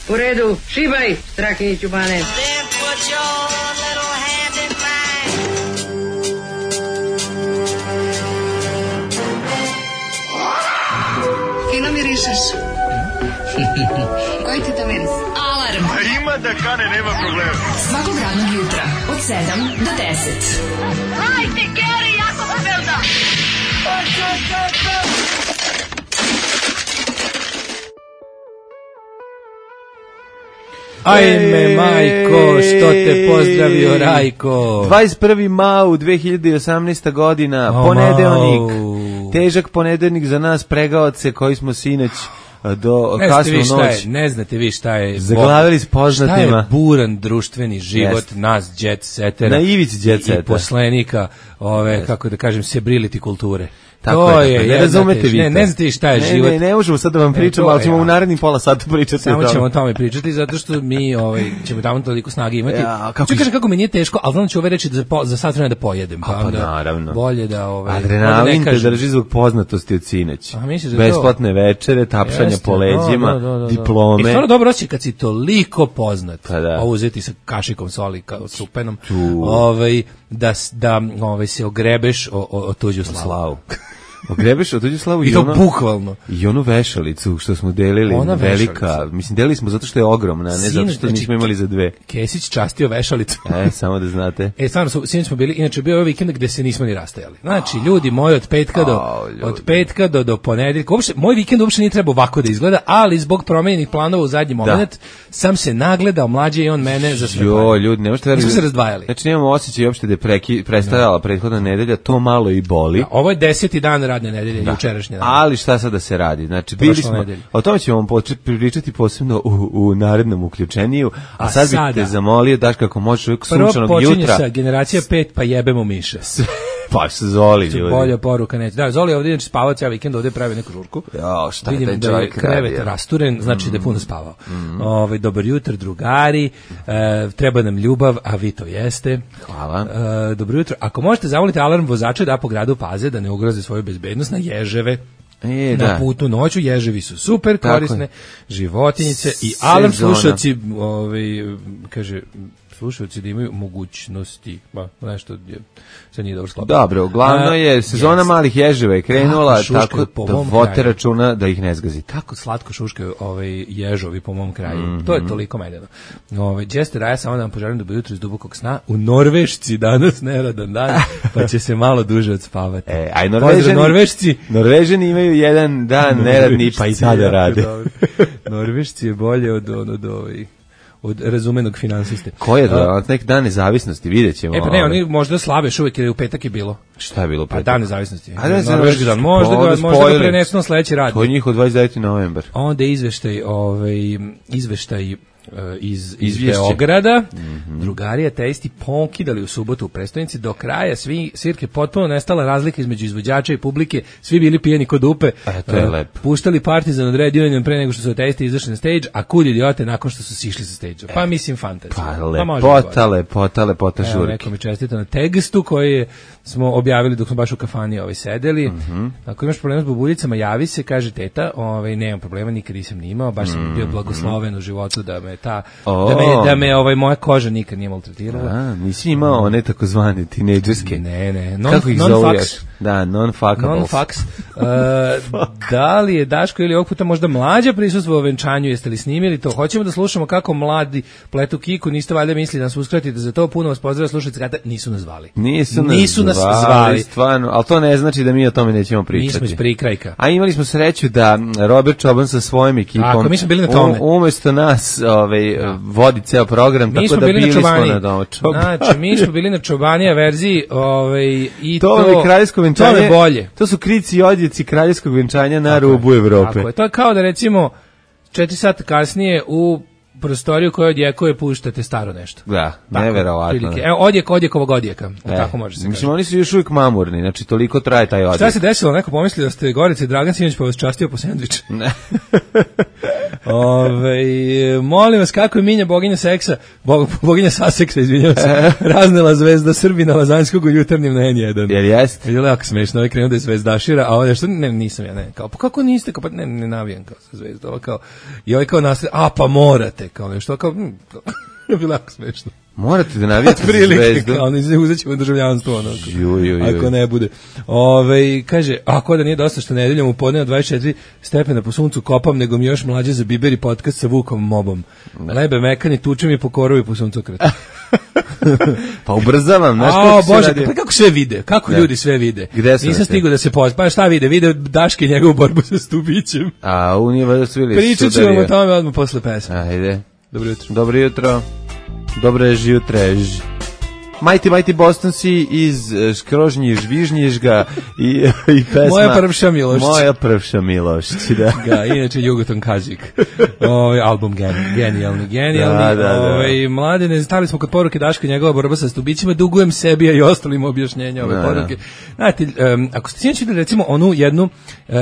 U redu, šibaj, Strakiniću Bane. Fino mirišeš. Koji ti to miris? Alarm. A ima da kane, nema problema. Svakog radnog jutra, od 7 do 10. Hajde, Geri, jako se velda. Ajme, majko, što te pozdravio, Rajko. 21. mau 2018. godina, ponedeljnik. Težak ponedeljnik za nas pregaoce koji smo sinoć do kasnu noć. Ne znate vi šta je. Zaglavili s poznatima. Šta je buran društveni život nas jet setera. Na ivici jet setera. I poslenika ove, kako da kažem, sebrili kulture. Tako to je, ne razumete vi. Ne znate vi šta je život. Ne možemo sad da vam pričamo, ali ćemo u narednim pola sata pričati. Samo ćemo o tome pričati, zato što mi ćemo tamo toliko snage imati. Ću kažem kako mi nije teško, ali znam ću ove reći za sat vremena da pojedem. Pa naravno. Bolje da... Adrenalin te drži zbog poznatosti od sinoć. Besplatne večere, tapšanja po leđima, diplome. I stvarno dobro osjećaj kad si toliko poznat, pa uzeti sa kašikom soli, s upenom, da se ogrebeš o tuđu slavu. Ogrebeš od tuđu slavu i to bukvalno. I onu vešalicu što smo delili, velika, mislim delili smo zato što je ogromna, ne zato što nismo imali za dve. Kesić častio vešalicu. Samo da znate. Stvarno, sinoć smo bili, inače bio je vikend gde se nismo ni rastajali. Znači, ljudi moji od petka do ponedeljka, moj vikend uopšte nije trebao ovako da izgleda, ali zbog promenjenih planova u zadnji moment sam se nagledao, mlađe i on mene za sve. Ljudi, ne možete verovati. Nismo se razdvajali. Znači, nemamo osjećaj uopšte da je prestajala prethodna nedelja, to malo i boli. Ovo je 10. dan radne nedelje, jučerašnje. Ali šta sad da se radi? Znači, bili smo, o tome ćemo vam pričati posebno u narednom uključeniju, a sad bih te zamolio, daš kako možeš uvijek sunčanog jutra. Prvo počinje sa generacija 5, pa jebemo miše. Pa se Zoli, ljudi. Bolja poruka neće. Da, Zoli ovdje inače spavao cijel vikend, ovdje pravi neku žurku. Šta je taj čovjek radio? Krevet rasturen, znači da je puno spavao. Dobar jutro, drugari, treba nam ljubav, a vi to jeste. Hvala. Dobro jutro. Ako možete zamoliti alarm vozača da po gradu paze, da ne ugroze svoju bezbednost na ježeve. Na putu noću, ježevi su super korisne, životinjice i alarm slušalci, kaže... slušalci da imaju mogućnosti, nešto se nije dobro sklopilo. Dobro, uglavnom je sezona malih ježeva je krenula, tako da vodite računa da ih ne zgazi. Kako slatko šuškaju ježovi po mom kraju. To je toliko medeno. Jester, a ja samo da vam poželim dobro jutro iz dubokog sna. U Norvešci danas neradan dan, pa će se malo duže odspavati. Aj Norvežani imaju jedan dan neradni, pa i tada rade. Norvešci je bolje od razumenog finansiste. Ko je to? Nek dan nezavisnosti, vidjet ćemo. Pa ne, oni možda slave uvijek jer u petak je bilo. Šta je bilo petak? Dan nezavisnosti. Norveški dan. Možda ga prenesu na sledeći rad. To je njihov 29. novembar. Onda je izveštaj iz Beograda. Drugari ateisti pokidali u subotu u prestonici. Do kraja svirke potpuno nestala razlika između izvođača i publike. Svi bili pijeni kod dupe. To je lepo. Puštali Partizan od Red Union pre nego što su ateisti izašli na stage, a kud idiote nakon što su sišli sa stage. Pa mislim fantazija. Pa lepota žurke. Neko mi čestita na tekstu koji smo objavili dok smo baš u kafani sedeli. Ako imaš problema s bubuljicama, javi se, kaže teta. Nemam problema, nikad nisam ni imao. Baš sam bio blagosloven u životu da me moja koža nikad nije maltretirala. Nisi imao one takozvane tinejdžerske. Ne. Kako ih zoveš? Da, non-fuckables. Non-fucks. Da li je Daško ili ovog puta možda Mlađa prisustvo u venčanju? Jeste li snimili to? Hoćemo da slušamo kako mladi pletu kiku. Niste valjda mislili da nas uskratite za to. Puno vas pozdrava slušalice kada nisu nas zvali. Nisu nas zvali. Stvarno, ali to ne znači da mi o tome nećemo pričati. Mi smo iz prikrajka. A imali smo sreću da Robert Čoban sa svojim ekipom mi smo bili na tome. Umjesto nas vodi ceo program, tako da bili smo na Čobani. Znači, mi smo bili na Čobanija verziji i to je kraljevsko venčanje. To je bolje. To su krici i odjeci kraljevskog venčanja na rubu Evrope. Tako je. To je kao da recimo 4 sata kasnije u prostoriju koja odjekuje puštate staro nešto. Da, neverovatno. Evo, odjek ovog odjeka. Tako može se mislim, oni su još uvijek mamurni, znači toliko traje taj odjek. Šta se desilo? Neko pomisli da ste Gorica i Dragan Sinoć pa vas častio po sendvič. Ne. Molim vas, kako je Minja boginja seksa, boginja saseksa, izvinjavam se, raznela zvezda Srbina Lazanjskog u Jutarnjem na N1. Jel jest? Je jako smešno, ovaj krenuo da je zvezdašira, a ovdje što, ne, nisam ja, ne, kao, pa kako niste, kao, pa ne navijam kao sa zvezda, ovo kao, i ovaj kao nastavlja, pa morate, kao nešto, kao, je bilo jako smešno. Morate da navijate zvezdu. Kao, uzet ćemo državljanstvo, ono, ako ne bude. Kaže, ako da nije dosta što nedeljom u podne 24 stepena po suncu kopam, nego mi još mlađe za Biberi podcast sa Vukom Mobom. Lebe mekani, tuče mi po korovi po suncokretu. Pa ubrzavam, znaš kako se radi. Pa kako sve vide, kako ljudi sve vide. Gde sam? Nisam stigao da se pa šta vide Daške njegovu borbu sa Stubićem. A u njima da su bili pričat ćemo o tome odmah posle pesme. Ajde. Dobro jutro. Dobro jutro. Dobre jutre. Mighty Boston si iz Škrožnji Žvižnjižga i pesma Moja prvša milošć. Moja prvša milošć, da. Ga, inače Jugoton Kazik. Album genijalni. Da. Mladene, stali smo kod poruke Daška njegova borba sa Stubićima, dugujem sebi i ostalim objašnjenja ove poruke. Znate, ako ste sinoć videli recimo onu jednu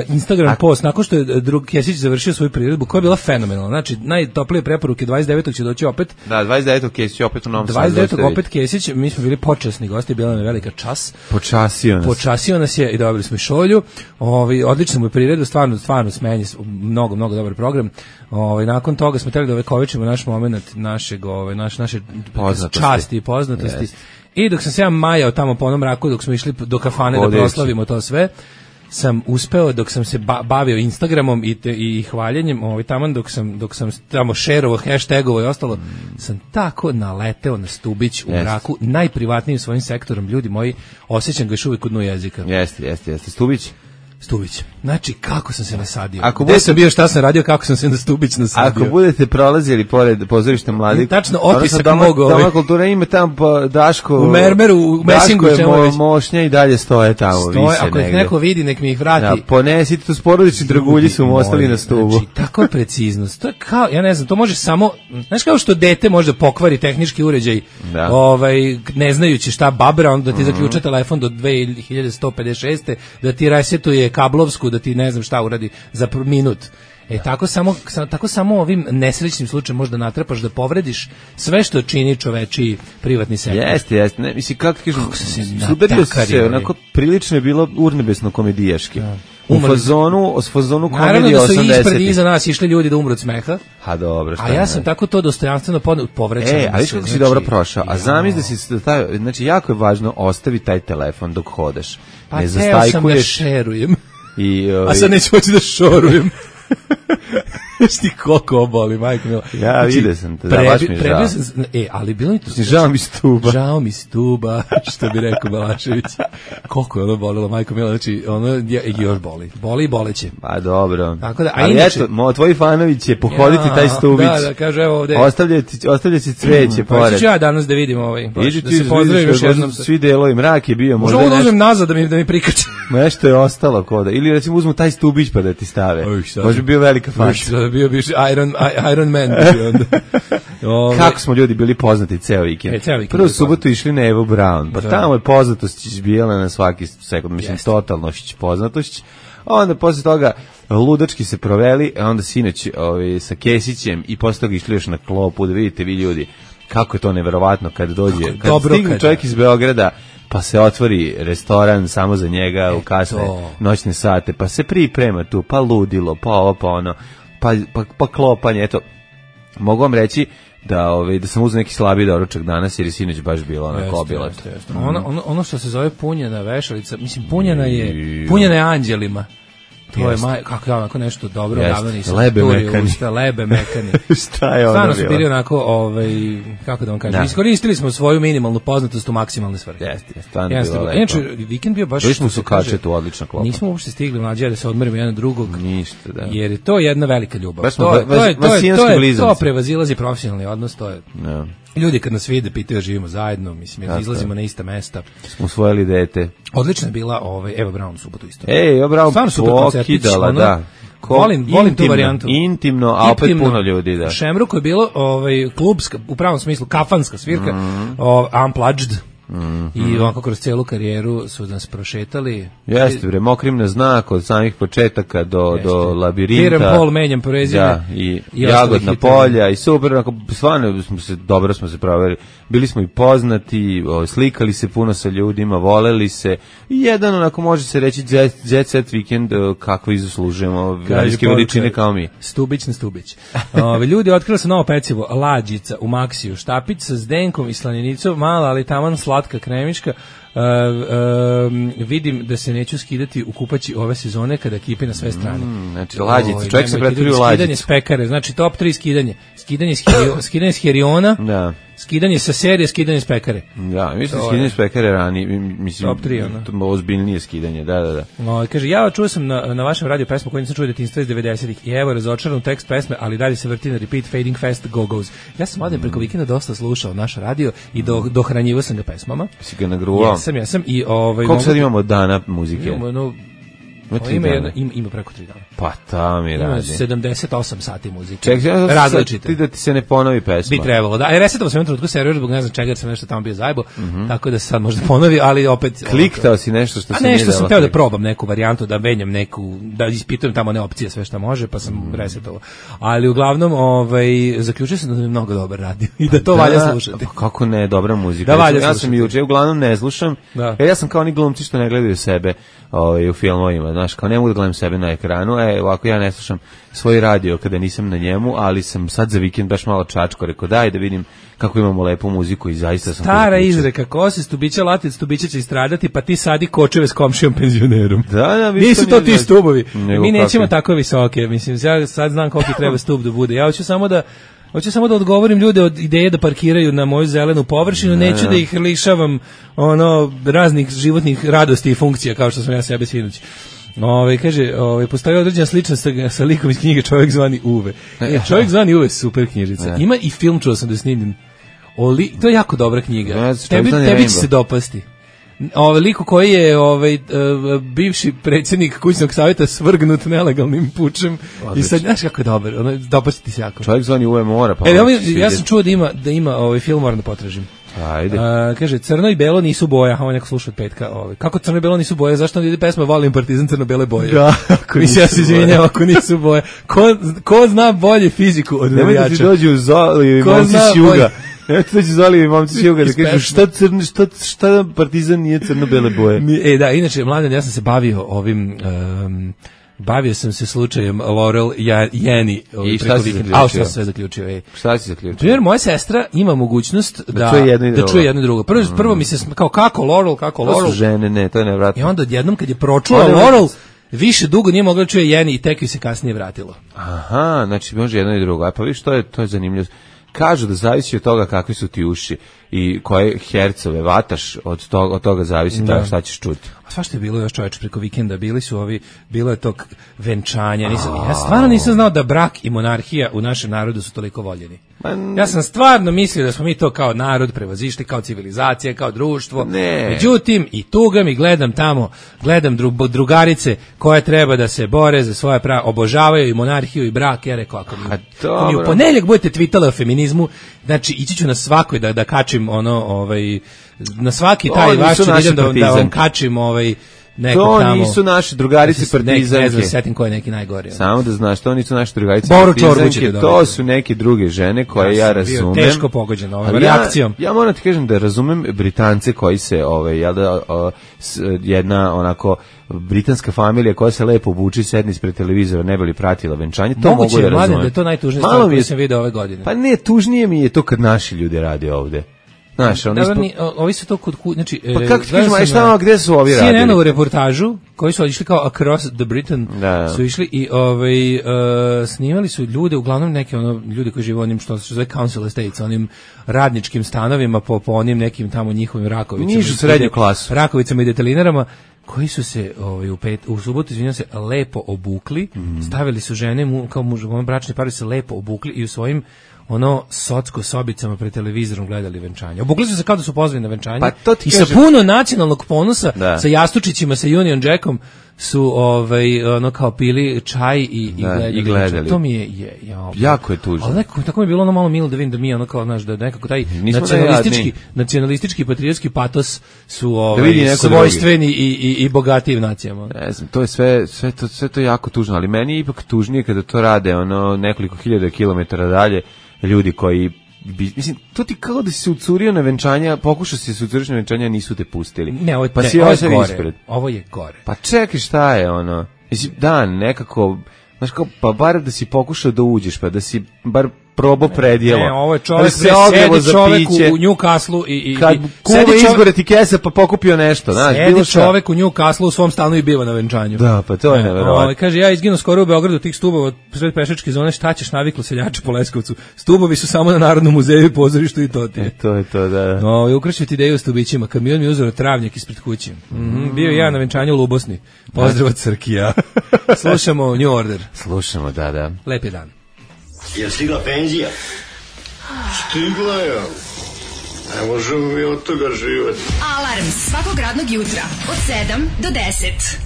Instagram post, nakon što je drug Kesić završio svoju priredbu, koja je bila fenomenalna. Znači, najtoplije preporuke 29. će doći opet. Da, 29. Kesić opet u Novom Sadu. 29. opet Kesić, mi smo bili počasni gosti, bila nam je velika čas. Počasio nas je i dobili smo i šolju. Odlično mu je priredu, stvarno smenji, mnogo dobar program. Nakon toga smo trebali da ovekovečimo naš moment naše časti i poznatosti. Yes. I dok sam se ja majao tamo po onom mraku, dok smo išli do kafane da proslavimo to sve, sam uspeo, dok sam se bavio Instagramom i hvaljenjem, taman dok sam tamo šerovo, hashtagovo i ostalo, sam tako naleteo na Stubić u mraku, najprivatnijim svojim sektorom, ljudi moji, osjećam ga još uvijek u dnu jezika. Jeste. Stubić. Znači, kako sam se nasadio. Gde sam bio, šta sam radio, kako sam se na Stubić nasadio. Ako budete prolazili pored pozorišta mladih, tačno otisak mogu. Doma kultura ima tamo Daško. U Mermeru, u Mesingu. Daško je mošnja i dalje stoje tamo. Ako ih neko vidi, nek mi ih vrati. Ja, ponesite to s porodični dragulji su mu ostali na stubu. Znači, tako je preciznost. To je kao, ja ne znam, to može samo, znaš kao što dete može pokvari tehnički uređaj, ne znajući šta babra, onda ti zaključa telefon do 2156. da ti resetuje kablovsku, da ti ne znam šta uradi za minut. Tako samo ovim nesrećnim slučajem možda natrapaš da povrediš sve što čini čovečiji privatni sektor. Jeste. Ne, mislim, kako kažem, sudario se, onako prilično je bilo urnebesno komedijaški. U fazonu komedije 80. Naravno da su ispred iza nas išli ljudi da umru od smeha. Ha, dobro, šta. A ja sam tako to dostojanstveno povrećao. A viš kako si dobro prošao. A zamisli da si znači jako je važno ostavi taj telefon dok hodeš. Pa teo sam da šerujem. A sad neću moći da šorujem. Ti koliko oboli, majko mila. Ja vidio sam te, da, baš mi je žao. Ali bilo mi to... Žao mi stuba, što bi rekao Balašević. Koliko je ono bolilo, majko mila, znači, ono još boli. Boli i boleće. Pa dobro. Tako da, ali inače, tvoji fanovi će pohoditi taj stubić. Da, kaže, evo ovde. Ostavljati cveće pored. Pa ću ja danas da vidim da se pozdravim još jednom. Svi delovi, mrak je bio. Možda uzmem nazad da mi prikače. Nešto je ostalo koda. Ili recimo uzmu taj stubić pa da ti stave. Može bio velika faša. Bio Iron Man. Kako smo ljudi bili poznati ceo vikend. Prvu subotu išli na Evo Brown. Pa tamo je poznatost bila na svaki sekund. Mislim, totalno poznatošć. Onda posle toga ludački se proveli, a onda sinoć sa Kesićem i posle toga išli još na klopu, da vidite vi ljudi kako je to neverovatno kad dođe. Kad stigne čovjek iz Beograda, pa se otvori restoran samo za njega u kasne noćne sate, pa se priprema tu, pa ludilo, pa ovo, pa ono, pa klopanje, eto. Mogu vam reći da sam uzeo neki slabiji doručak danas jer je sinoć baš bilo onako obilato. Ono što se zove punjena vešalica, mislim punjena je anđelima. To je kako onako nešto dobro, davno nisam. Lebe mekani. Šta je ono? Stvarno su bili onako, kako da vam kažem, iskoristili smo svoju minimalnu poznatost u maksimalne svrhe. Jeste, stvarno je bilo lepo. Inače, vikend bio baš... Bili smo su kačetu, odlična klopa. Nismo uopšte stigli mlađe da se odmorimo jedan drugog. Ništa, da. Jer je to jedna velika ljubav. To prevazilazi profesionalni odnos, to je... Ljudi kad nas vide pitaju živimo zajedno, mislim, jer izlazimo na ista mesta. Smo usvojili dete. Odlična je bila Eva Braun u subotu isto. Eva Braun pokidala, da. Volim tu varijantu. Intimno, a opet puno ljudi, da. U Šemruku je bilo klubska, u pravom smislu, kafanska svirka, Unplugged. I ovako kroz celu karijeru su nas prošetali. Jeste, bre, Mokrim na znak od samih početaka do Labirinta. Piram Pol, menjam prezime. Da, i Jagodna polja i super, onako, stvarno dobro smo se proveli. Bili smo i poznati, slikali se puno sa ljudima, voleli se. I jedan, onako, može se reći jet set vikend kako izaslužujemo radijske veličine kao mi. Stubić na Stubić. Ljudi, otkrili se novo pecivo, Lađica u Maksiju, štapić sa zdenkom i slaninicom, mala, ali taman slatka kremiška. Vidim da se neću skidati u kupaći ove sezone kada kipi na sve strane. Znači Lađica, čovjek se pretvori u Lađicu. Skidanje s pekare, znači top 3 skidanje. Skidanje s Heriona, da. Skidanje sa serije, skidanje s pekare. Da, mislim skidanje s pekare rani, mislim top 3, to ozbiljnije skidanje, da. Kaže, ja čuo sam na vašem radio pesmu koju nisam čuo detinjstva iz 90-ih i evo razočaran tekst pesme, ali dalje se vrti na repeat, fading fast, go-goes. Ja sam ovdje preko vikenda dosta slušao naš radio i dohranjivao sam ga pesmama. Si ga nagruvao? Jesam i koliko sad imamo dana muzike? Ima preko 3 dana. Pa ta mi radi. 78 sati muzike. Čekaj, različite. Da ti se ne ponovi pesma. Bi trebalo, da. Resetao sam u trenutku server, zbog ne znam čega, sam nešto tamo bio zajebo, tako da se sad možda ponovi, ali opet... Kliktao si nešto što se nije dalo. Nešto sam teo da probam neku varijantu, da menjam neku, da ispitujem tamo one opcije, sve što može, pa sam resetovao. Ali uglavnom, zaključio sam da je mnogo dobar radio i da to valja slušati. Kako ne, dobra muzika. Da valja ja sam juče, uglavnom ne slušam, jer ja sam kao oni glumci što ne gledaju sebe u filmovima, znaš, kao ne mogu da gledam sebe na ekranu, ovako ja ne slušam svoj radio kada nisam na njemu, ali sam sad za vikend baš malo čačko, rekao daj da vidim kako imamo lepu muziku i zaista sam... Stara izreka, ko se stubića latec, stubića će istradati, pa ti sadi kočeve s komšijom penzionerom. Da, nisu to ti stubovi. Mi nećemo tako visoke, mislim, ja sad znam koliko treba stup da bude. Ja hoću samo da odgovorim ljude od ideje da parkiraju na moju zelenu površinu, neću da ih lišavam raznih životnih radosti i funkcija, kao što sam ja sebe svinući. Kaže, postoji određena sličnost sa likom iz knjige Čovjek zvani Uve. Čovjek zvani Uve, super knjižica. Ima i film, čuo sam da je snimljen. To je jako dobra knjiga. Tebi će se dopasti. Liku koji je bivši predsjednik kućnog savjeta svrgnut nelegalnim pučem. I sad, znaš kako je dobar, dopasti ti se jako. Čovjek zvani Uve mora. Ja sam čuo da ima film, moram da potražim. Ajde. Kaže, crno i belo nisu boja, ovo neko sluša od petka. Kako crno i belo nisu boje? Zašto ide pesma Volim Partizan crno-bele boje? Da, ja se izvinjam ako nisu boje. Ko zna bolje fiziku od navijača? Nemoj da ti dođu Zoli i momci s juga. Nemoj da ti dođu Zoli i momci s juga da kažu šta Partizan nije crno-bele boje. Da, inače, mladen, ja sam se bavio sam se slučajem Laurel Jeni. I šta si zaključio? A što sam sve zaključio? Šta si zaključio? Primjer, moja sestra ima mogućnost da čuje jedno i drugo. Prvo mi se kako Laurel. To su žene, ne, to je nevratno. I onda odjednom kad je pročula Laurel, više dugo nije mogla da čuje Jeni i tek ju se kasnije vratilo. Aha, znači može jedno i drugo. A pa viš, to je zanimljivo. Kažu da zavisi od toga kakvi su ti uši i koje hercove vataš, od toga zavisi tako šta ćeš čuti. A svašta je bilo još, čoveče, preko vikenda, bilo je tog venčanja. Ja stvarno nisam znao da brak i monarhija u našem narodu su toliko voljeni. Ja sam stvarno mislio da smo mi to kao narod prevazišli, kao civilizacija, kao društvo. Međutim, i tuga mi gledam drugarice koje treba da se bore za svoje prava, obožavaju i monarhiju i brak. Ja rekao, ako mi u ponedjeljak budete tvitali o feminizmu, znači ići ću na svakoj da kačim na svaki taj vaš idem da vam kačim neko to tamo. Nisu naše drugarice partizanke. Ne znam, setim ko je neki najgori. Samo da znaš, to nisu naše drugarice partizanke, to su neke druge žene koje ja razumem. Teško pogođen reakcijom. Ja moram ti kažem da razumem Britance koji se, jedna onako britanska familija koja se lepo obuči, sedni ispred televizora, ne bi li pratila venčanje, to mogu da razumem. Moguće je, da je to najtužnije stvar koju sam vidio ove godine. Pa ne, tužnije mi je to kad naši ljudi rade ovde. Znaš, ovi su to kod znači pa kako ti kažemo, šta gde su ovi radili? CNN-u reportažu koji su išli kao Across the Britain, su išli i snimali su ljude, uglavnom neke ljudi koji žive onim što se zove council estates, onim radničkim stanovima po onim nekim tamo njihovim Rakovicama. Nižu srednju klasu. Rakovicama i detelinarama koji su se u subotu, izvinjam se, lepo obukli, stavili su žene, kao bračni pari se lepo obukli i u svojim ono socko sobicama pred televizorom gledali venčanje. Obukli su se kao da su pozvani na venčanje. Pa to i sa puno nacionalnog ponosa, sa jastučićima, sa Union Jackom su ono kao pili čaj i gledali. To mi je jako je tužno. Ali nekako tako mi je bilo ono malo milo da vidim da mi ono kao znaš da nekako taj nacionalistički patriotski patos su svojstveni i bogatiji nacijama. Ne znam, to je sve to jako tužno, ali meni je ipak tužnije kada to rade ono nekoliko hiljada kilometara dalje ljudi koji mislim, to ti kao da si se ucurio na venčanja, pokušao si se ucuriš na venčanja, nisu te pustili. Ne, ovo je gore. Pa čekaj, šta je ono? Mislim, nekako, znaš kao, pa bar da si pokušao da uđeš, pa da si bar probao predjelo. Ne, ovo je čovjek, sedi čovjek u Newcastle i kad kume izgore ti kesa pa pokupio nešto, znaš, bilo šta. Čovjek u Newcastle u svom stanu i biva na venčanju. Da, pa to je neverovatno. Kaže, ja izginu skoro u Beogradu tih stubova sred pešačke zone, šta ćeš, naviklo seljače po Leskovcu. Stubovi su samo na Narodnom muzeju i pozorištu i to ti je. To je to, da. Ukrašio ti ideju o stubićima, kamion mi uzeo travnjak ispred kuće. Bio ja na venčanju u Lubosni. Pozdrav od Crkija. Slušamo New Order. Slušamo, da. Lep je dan. Je stigla penzija? Stigla je. Ne možemo mi od toga živjeti. Alarm svakog radnog jutra od 7 do 10.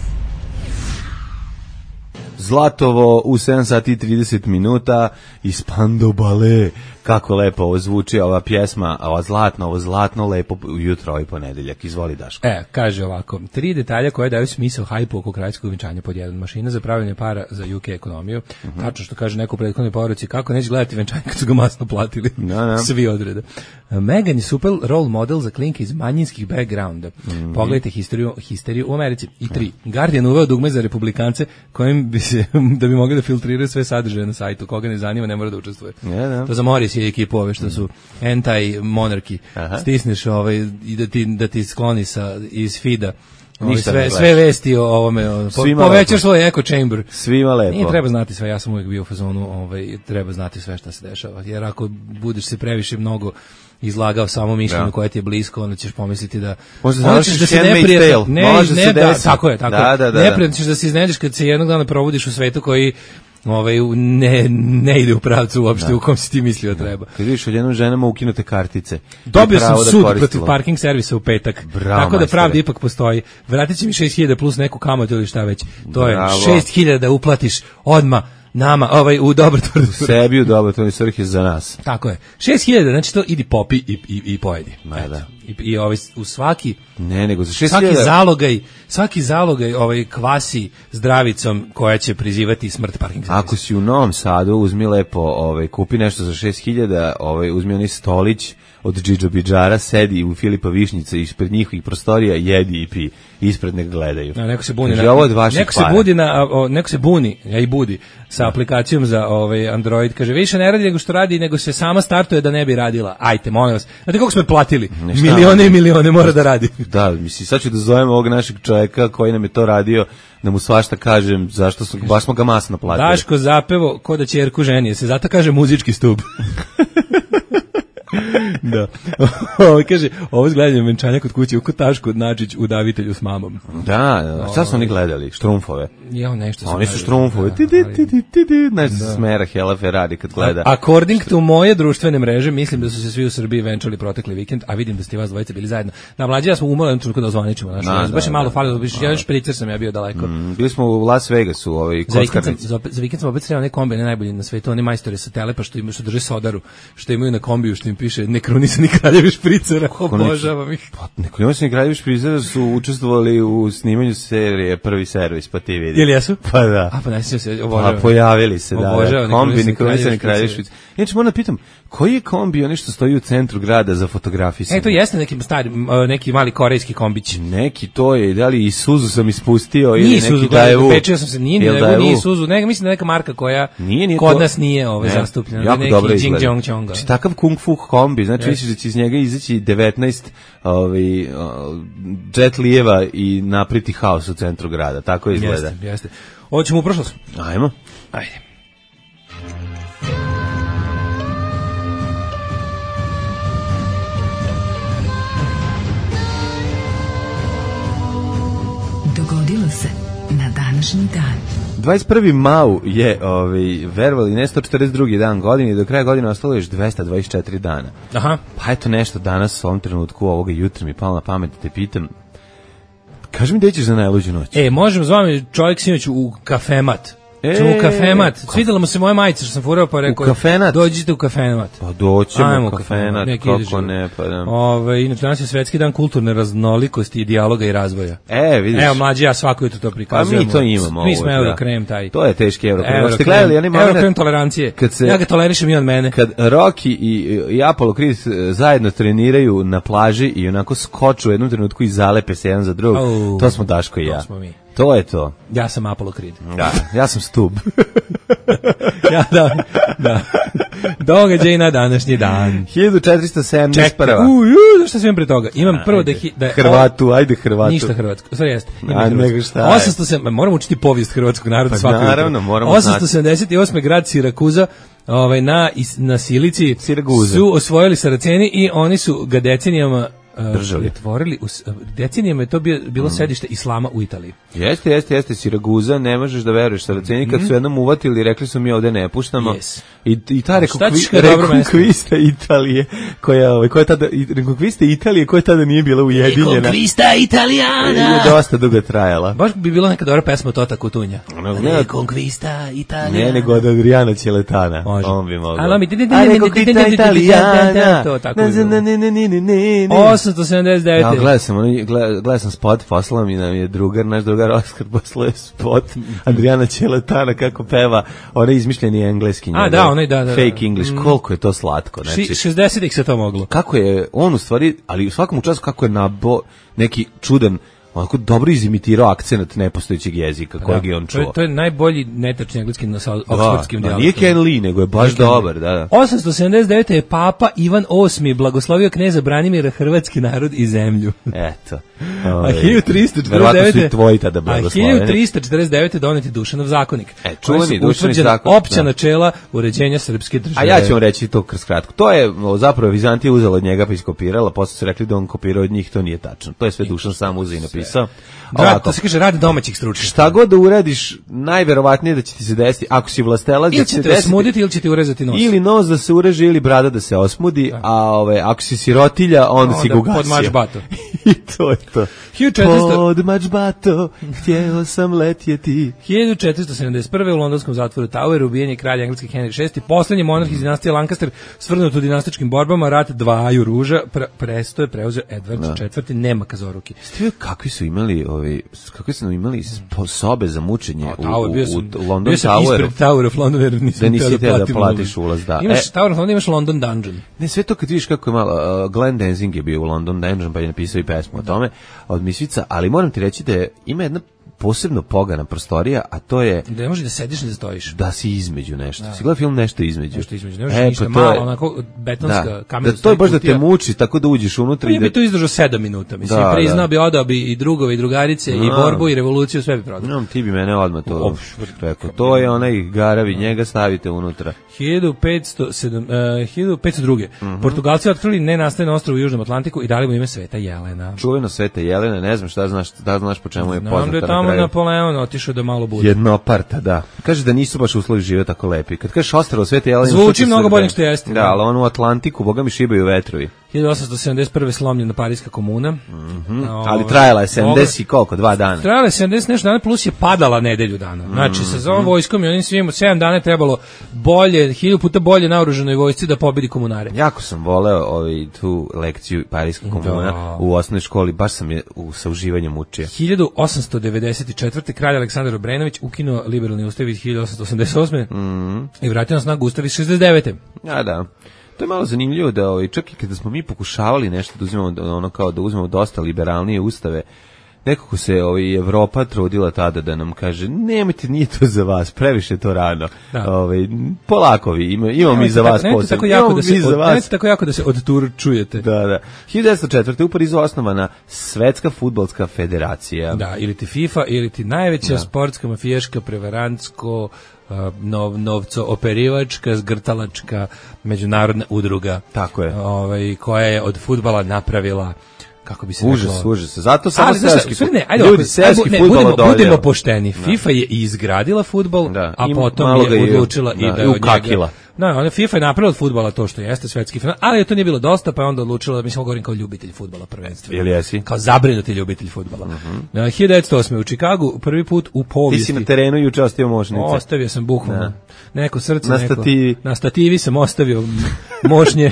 Zlatovo u 7 sati i 30 minuta iz Spandau Ballet. Kako lepo ovo zvuči, ova pjesma, ovo zlatno lepo jutro, ovaj ponedeljak. Izvoli, Daško. Kaže ovako, 3 detalja koje daju smisao hajpu oko kraljevskog venčanja. Pod 1, mašina za pravljanje para za UK ekonomiju. Tačno što kaže neko u prethodnoj poruci, kako neće gledati venčanje kad su ga masno platili. Svi odreda. Meghan je super role model za klinke iz manjinskih backgrounda. Pogledajte histeriju u Americi. I 3, Guardian uveo dugme za republikance kojim bi se, da bi mogli da filtriraju sve sadržaje na sajtu. Koga ne zanima, ne mora da učestvuje. To za Morris je ekipu ove što su anti-monarki. Stisneš i da ti skloni iz feeda sve vesti o ovome. Povećaš svoj echo chamber. Svima lepo. Nije treba znati sve, ja sam uvijek bio u fazonu, treba znati sve šta se dešava. Jer ako budeš se previše mnogo izlagao samo mišljenju koje ti je blisko, onda ćeš pomisliti da možda se neprijatno. Tako je. Neprijatno ćeš da se iznenađeš kad se jednog dana probudiš u svetu koji ne ide u pravcu uopšte u kom si ti mislio treba. Kad vidiš odjednom ženama ukinute kartice. Dobio sam sud protiv parking servisa u petak. Tako da pravda ipak postoji. Vratit će mi 6.000 plus neku kamatu ili šta već. To je 6.000 da uplatiš odmah nama, u dobrotvorni svrh. Sebi u dobrotvorni svrh je za nas. Tako je. 6.000, znači to idi popi i pojedi. I u svaki nego za 6.000 svaki zalogaj kvasi zdravicom koja će prizivati smrt parking servisa. Ako si u Novom Sadu, uzmi lepo, kupi nešto za 6.000, uzmi onaj stolić od Džidžo Bidžara, sedi u Filipa Višnjica ispred njihovih prostorija, jedi i pi, ispred nek gledaju. Neko se buni, neko se buni, ja i budi, sa aplikacijom za Android, kaže, više ne radi nego što radi, nego se sama startuje da ne bi radila. Ajte, molim vas. Znate koliko smo platili? Milione i milione mora da radi. Da, mislim, sad ću da zovem ovog našeg čovjeka koji nam je to radio, da mu svašta kažem, zašto baš smo ga masno platili. Daško zapevo, ko da ćerku ženije, se zato kaže muzički stub. Da. Kaže, ovo izgledanje venčanja kod kuće u Kotašku Načić u davitelju s mamom. Da, šta su oni gledali? Štrumfove? Nešto su oni su štrumfove. Nešto se smera Hela Ferrari kad gleda. According to moje društvene mreže, mislim da su se svi u Srbiji venčali protekli vikend, a vidim da ste vas dvojice bili zajedno. Na mlađi ja smo umorali trenutku da ozvaničimo. Baš je malo falilo, ja špricer sam ja bio daleko. Bili smo u Las Vegasu, kockarnici. Za vikend smo opet sreli one kombi, najbolji na svetu, oni majstori sa Telepa što drže sodaru, što imaju na kombiju, što im piše nekronisani kraljevi špricera, obožavam ih. Nekronisani kraljevi špricera su učestvovali u snimanju serije Prvi servis, pa ti vidi. Ili jesu? Pa da. Pa najsjećam se, obožavam. Pa pojavili se, da. Kombi nekronisani kraljevi špricera. Inače, moram da pitam, koji je kombi onaj što stoji u centru grada za fotografisanje? To jeste neki mali korejski kombić. Neki to je, da li Isuzu sam ispustio ili neki Daewoo? Pečio sam se, nije Isuzu, mislim da neka marka koja kod nas nije zastupljena. Jako dobro izgleda. Znači, takav kung fu kombi, znači misliš da će iz njega izaći 19 jet lijeva i napriti haos u centru grada, tako izgleda. Jeste. Hoćemo u prošlost? Ajmo. Ajde. Dogodilo se na današnji dan. 21. mau je, verovali, ne 142. dan godine i do kraja godine ostalo još 224 dana. Aha. Pa eto nešto danas u ovom trenutku, ovoga jutra mi palo na pamet da te pitam, kaži mi gde ćeš za najluđu noć? Možemo s vami čovjek sinoć u kafemat. U kafemat. Svidjela mu se moja majica što sam furao, pa rekao, dođite u kafemat. Pa doćemo u kafemat, kako ne, pa da. Inače, danas je svetski dan kulturne raznolikosti i dijaloga i razvoja. Vidiš. Evo, mlađi, ja svako jutro to prikazujemo. Pa mi to imamo. Mi smo Eurokrem taj. To je teški Eurokrem. Ste gledali, Eurokrem tolerancije. Ja ga tolerišem i on mene. Kad Rocky i Apollo Creed zajedno treniraju na plaži i onako skoču u jednom trenutku i zalepe se jedan za drugog, to smo Daško i ja. To smo mi. To je to. Ja sam Apollo Creed. Da, ja sam Stub. Da. Događaj na današnji dan. 1471. Čekaj, zašto sam pre toga? Imam prvo da Hrvatu, ajde Hrvatu. Ništa hrvatsko, sve jeste. Nego šta je? Moram učiti povijest hrvatskog naroda svako jutro. Naravno, moramo znati. 878. grad Sirakuza na Silici su osvojili Saraceni i oni su ga decenijama pretvorili, decenijama je to bilo sedište islama u Italiji. Jeste, Siraguza, ne možeš da veruješ, Saraceni kad su jednom uvatili i rekli su mi ovde ne puštamo. I ta rekonkvista Italije, koja tada nije bila ujedinjena. Rekonkvista Italijana! Je dosta dugo trajala. Baš bi bila neka dobra pesma Tota Kutunja. Rekonkvista Italijana. Ne, nego od Adriana Ćeletana. On bi mogao. Rekonkvista Italijana. To tako je. 879. Gledao sam spot, poslao mi nam je naš drugar Oskar poslao je spot Adriana Ćeletana kako peva onaj izmišljeni engleski fake English, koliko je to slatko. Znači, 60-ih se to moglo. Kako je on u stvari, ali u svakom času kako je neki čudan, onako dobro izimitirao akcent nepostojećeg jezika kojeg je on čuo. To je najbolji netačni engleski na oksfordskim dijalektom. Nije Ken Lee, nego je baš dobar. 879. je Papa Ivan VIII blagoslovio kneza Branimira hrvatski narod i zemlju. Eto. A 1349. Verovatno su i tvoji tada blagosloveni. 1349. doneti Dušanov zakonik. Čuveni Dušanov zakon. Opća načela uređenja srpske države. A ja ću vam reći to kroz kratko. To je zapravo Vizantija uzela od njega pa iskopirala, posle su rekli da on kopirao od njih, to nije tačno. To je sve Dušan sam uzeo i napisao. To se kaže rad domaćih stručnjaka. Šta god da uradiš, najverovatnije da će ti se desiti, ako si vlastelac, ili će te osmuditi ili će ti urezati nos. Ili nos da se ureže ili brada da se osmudi, a ako si sirotilja, onda si ga ugasio. Pod mačbato. I to je to. Pod mačbato, htjeo sam letjeti. 1471. u londonskom zatvoru Tower ubijen je kralj engleski Henry VI, poslednji monarh iz dinastije Lancaster, svrnut u dinastičkim borbama, rat dvaju ruža, presto je preuzeo Edward IV, nema kazoruki. Ste kakvi su imali sobe za mučenje u London Toweru. Ispred Tower of London, jer nisi teo da platiš ulaz. Imaš Tower of London, imaš London Dungeon. Ne, sve to kad vidiš kako je malo, Glenn Danzig je bio u London Dungeon, pa je napisao i pesmu o tome od Misvica, ali moram ti reći da ima jedna posebno pogana prostorija, a to je... Da ne možeš da sediš ni da stojiš. Da si između nešto. Si gledao film Nešto između? Nešto između, ne možeš ništa, malo, onako betonska kamena. To je baš da te muči, tako da uđeš unutra. Ja bi to izdržao 7 minuta, mislim. Priznao bi, odao bi i drugove i drugarice, i borbu i revoluciju, sve bi prodao. Ti bi mene odmah to rekao. To je onaj garavi, njega stavite unutra. 1502. Portugalci otkrili nenastajan ostrvo u Južnom Atlantiku i dali mu ime Sveta Jelena. Čuveno Sveta Jelena, ne znam šta znaš po čemu je poznata. Napoleon otišao da malo bude. Jednoparta, da. Kaže da nisu baš uslovi žive tako lepi. Kad kažeš ostrvo Svete Jelene... Zvuči mnogo bolje što jeste. Da, ali ono u Atlantiku, boga mi šibaju vetrovi. 1871. slomljena Pariska komuna. Ali trajala je 70 i koliko? 2 dana. Trajala je 70 nešto dana, plus je padala nedelju dana. Znači, sa ovom vojskom i onim svim 7 dana je trebalo bolje, 1000 puta bolje naoruženoj vojsci da pobedi komunare. Jako sam voleo tu lekciju Pariska komuna u osnovnoj školi, baš sam je sa uživanjem učio. 1894. kralj Aleksandar Obrenović ukinuo liberalni ustav iz 1888. I vratio na snagu ustav iz 69. Da. To je malo zanimljivo da čak i kada smo mi pokušavali nešto da uzmemo da uzmemo dosta liberalnije ustave, nekako se Evropa trudila tada da nam kaže nemojte, nije to za vas, previše to rano. Polako vi, imamo mi za vas posebno. Nemojte tako jako da se odturčujete. Da. 1904. u Parizu osnovana Svetska fudbalska federacija. Da, ili ti FIFA, ili ti najveća sportska, mafijaška, prevarantsko, novco-operivačka, zgrtalačka međunarodna udruga. Tako je. Koja je od fudbala napravila kako bi se užas. Zato samo seoski fudbal. Ljudi, seoski fudbal budemo pošteni. FIFA je izgradila fudbal, a potom je odlučila i da ukakila. Ona FIFA je napravila od fudbala to što jeste svetski final, ali to nije bilo dosta, pa je onda odlučila, mislim, govorim kao ljubitelj fudbala prvenstveno. Ili jesi? Kao zabrinuti ljubitelj fudbala. 1908. u Čikagu, prvi put u povijesti. Ti si na terenu juče ostavio mošnice. Ostavio sam bukvalno. Neko srce, na stativi sam ostavio mošnje.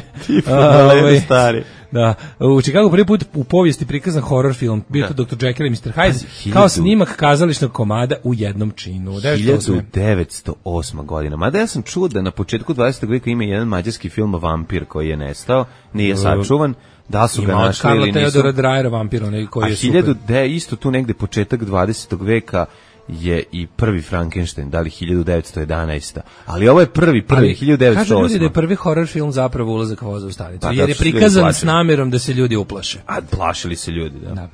Stari. Da, u Čikagu prvi put u povijesti prikazan horror film, bio to Dr. Jekyll i Mr. Hyde, kao snimak kazališnog komada u jednom činu. 1908. godina. Mada ja sam čuo da na početku 20. veka ima jedan mađarski film Vampir koji je nestao, nije sačuvan. Da su ga našli ili nisu. Ima od Teodora Drajera Vampir, onaj koji je super. Isto tu negde početak 20. veka je i prvi Frankenstein, da li 1911. Ali ovo je prvi 1908. Kažu ljudi da je prvi horror film zapravo Ulazak voza u stanicu, jer je prikazan s namjerom da se ljudi uplaše. A plašili se ljudi, da.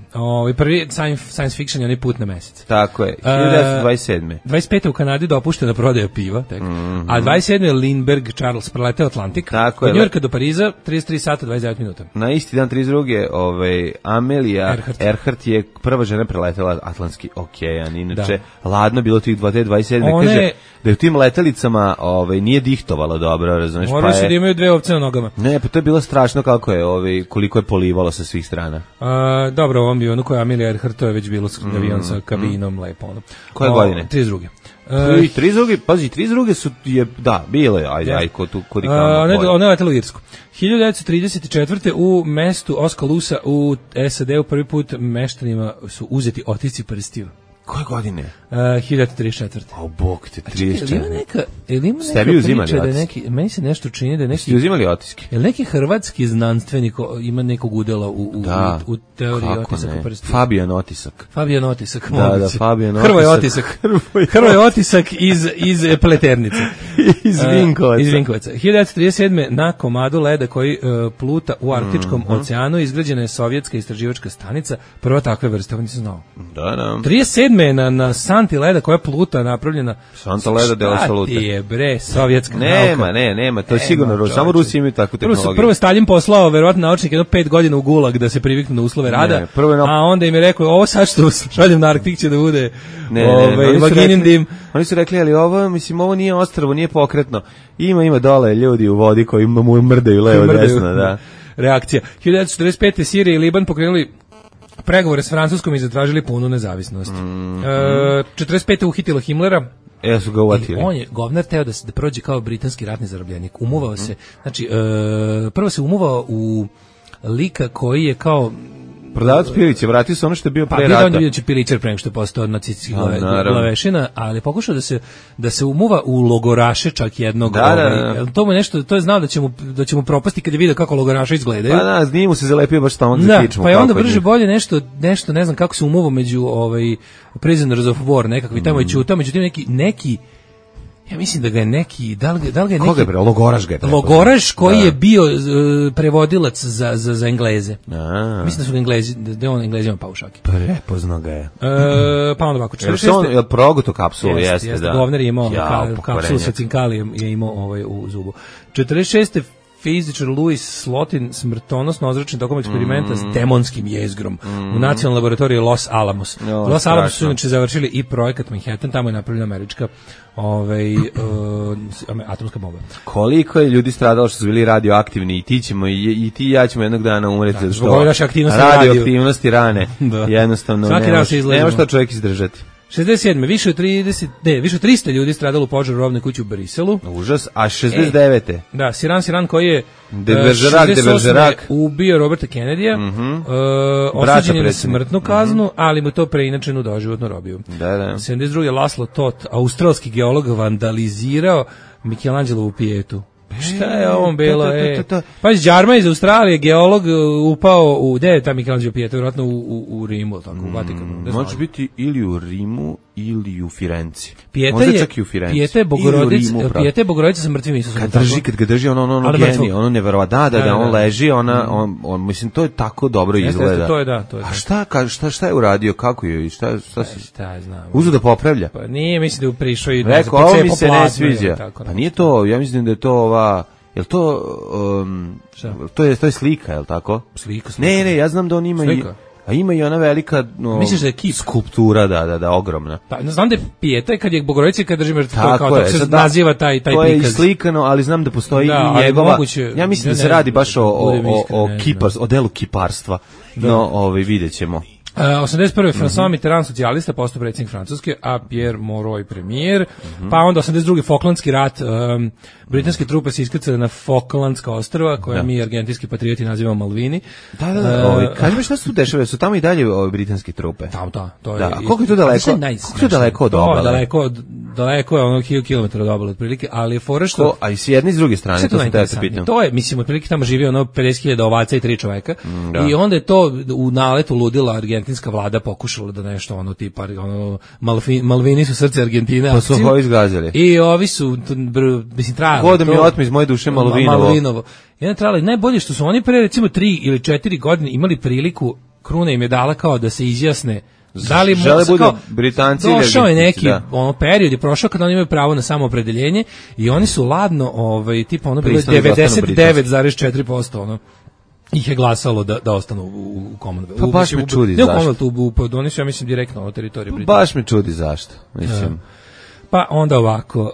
Prvi science fiction je onaj Put na mesec. Tako je, 1927. 25. u Kanadi dopuštena prodaja piva, tek. A 27. je Lindbergh Charles preleteo Atlantik. Od Njujorka do Pariza 33 sata 29 minuta. Na isti dan 32. Amelia Earhart je prva žena preletela Atlantski okean, inače ladno bilo tih 27. Kaže da je u tim letelicama nije dihtovalo dobro, razumiješ? Morali su da imaju dve ovce na nogama. Ne, pa to je bilo strašno kako je, koliko je polivalo sa svih strana. Dobro, ovom avionu koja je Amelia Earhart, to je već bilo avion sa kabinom, lepo. Koje godine? 32. 32. Pazi, 32. su, bilo je, ajde, kod i kamo. Ona je letela u Irsku. 1934. u mestu Oskaloosa u SAD-u prvi put meštanima su uzeti otisci prstiju. Koje godine? 1934. O, bog te, 34. Ili ima neka priča da neki, meni se nešto čini da neki... Ste uzimali otiske? Je li neki hrvatski znanstvenik ima nekog udela u teoriji otisaka prstiju? Fabijan Otisak. Fabijan Otisak. Da, Fabijan Otisak. Hrvoj Otisak iz Pleternice. Iz Vinkovaca. 1937. na komadu leda koji pluta u Arktičkom oceanu izgrađena je sovjetska istraživačka stanica, prva takve vrste, ovo nisam znao. Da. 37. na santi leda koja pluta napravljena. Santa leda dela salute. Šta ti je bre, sovjetska nauka? Nema, to je sigurno, samo Rusi imaju takvu tehnologiju. Prvo Stalin poslao verovatno naučnik 5 godina u Gulag da se priviknu na uslove rada, a onda im je rekao, ovo sad što šaljem na Arktik će da bude vaginin dim. Oni su rekli, ali ovo nije ostrvo, nije pokretno. Ima dole ljudi u vodi koji mu mrdaju levo desno, da. Reakcija. 1945. Sirija i Liban pokrenuli pregovore s Francuskom i zatražili punu nezavisnost. 45. uhitilo Himmlera. Su ga uvatili. On je govnar teo da prođe kao britanski ratni zarobljenik. Umuvao se, znači, prvo se umuvao u lika koji je kao prodavac pivice, vratio se ono što je bio pre rata. Pa bio će piličar pre nego što je postao nacistički glavešina, ali pokušao da se umuva u logoraše čak jednog. To mu je nešto, to je znao da će mu propasti kad je vidio kako logoraše izgledaju. Pa nije mu se zalepio baš stomak za kičmu. Pa je onda brže bolje nešto ne znam kako se umuvao među prisoners of war nekakvi tamo i čutao, međutim neki ja mislim da ga je neki, da li ga je neki... Koga je bre? Logoraš ga je. Logoraš koji je bio prevodilac za Engleze. Mislim da su ga Englezi, da je on Englezima pao u šaki. Prepoznao ga je. Pa onda ovako, 46. Je on proguto kapsulu, jeste, da. Govner je imao kapsulu sa cinkalijem, je imao u zubu. 46. fizičar Louis Slotin smrtonosno ozračen tokom eksperimenta s demonskim jezgrom u nacionalnoj laboratoriji Los Alamos. Los Alamos su inače završili i projekat Manhattan, tamo je napravljena američka atomska bomba. Koliko je ljudi stradalo što su bili radioaktivni i ti i ja ćemo jednog dana umreti zato što radioaktivnosti rane. Jednostavno nema što čovjek izdržati. 67. Više od 300 ljudi stradalo u požaru rovne kuće u Briselu. Užas, a 69. Da, Siran koji je de Bergerac ubio Roberta Kennedya, osuđen je na smrtnu kaznu, ali mu to preinačenu doživotnu robiju. 72. Laszlo Toth, australski geolog, vandalizirao Michelangelovu pijetu. Šta je ovom bilo? Pa Đarma iz Australije, geolog, upao gde je ta Michelangelo pijeta, vjerojatno u Rimu, tako, u Vatikanu. Može biti ili u Rimu ili u Firenci. Možda čak i u Firenci. Pijeta je Bogorodica sa mrtvim Isusom. Kad ga drži ono genije, ono neverovatno, da, on leži, on, mislim, to je tako dobro izgleda. To je da. A šta je uradio, kako je i šta je znam. Uzu da popravlja? Pa nije, mislim da je prišao i rekao, ovo mi se ne sviđa. Pa nije to, ja mislim da je to Jel to to je slika, je li tako? Slika. Ne, ja znam da on ima slika. A ima i ona velika misliš da je kip? Skulptura, da, ogromna. Pa znam da je Pijeta kad je Bogorodica kad drži mrtvu kao se naziva taj prikaz. To je slikano, ali znam da postoji i njegova. Moguće, ja mislim da se radi baš o delu kiparstva. No, videćemo. 81. François Mitterrand, socijalista, postao predsjednik Francuske, a Pierre Mauroy premijer. Pa onda 82. Falklandski rat, britanske trupe se iskrcale na Falklandska ostrva, koje mi argentinski patrioti nazivamo Malvini. Da. Kaži mi šta se tu dešava, su tamo i dalje britanske trupe? Tamo, to je. Da, koliko je to daleko? Koliko je to daleko od obale? Daleko je ono 1000 km od obale otprilike, ali je fora što... A i s jedne i s druge strane, to sam te pitam. To je, mislim, otprilike tamo živi ono 50.000 ovaca i 3 čoveka. I onda je to u naletu ludila argentinska vlada pokušala da nešto ono tipa Malvini su srce Argentine. Pa su ovi izgazili. I ovi su, mislim, trajali. Ko da mi otme iz moje duše Malvinovo. Jedan trajali. Najbolje što su oni pre recimo 3 ili 4 godine imali priliku, kruna im je dala kao da se izjasne da li žele budu Britanci ili došao je neki period je prošao kada oni imaju pravo na samoopredeljenje i oni su ladno tipa ono bilo 99,4% ih je glasalo da ostanu u Commonwealthu. Pa baš me čudi zašto. Oni su, ja mislim, direktno na teritoriju Britanije. Baš me čudi zašto, mislim. Pa onda ovako,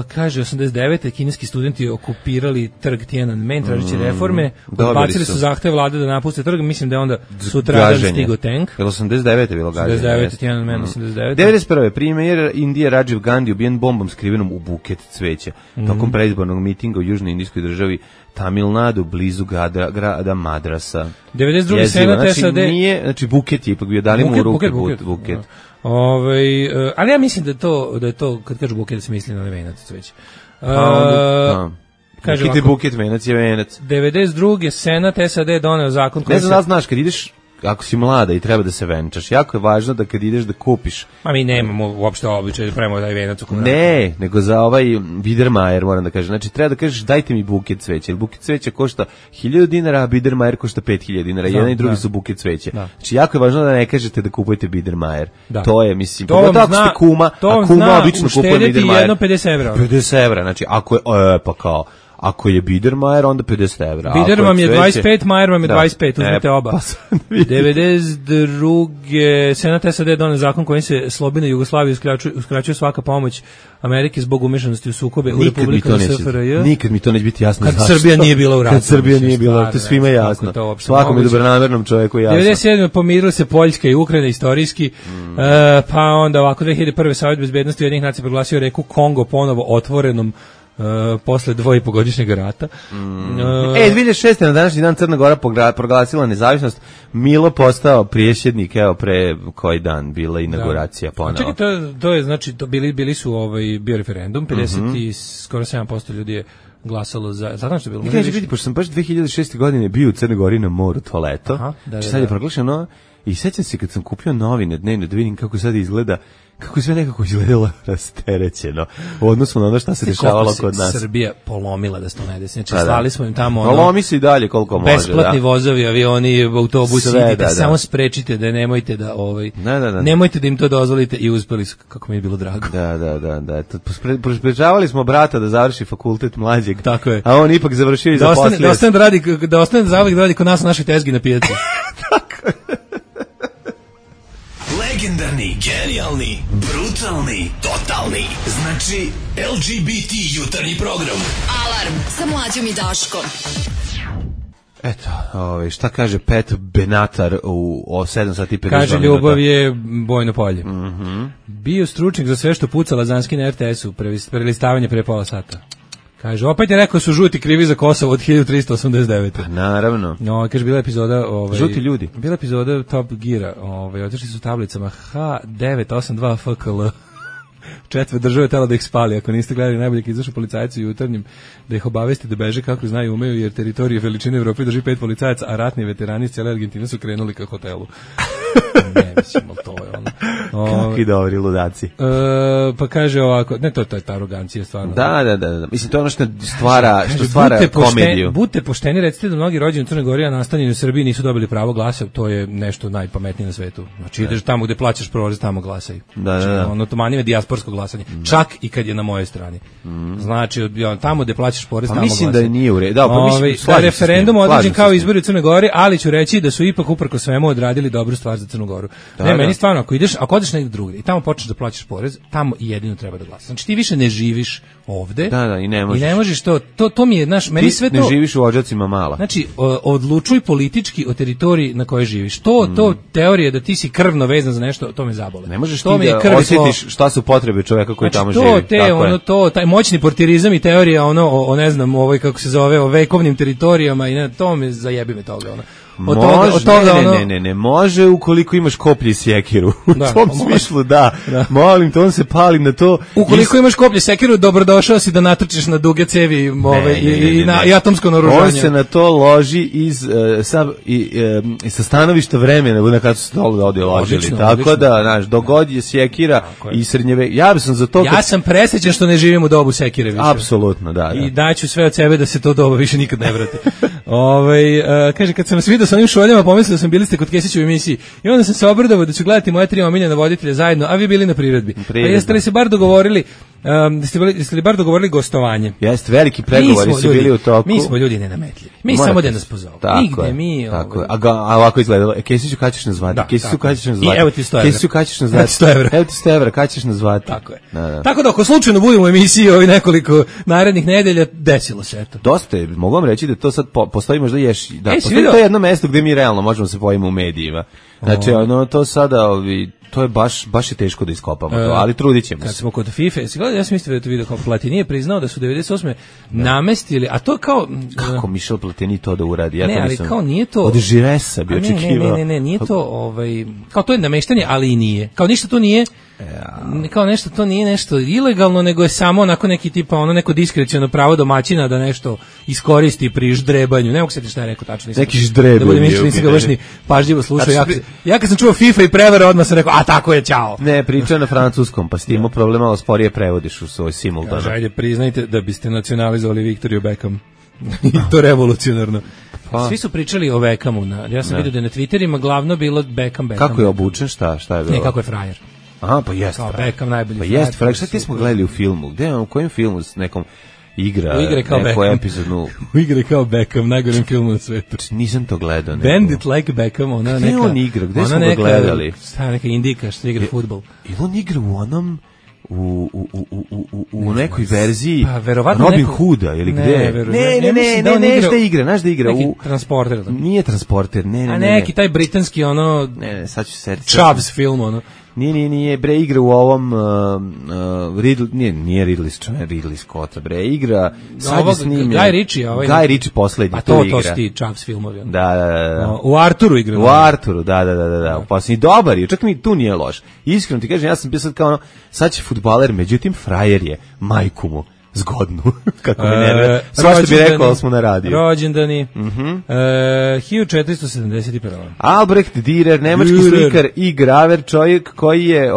kaže 89. kineski studenti okupirali trg Tiananmen tražeći reforme, odbacili su zahtev vlade da napuste trg, mislim da je onda sutradan stigo tank. Je 89. bilo gaženje? 89. Tiananmen, 89. 91. Premijer Indije Rajiv Gandhi ubijen bombom skrivenom u buket cveća. Tokom predizbornog mitinga u južnoj indijskoj državi Tamil Nadu, blizu grada Madrasa. 92. senat SAD. Znači buket je ipak bio, dali mu u ruke buket. Ali ja mislim da je to kad kažu buket da se misli na venac cveća. Buket venac je venac. 92. senat SAD doneo zakon koji ne znam da znaš kad ideš, ako si mlada i treba da se venčaš, jako je važno da kad ideš da kupiš. Ma mi nemamo uopšte običaj da pravimo taj venac u komadu. Ne, nego za ovaj Biedermeier moram da kažem. Znači treba da kažeš dajte mi buket cveća. Jer buket cveća košta 1000 dinara, a Biedermeier košta 5000 dinara. Jedan i drugi su buket cveća. Znači jako je važno da ne kažete da kupujete Biedermeier. To je, mislim, pogotovo ako ste kuma, a kuma obično kupuje Biedermeier. To vam zna uštediti jedno 50 €. 50 €, znači ako je, pa kao... Ako je Biedermeier, onda 50 €. Bieder vam je 25, Meier vam je 25, uzmete oba. 92. senat SAD doneo zakon kojim se slobodnoj Jugoslaviji uskraćuje svaka pomoć Amerike zbog umešanosti u sukobe u Republikama SFRJ. Nikad mi to neće biti jasno. Kad Srbija nije bila u ratu. Kad Srbija nije bila, to svima je jasno. Svakom je dobronamernom čovjeku jasno. 97. pomirilo se Poljska i Ukrajina istorijski, pa onda ovako 2001. Savjet bezbednosti Ujedinjenih nacija proglasio reku Kongo ponovo otvorenom posle 2,5-godišnjeg rata. 2006. na današnji dan Crna Gora proglasila nezavisnost. Milo postao prijesednik, evo pre koji dan bila inauguracija ponovo. Čekaj, to je znači bili su bio referendum, 50 i skoro 7% ljudi je glasalo za. Zato što je bilo. Kaže vidi, pošto sam baš 2006. godine bio u Crnoj Gori na moru toaleto. Sad je proglašeno i sećam se kad sam kupio novine dnevno da vidim kako sad izgleda. Kako je sve nekako izgledalo rasterećeno u odnosu na ono šta se dešavalo kod nas. Srbija polomila da se to ne desi. Znači, slali smo im tamo lomi se i dalje koliko može. Besplatni vozovi, avioni, autobusi, idite, samo sprečite da nemojte da nemojte da im to dozvolite i uspeli su, kako mi je bilo drago. Da. Sprečavali smo brata da završi fakultet mlađeg. Tako je. A on ipak završio i zaposlio. Da ostane zauvek da radi kod nas na našoj tezgi na pijaci. Tako je. Legendarni, genijalni, brutalni, totalni. Znači, LGBT jutarnji program. Alarm sa Mlađom i Daškom. Eto, šta kaže Pet Benatar u 7 sati 50 Kaže, ljubav je bojno polje. Bio stručnik za sve što puca Lazanski na RTS-u, prelistavanje pre pola sata. Kaže, opet je rekao su žuti krivi za Kosovo od 1389. Pa naravno. Kaže, bila epizoda... žuti ljudi. Bila epizoda Top Geara. Otišli su tablicama H982 FKL. Četve države tela da ih spali. Ako niste gledali najbolje kad izašu policajci u jutarnjim, da ih obavesti da beže kako znaju umeju, jer teritorije veličine Evrope drži 5 policajaca, a ratni veterani iz cijele Argentine su krenuli ka hotelu. Ne, mislim, to je ono. Kakvi dobri ludaci. Pa kaže ovako, ne, to je ta arogancija stvarno. Da. Mislim, to je ono što stvara komediju. Budite pošteni, recite da mnogi rođeni u Crnoj Gori, a nastanjeni u Srbiji nisu dobili pravo glasa, to je nešto najpametnije na svetu. Znači, ideš tamo gde plaćaš prolaz, tamo glasaj. Da. Ono, to manje je dijasporsko glasanje. Čak i kad je na mojoj strani. Znači, tamo gde plaćaš porez, tamo glasaj. Mislim da nije u redu. Da, referendum određen kao izbori u Crnoj Gori, ali ću reći da su ipak uprko svemu odradili dobru stvar za Crnu Goru. Meni stvarno, ako odeš negdje drugdje i tamo počneš da plaćaš porez, tamo jedino treba da glasaš. Znači ti više ne živiš ovde. Da, i ne možeš. I ne možeš to mi je, meni sve to. Ne živiš u Odžacima Mala. Znači, odlučuj politički o teritoriji na kojoj živiš. To teorija da ti si krvno vezan za nešto, to me zabole. Ne možeš to ti da osjetiš šta su potrebe čovjeka koji tamo živi. Taj moćni portirizam i teorija o ne znam, kako se zove, o vekovnim teritorijama i to me zajebi me toga, Ne, može ukoliko imaš koplje i sjekiru. U tom smislu, da. Molim te, on se pali na to. Ukoliko imaš koplje i sjekiru, dobrodošao si da natrčiš na duge cevi i atomsko naoružanje. On se na to loži sa stanovišta vremena, na kada su se ovdje ložili. Tako da, znaš, dogod je sjekira i srednjeve. Ja sam za to... Ja sam presrećan što ne živim u dobu sjekire više. Apsolutno, da. I daću sve od sebe da se to doba više nikad ne vrati. Kaže, kad sam vas vidio sa onim šoljama, pomislio da sam bili ste kod Kesića u emisiji i onda sam se obradovao da ću gledati moje 3 omiljena voditelja zajedno, a vi bili na priredbi. Pa jeste li se bar dogovorili jeste li bar dogovorili gostovanje? Jeste, veliki pregovori su bili u toku. Mi smo ljudi nenametljivi. Mi samo da nas pozovu. Nigde mi... A ovako izgledalo. Kesiću, kada ćeš nas zvati? Kesiću, kada ćeš nas zvati? Evo ti 100 evra. Kesiću, kada ćeš nas zvati? 100 evra. Evo ti 100 evra, kada ćeš nas zvati? Tako je. Tako da ako slučajno budemo u emisiji ovih nekoliko narednih nedelja, desilo se eto. Dosta je, mogu vam reći da to sad postoji možda postoji to jedno mesto gde mi realno možemo se pojaviti u medijima. Znači, to sada, to je baš je teško da iskopamo to, ali trudit ćemo se. Kad smo kod FIFA, ja sam mislio da je to video kao Platini je priznao da su 98. namestili, a to kao... Kako Michel Platini to da uradi? Ja ne, ali kao nije to... Od Žiresa bi očekivao. Ne, nije to, kao to je nameštanje, ali i nije. Kao ništa to nije, kao nešto to nije nešto ilegalno, nego je samo onako neki tipa, neko diskreciono pravo domaćina da nešto iskoristi pri ždrebanju. Ne mogu se ti šta je rekao tačno. Neki ždrebanje. Da budem mišljen, nisam ga baš ni pažljivo slušao. Ja kad sam čuo FIFA i prevara, odmah sam rekao, a tako je, ćao. Ne, priča na francuskom, pa s tim problema, ali sporije prevodiš u svoj simultano. Ajde, priznajte da biste nacionalizovali Victoriju Beckham. I to revolucionarno. Svi su pričali o Beckhamu. Ja sam vidio da na Twitterima glavno bilo Beckham. Kako je obučen, šta je bilo? Ne, kako je frajer. Aha, pa jest. Beckham najbolji frajer. Pa jest, frajer. Šta ti smo gledali u filmu? Gde, u kojem filmu s nekom igra kao neku epizodnu... U igre kao Beckham, najgorem filmu na svetu. Nisam to gledao. Bandit like Beckham, ona neka... Gde on igra? Gde smo ga gledali? Šta neka indika što igra fudbal. Ili on igra u onom... U nekoj verziji verovatno Robin Hooda ili gde? Ne, znaš da igra neki Transporter. Nije Transporter, ne. A neki taj britanski Ne, sad ću se Chubbs film ono. Nije, bre, igra u ovom nije Ridley Scott, bre, igra sad je snimljen Guy Ritchie poslednji, a to su ti Chubbs filmovi. Da. U Arturu igra. U Arturu, da. Poslednji dobar je, čak mi tu nije loš. Iskreno ti kažem, ja sam bio sad kao sad će fudbaler, međutim frajer je, majku mu zgodnu, kako mi nerve. Svašta bi rekao, ali smo na radiju. Rođendani. 1471. Albrecht Dürer, nemački slikar i graver, čovjek koji je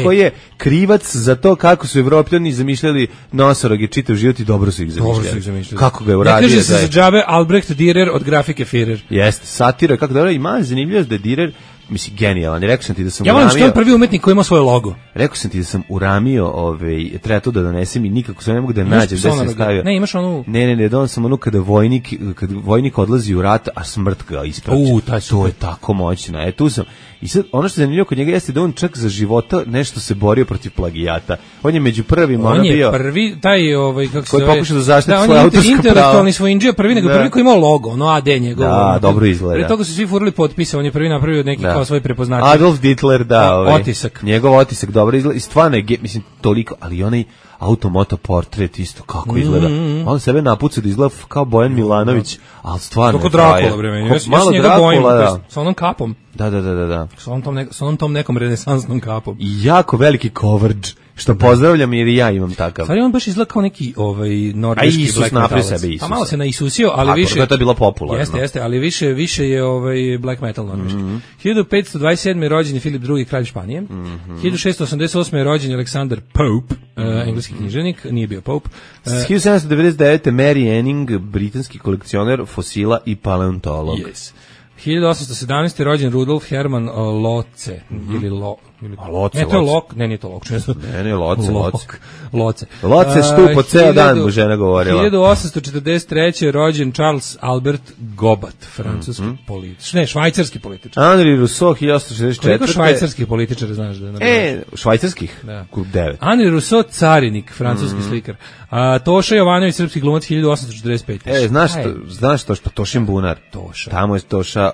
koji je krivac za to kako su Evropljani zamišljali nosoroge čitav život i dobro su ih zamišljali. Kako ga je uradio? Ne kaže se za džabe Albrecht Dürer od grafike Führer. Jeste, satira, kako dobro, ima zanimljivost da je Dürer, mislim, genijalan. Rekao sam ti da sam uramio... Ja volim što je prvi umetnik koji ima svoj logo. Rekao sam ti da sam uramio, treba to da donesem i nikako se ne mogu da nađem gde sam stavio. Ne, imaš onu... Ne, donao sam onu kada vojnik odlazi u rat, a smrt ga ispraća. To je tako moćno. Tu sam. I sad, ono što je zanimljivo kod njega jeste da on čak za života nešto se borio protiv plagijata. On je među prvima, on je prvi, taj, kako se zove... Koji pokušao da zaštiti svoje autorsko pravo. On je intelektualni svojinđija, prvi nego prvi koji imao logo, ono AD njegov. Da, dobro izgleda. Pre toga su svi furali potpise, on je prvi napravio neki kao svoj prepoznačaj. Adolf Hitler, otisak. Njegov otisak dobro izgleda i stvarno je, mislim, toliko, ali onaj automoto portret isto kako izgleda. On sebe napuca da izgleda kao Bojan Milanović, ali stvarno je Drakula, bre, ja se njega bojim, sa onom kapom. Da. Sa onom tom nekom renesansnom kapom. I jako veliki coverage. Što pozdravljam jer i ja imam takav. Stvari on baš izgleda kao neki norveški black metalac. Pa malo se naisusio, ali više... Tako, to je bilo popularno. Jeste, ali više je black metal norveški. 1527. rođen je Filip II. Kralj Španije. 1688. je rođen Aleksandar Pope, engleski književnik, nije bio Pope. 1799. Mary Anning, britanski kolekcioner fosila i paleontolog. Yes. 1817. rođen Rudolf Hermann Loce, ili Loce. Ne, to je Lok, nije to Lok. Ne, Loce. Loce štu po ceo dan, mu žena govorila. 1843. rođen Charles Albert Gobat, francuski političar. Ne, švajcarski političar. Henri Rousseau, 1864. Koliko švajcarskih političara znaš da je? Švajcarskih? Da. 9. Henri Rousseau, carinik, francuski slikar. Toša Jovanović, srpski glumac, 1845. Znaš to što Tošin Bunar? Toša. Tamo je Toša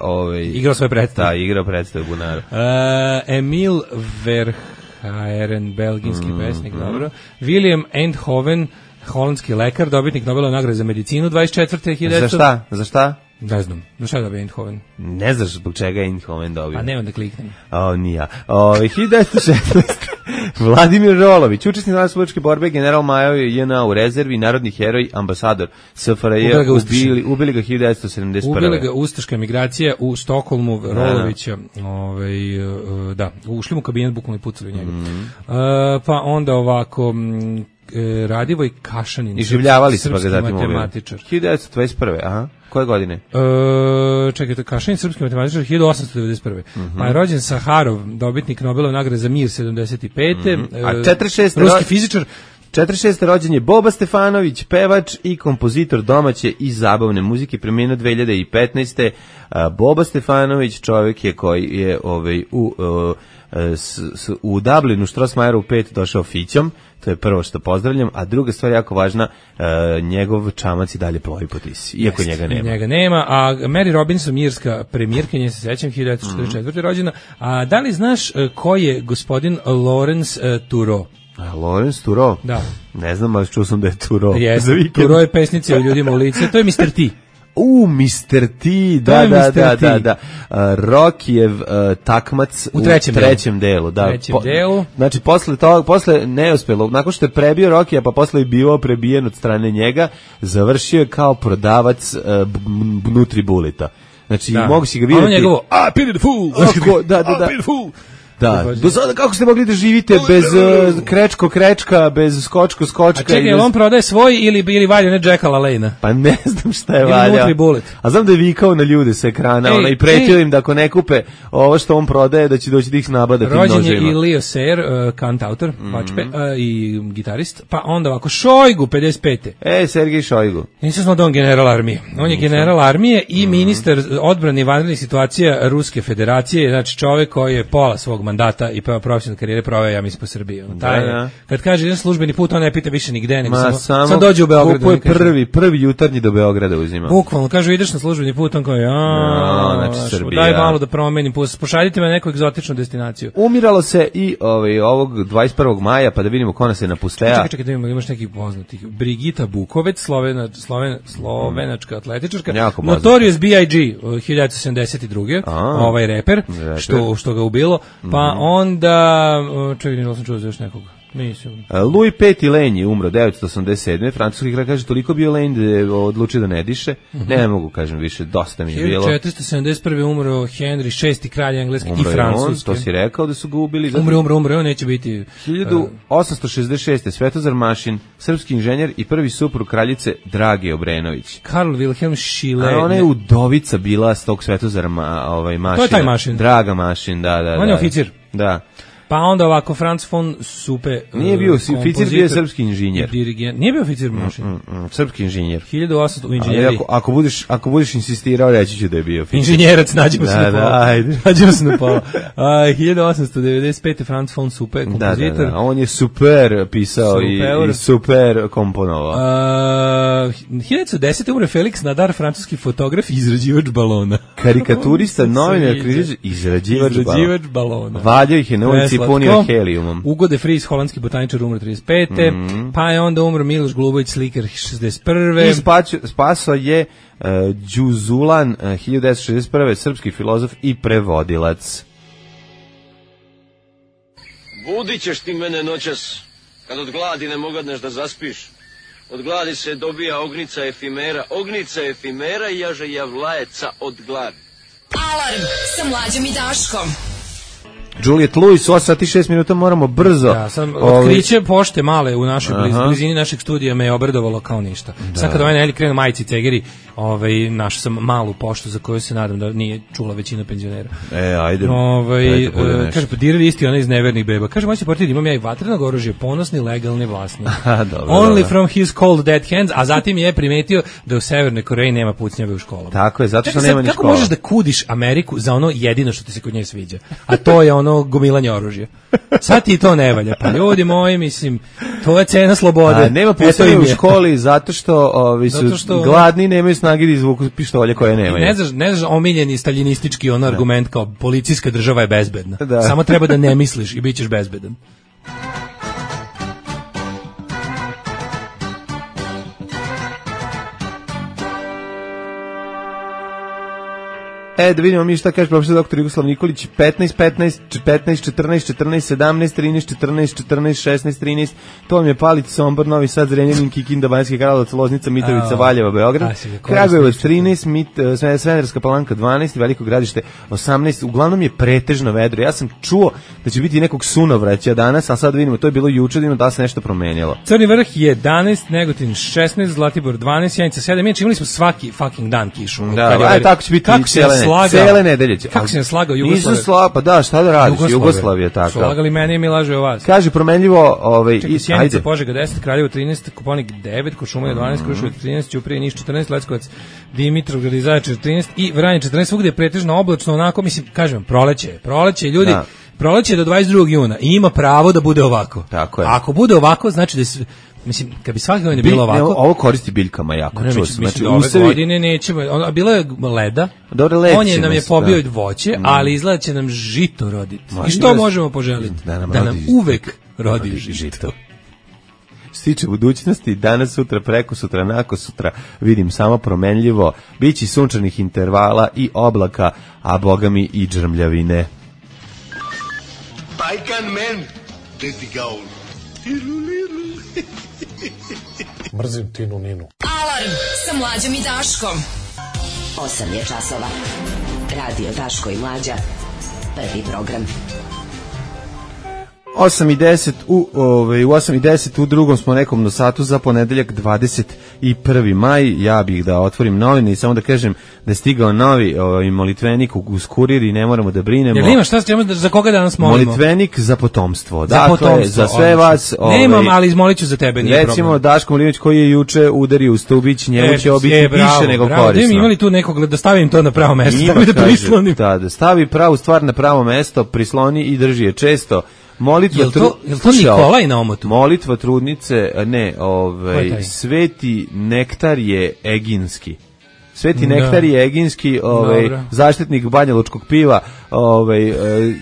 igrao svoje predstave. Da, igrao predstave Bunaru. Emil Verhaeren, belgijski pesnik, dobro. William Eindhoven, holandski lekar, dobitnik Nobelove nagrade za medicinu, 24. Za šta? Ne znam, za šta je dobio Eindhoven? Ne znaš zbog čega je Eindhoven dobio. A ne, onda kliknem. Nija. 1916. Vladimir Rolović, učesnik narodnooslobodilačke borbe, general Majo JNA u rezervi, narodni heroj, ambasador SFRJ, ubili ga 1971. Ubili ga ustaška emigracija u Stokholmu, Rolovića, ušli mu u kabinet, bukvalno i pucali u njega. Pa onda ovako... Radivoj Kašanin, iživljavali se pa ga zatim matematičar. 1921. Aha. Koje godine? Čekajte, Kašanin, srpski matematičar, 1891. Pa je rođen Saharov, dobitnik Nobelove nagrade za mir, 75. A 46. ruski fizičar. 46. rođen je Boba Stefanović, pevač i kompozitor domaće i zabavne muzike, preminuo 2015. Boba Stefanović, čovjek je koji je u Dublinu Strossmayeru 5 došao fićom, to je prvo što pozdravljam, a druga stvar jako važna, njegov čamac i dalje plovi po Tisi, iako njega nema. A Mary Robinson, irska premijerka, nje se sećam, 1944. rođena. A da li znaš ko je gospodin Lawrence Tureau? Lawrence Tureau? Da. Ne znam, ali čuo sam da je Tureau. Tureau je pesnica o ljudima u lice, to je Mr. T. Mr. T, da. Rokijev takmac u trećem delu. Da. Znači, posle neuspelo, nakon što je prebio Rokija, pa posle je bio prebijen od strane njega, završio je kao prodavac Nutribulita. Znači, mogu si ga vidjeti... Ono njegovo, pity the fool! Da. Pity the fool! Da, do sada kako ste mogli da živite bez krečka, bez skočka? A čekaj, on prodaje svoj ili valja ne Jacka LaLanne? Pa ne znam šta je valja. A znam da je vikao na ljude sa ekrana i pretio im da ako ne kupe ovo što on prodaje, da će doći da ih nabada tim nožima. Rođen je i Leo Sayer, kantautor, vačpe, i gitarist, pa onda ovako Šojgu, 55. Sergej Šojgu. Nisam znao da on general armije. On je general armije i ministar odbrane i vanrednih situacija Ruske federacije, znači čovjek koji je pola svog mandata i profesionalne karijere proveo, ja mislim, po Srbiji. Kad kaže jedan službeni put, on ne pita više nigde, nego samo dođe u Beograd. Ko je prvi jutarnji do Beograda uzima. Bukvalno, kaže, ideš na službeni put, on kao, znači Srbija. Daj malo da promenim, pošaljite me na neku egzotičnu destinaciju. Umiralo se i ovog 21. maja, pa da vidimo ko nas je napusteja. Čekaj, da imamo, imaš nekih poznatih. Brigita Bukovec, slovenačka atletičarka. Notorious B.I.G. 1972. Ovaj reper, što ga ubilo. Pa onda, čekaj, ne sam čuo za još nekog. Louis Petit Lane je umro 1987. Francuski kralj, kaže, toliko bio Lane da je odlučio da ne diše. Ne mogu, kažem, više, dosta mi je bilo. 1471. umro Henry VI, kralj engleski i francuski. To si rekao da su ga ubili. Umre, on neće biti... 1866. Svetozar Mašin, srpski inženjer i prvi suprug kraljice Drage Obrenović. Karl Wilhelm Schiller. Ona je udovica bila s tog Svetozara Mašina. To je taj Mašin. Draga Mašin, da. On je oficir. Da. Pa onda ovako, Franz von Supe, nije bio oficir, bio je srpski inženjer. Nije bio oficir Mašin. Srpski inženjer. 1800 u inženjeri. Ako budeš insistirao, reći ću da je bio oficir. Inženjerac, nađemo se na pola. Nađemo se na pola. 1895. Franz von Supe, kompozitor. Da. On je super pisao i super komponovao. 1910. umre Felix Nadar, francuski fotograf i izrađivač balona. Karikaturista, novinar, izrađivač balona. Valjao ih je na ulici punio helijumom. Ugo de Vries, holandski botaničar, umro 35. Pa je onda umro Miloš Glubović, slikar, 61. I spaso je Đuzulan, 1961. srpski filozof i prevodilac. Budit ćeš ti mene noćas, kad od gladi ne mogadneš da zaspiš. Od gladi se dobija ognica efimera i jaže javlajeca od gladi. Alarm sa Mlađom i Daškom. Juliette Lewis, 8 sati 6 minuta, moramo brzo. Ja sam otkriće pošte male u našoj blizini našeg studija me je obradovalo kao ništa. Da. Sad kad ovaj Nelly krenu majici cegeri, našao sam malu poštu za koju se nadam da nije čula većina penzionera. Ajde. Kaže, podirali isti ona iz nevernih beba. Kaže, moći portir, imam ja i vatrenog oružja, ponosni, legalni vlasnik. Only from his cold dead hands, a zatim je primetio da u Severnoj Koreji nema pucnjave u školama. Tako je, zato što nema ni škola. Kako možeš da kudiš Ameriku za ono jedino što ti se kod nje sviđa? A to je ono gomilanje oružja. Sad ti to ne valja. Pa ljudi moji, mislim, to je cena slobode. Nema pucnjave u školi zato što gladni, nemaju snage da izvuku pištolje koje nemaju. Ne znaš omiljeni staljinistički argument kao policijska država je bezbedna. Da. Samo treba da ne misliš i bit ćeš bezbedan. Da vidimo mi šta kaže profesor doktor Jugoslav Nikolić. 15, 14, 14, 17, 13, 14, 14, 16, 13. To vam je Palić, Sombor, Novi Sad, Zrenjanin, Kikinda, Banjski Karlovac, Loznica, Mitrovica, Valjevo, Beograd. Kragujevac 13, Smederevska Palanka 12, Veliko Gradište 18. Uglavnom je pretežno vedro. Ja sam čuo da će biti nekog sunovraća danas, a sad vidimo, to je bilo juče, da se nešto promenilo. Crni Vrh 11, Negotin 16, Zlatibor 12, Sjenica 7. Mi imali smo svaki fucking dan kišu. Da, tako će biti cele nedelje. Kako se ne slagao Jugoslavija? Nisu slagao, pa da, šta da radiš? Jugoslavija tako. Slagali mene i mi laže o vas. Kaže promenljivo, Sjenica, Požega 10, Kraljevo 13, Koponik 9, Kuršumlija 12, Kruševac 13, Ćuprija, Niš 14, Leskovac, Dimitrovgrad i Zaječar 13 i Vranje 14, svugde je pretežno oblačno, onako, mislim, kažem, proleće, ljudi, proleće do 22. juna i ima pravo da bude ovako. Tako je. Ako bude ovako, znači da je, mislim, kad bi svake godine bilo ovako... Ovo koristi biljkama jako, čuo sam. Znači, ove godine nećemo... Bilo je leda, nam je pobio voće, ali izgleda će nam žito roditi. I što možemo poželiti? Da nam uvek rodi žito. Stiče budućnosti, danas, sutra, preko sutra, nako sutra, vidim samo promenljivo, bići sunčanih intervala i oblaka, a bogami i džrmljavine. Bajkan men, dedi gaul. Mrzim Tinu Ninu. Alarm sa Mlađom i Daškom. 8 je časova. Radio Daško i Mlađa. Prvi program. 8:10 u 8:10 u drugom smo nekom satu za ponedeljak 21. maj. Ja bih da otvorim novine i samo da kažem da je stigao novi molitvenik uz kurir i ne moramo da brinemo. Jel ima šta ćemo za koga danas molimo? Molitvenik za potomstvo. Dakle, za sve vas. Nemam, ali izmoliću za tebe, nije problem. Recimo Daško Milinović koji je juče udario u Stubić, njemu će biti više nego korisno. Imali tu nekog da stavim to na pravo mesto, da prislonim. Da stavi pravu stvar na pravo mesto, prisloni i drži je često. Jel to Nikolaj na omotu? Molitva trudnice, ne, Sveti Nektar je Eginski. Sveti Nektar je Eginski, zaštitnik banjalučkog piva,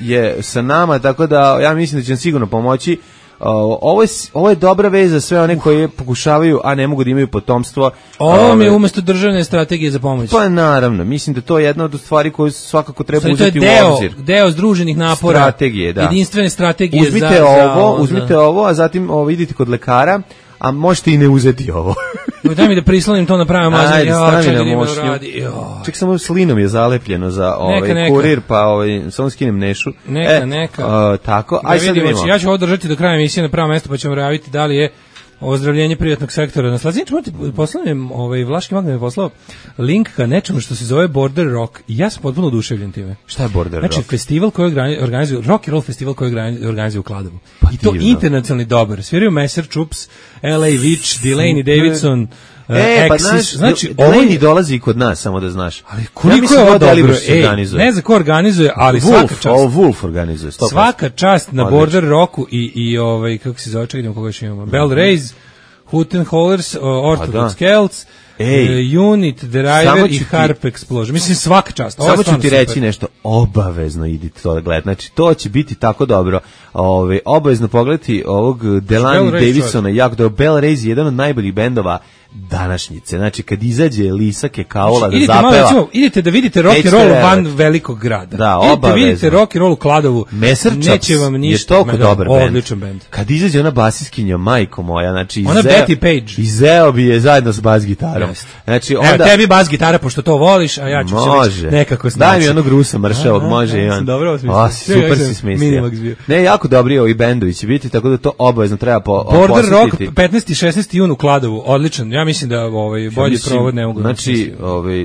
je sa nama, tako da ja mislim da će nam sigurno pomoći. Ovo je dobra vez za sve one koji pokušavaju, a ne mogu da imaju potomstvo. Ovo je umjesto državne strategije za pomoć. Pa naravno, mislim da to je jedna od stvari koju svakako treba uzeti u obzir. Deo združenih napora, strategije, da. Jedinstvene strategije. Uzmite ovo, a zatim idite kod lekara, a možete i ne uzeti ovo. Daj mi da prislonim to na pravom mazanju. Ček, samo slinom je zalepljeno za kurir, pa samo skinem nešu. Neka. Tako, aj sad vidimo. Ja ću ovo držati do kraja emisije na pravo mesto, pa ćemo javiti da li je ozdravljenje privatnog sektora. Na Slaziniću poslanem, Vlaški Magnet je poslao link ka nečemu što se zove Border Rock i ja sam potpuno oduševljen time. Šta je Border Rock? Znači, festival koji organizuje, rock and roll festival koji organizuje u Kladovu. I to internacionalni dobar. Sviraju Messerschupps, LA Witch, Delaney Davidson, znači Delaney dolazi kod nas, samo da znaš. Ali koliko je ovo dobro, ne znam ko organizuje, ali svaka čast. Wolf organizuje. Svaka čast na Border Rocku i kako se zove, čekaj, koga još imamo. Bell Rays, Huttenhollers, Orthodox Celts, Unit, Driver i Harp Explosion. Mislim, svaka čast. Samo ću ti reći nešto, obavezno idite to da gledati. Znači, to će biti tako dobro. Obavezno pogledati ovog Delaney Davisona, jako dobro. Bell Rays je jedan od najboljih bendova današnjice. Znači, kad izađe Lisa Kekaola da zapeva... Idete da vidite rock and roll van velikog grada. Da, obavezno. Idete vidite rock and roll u Kladovu. Messerchaps je toliko dobar bend. Odličan bend. Kad izađe ona basiskinja, majko moja, znači... Ona Betty Page. Izeo bi je zajedno s bas gitarom. Znači, onda... Evo, tebi bas gitara, pošto to voliš, a ja ću se nekako snaći. Daj mi onog Rusa mršavog, može i on. Dobro osmislio. Super si smislio. Ne, jako dobri ovi bendovi će biti, tako da to obavezno treba Border Rock 15. i 16. jun u Kladovu, odličan. Ja mislim da bolji provod ne mogu. Znači,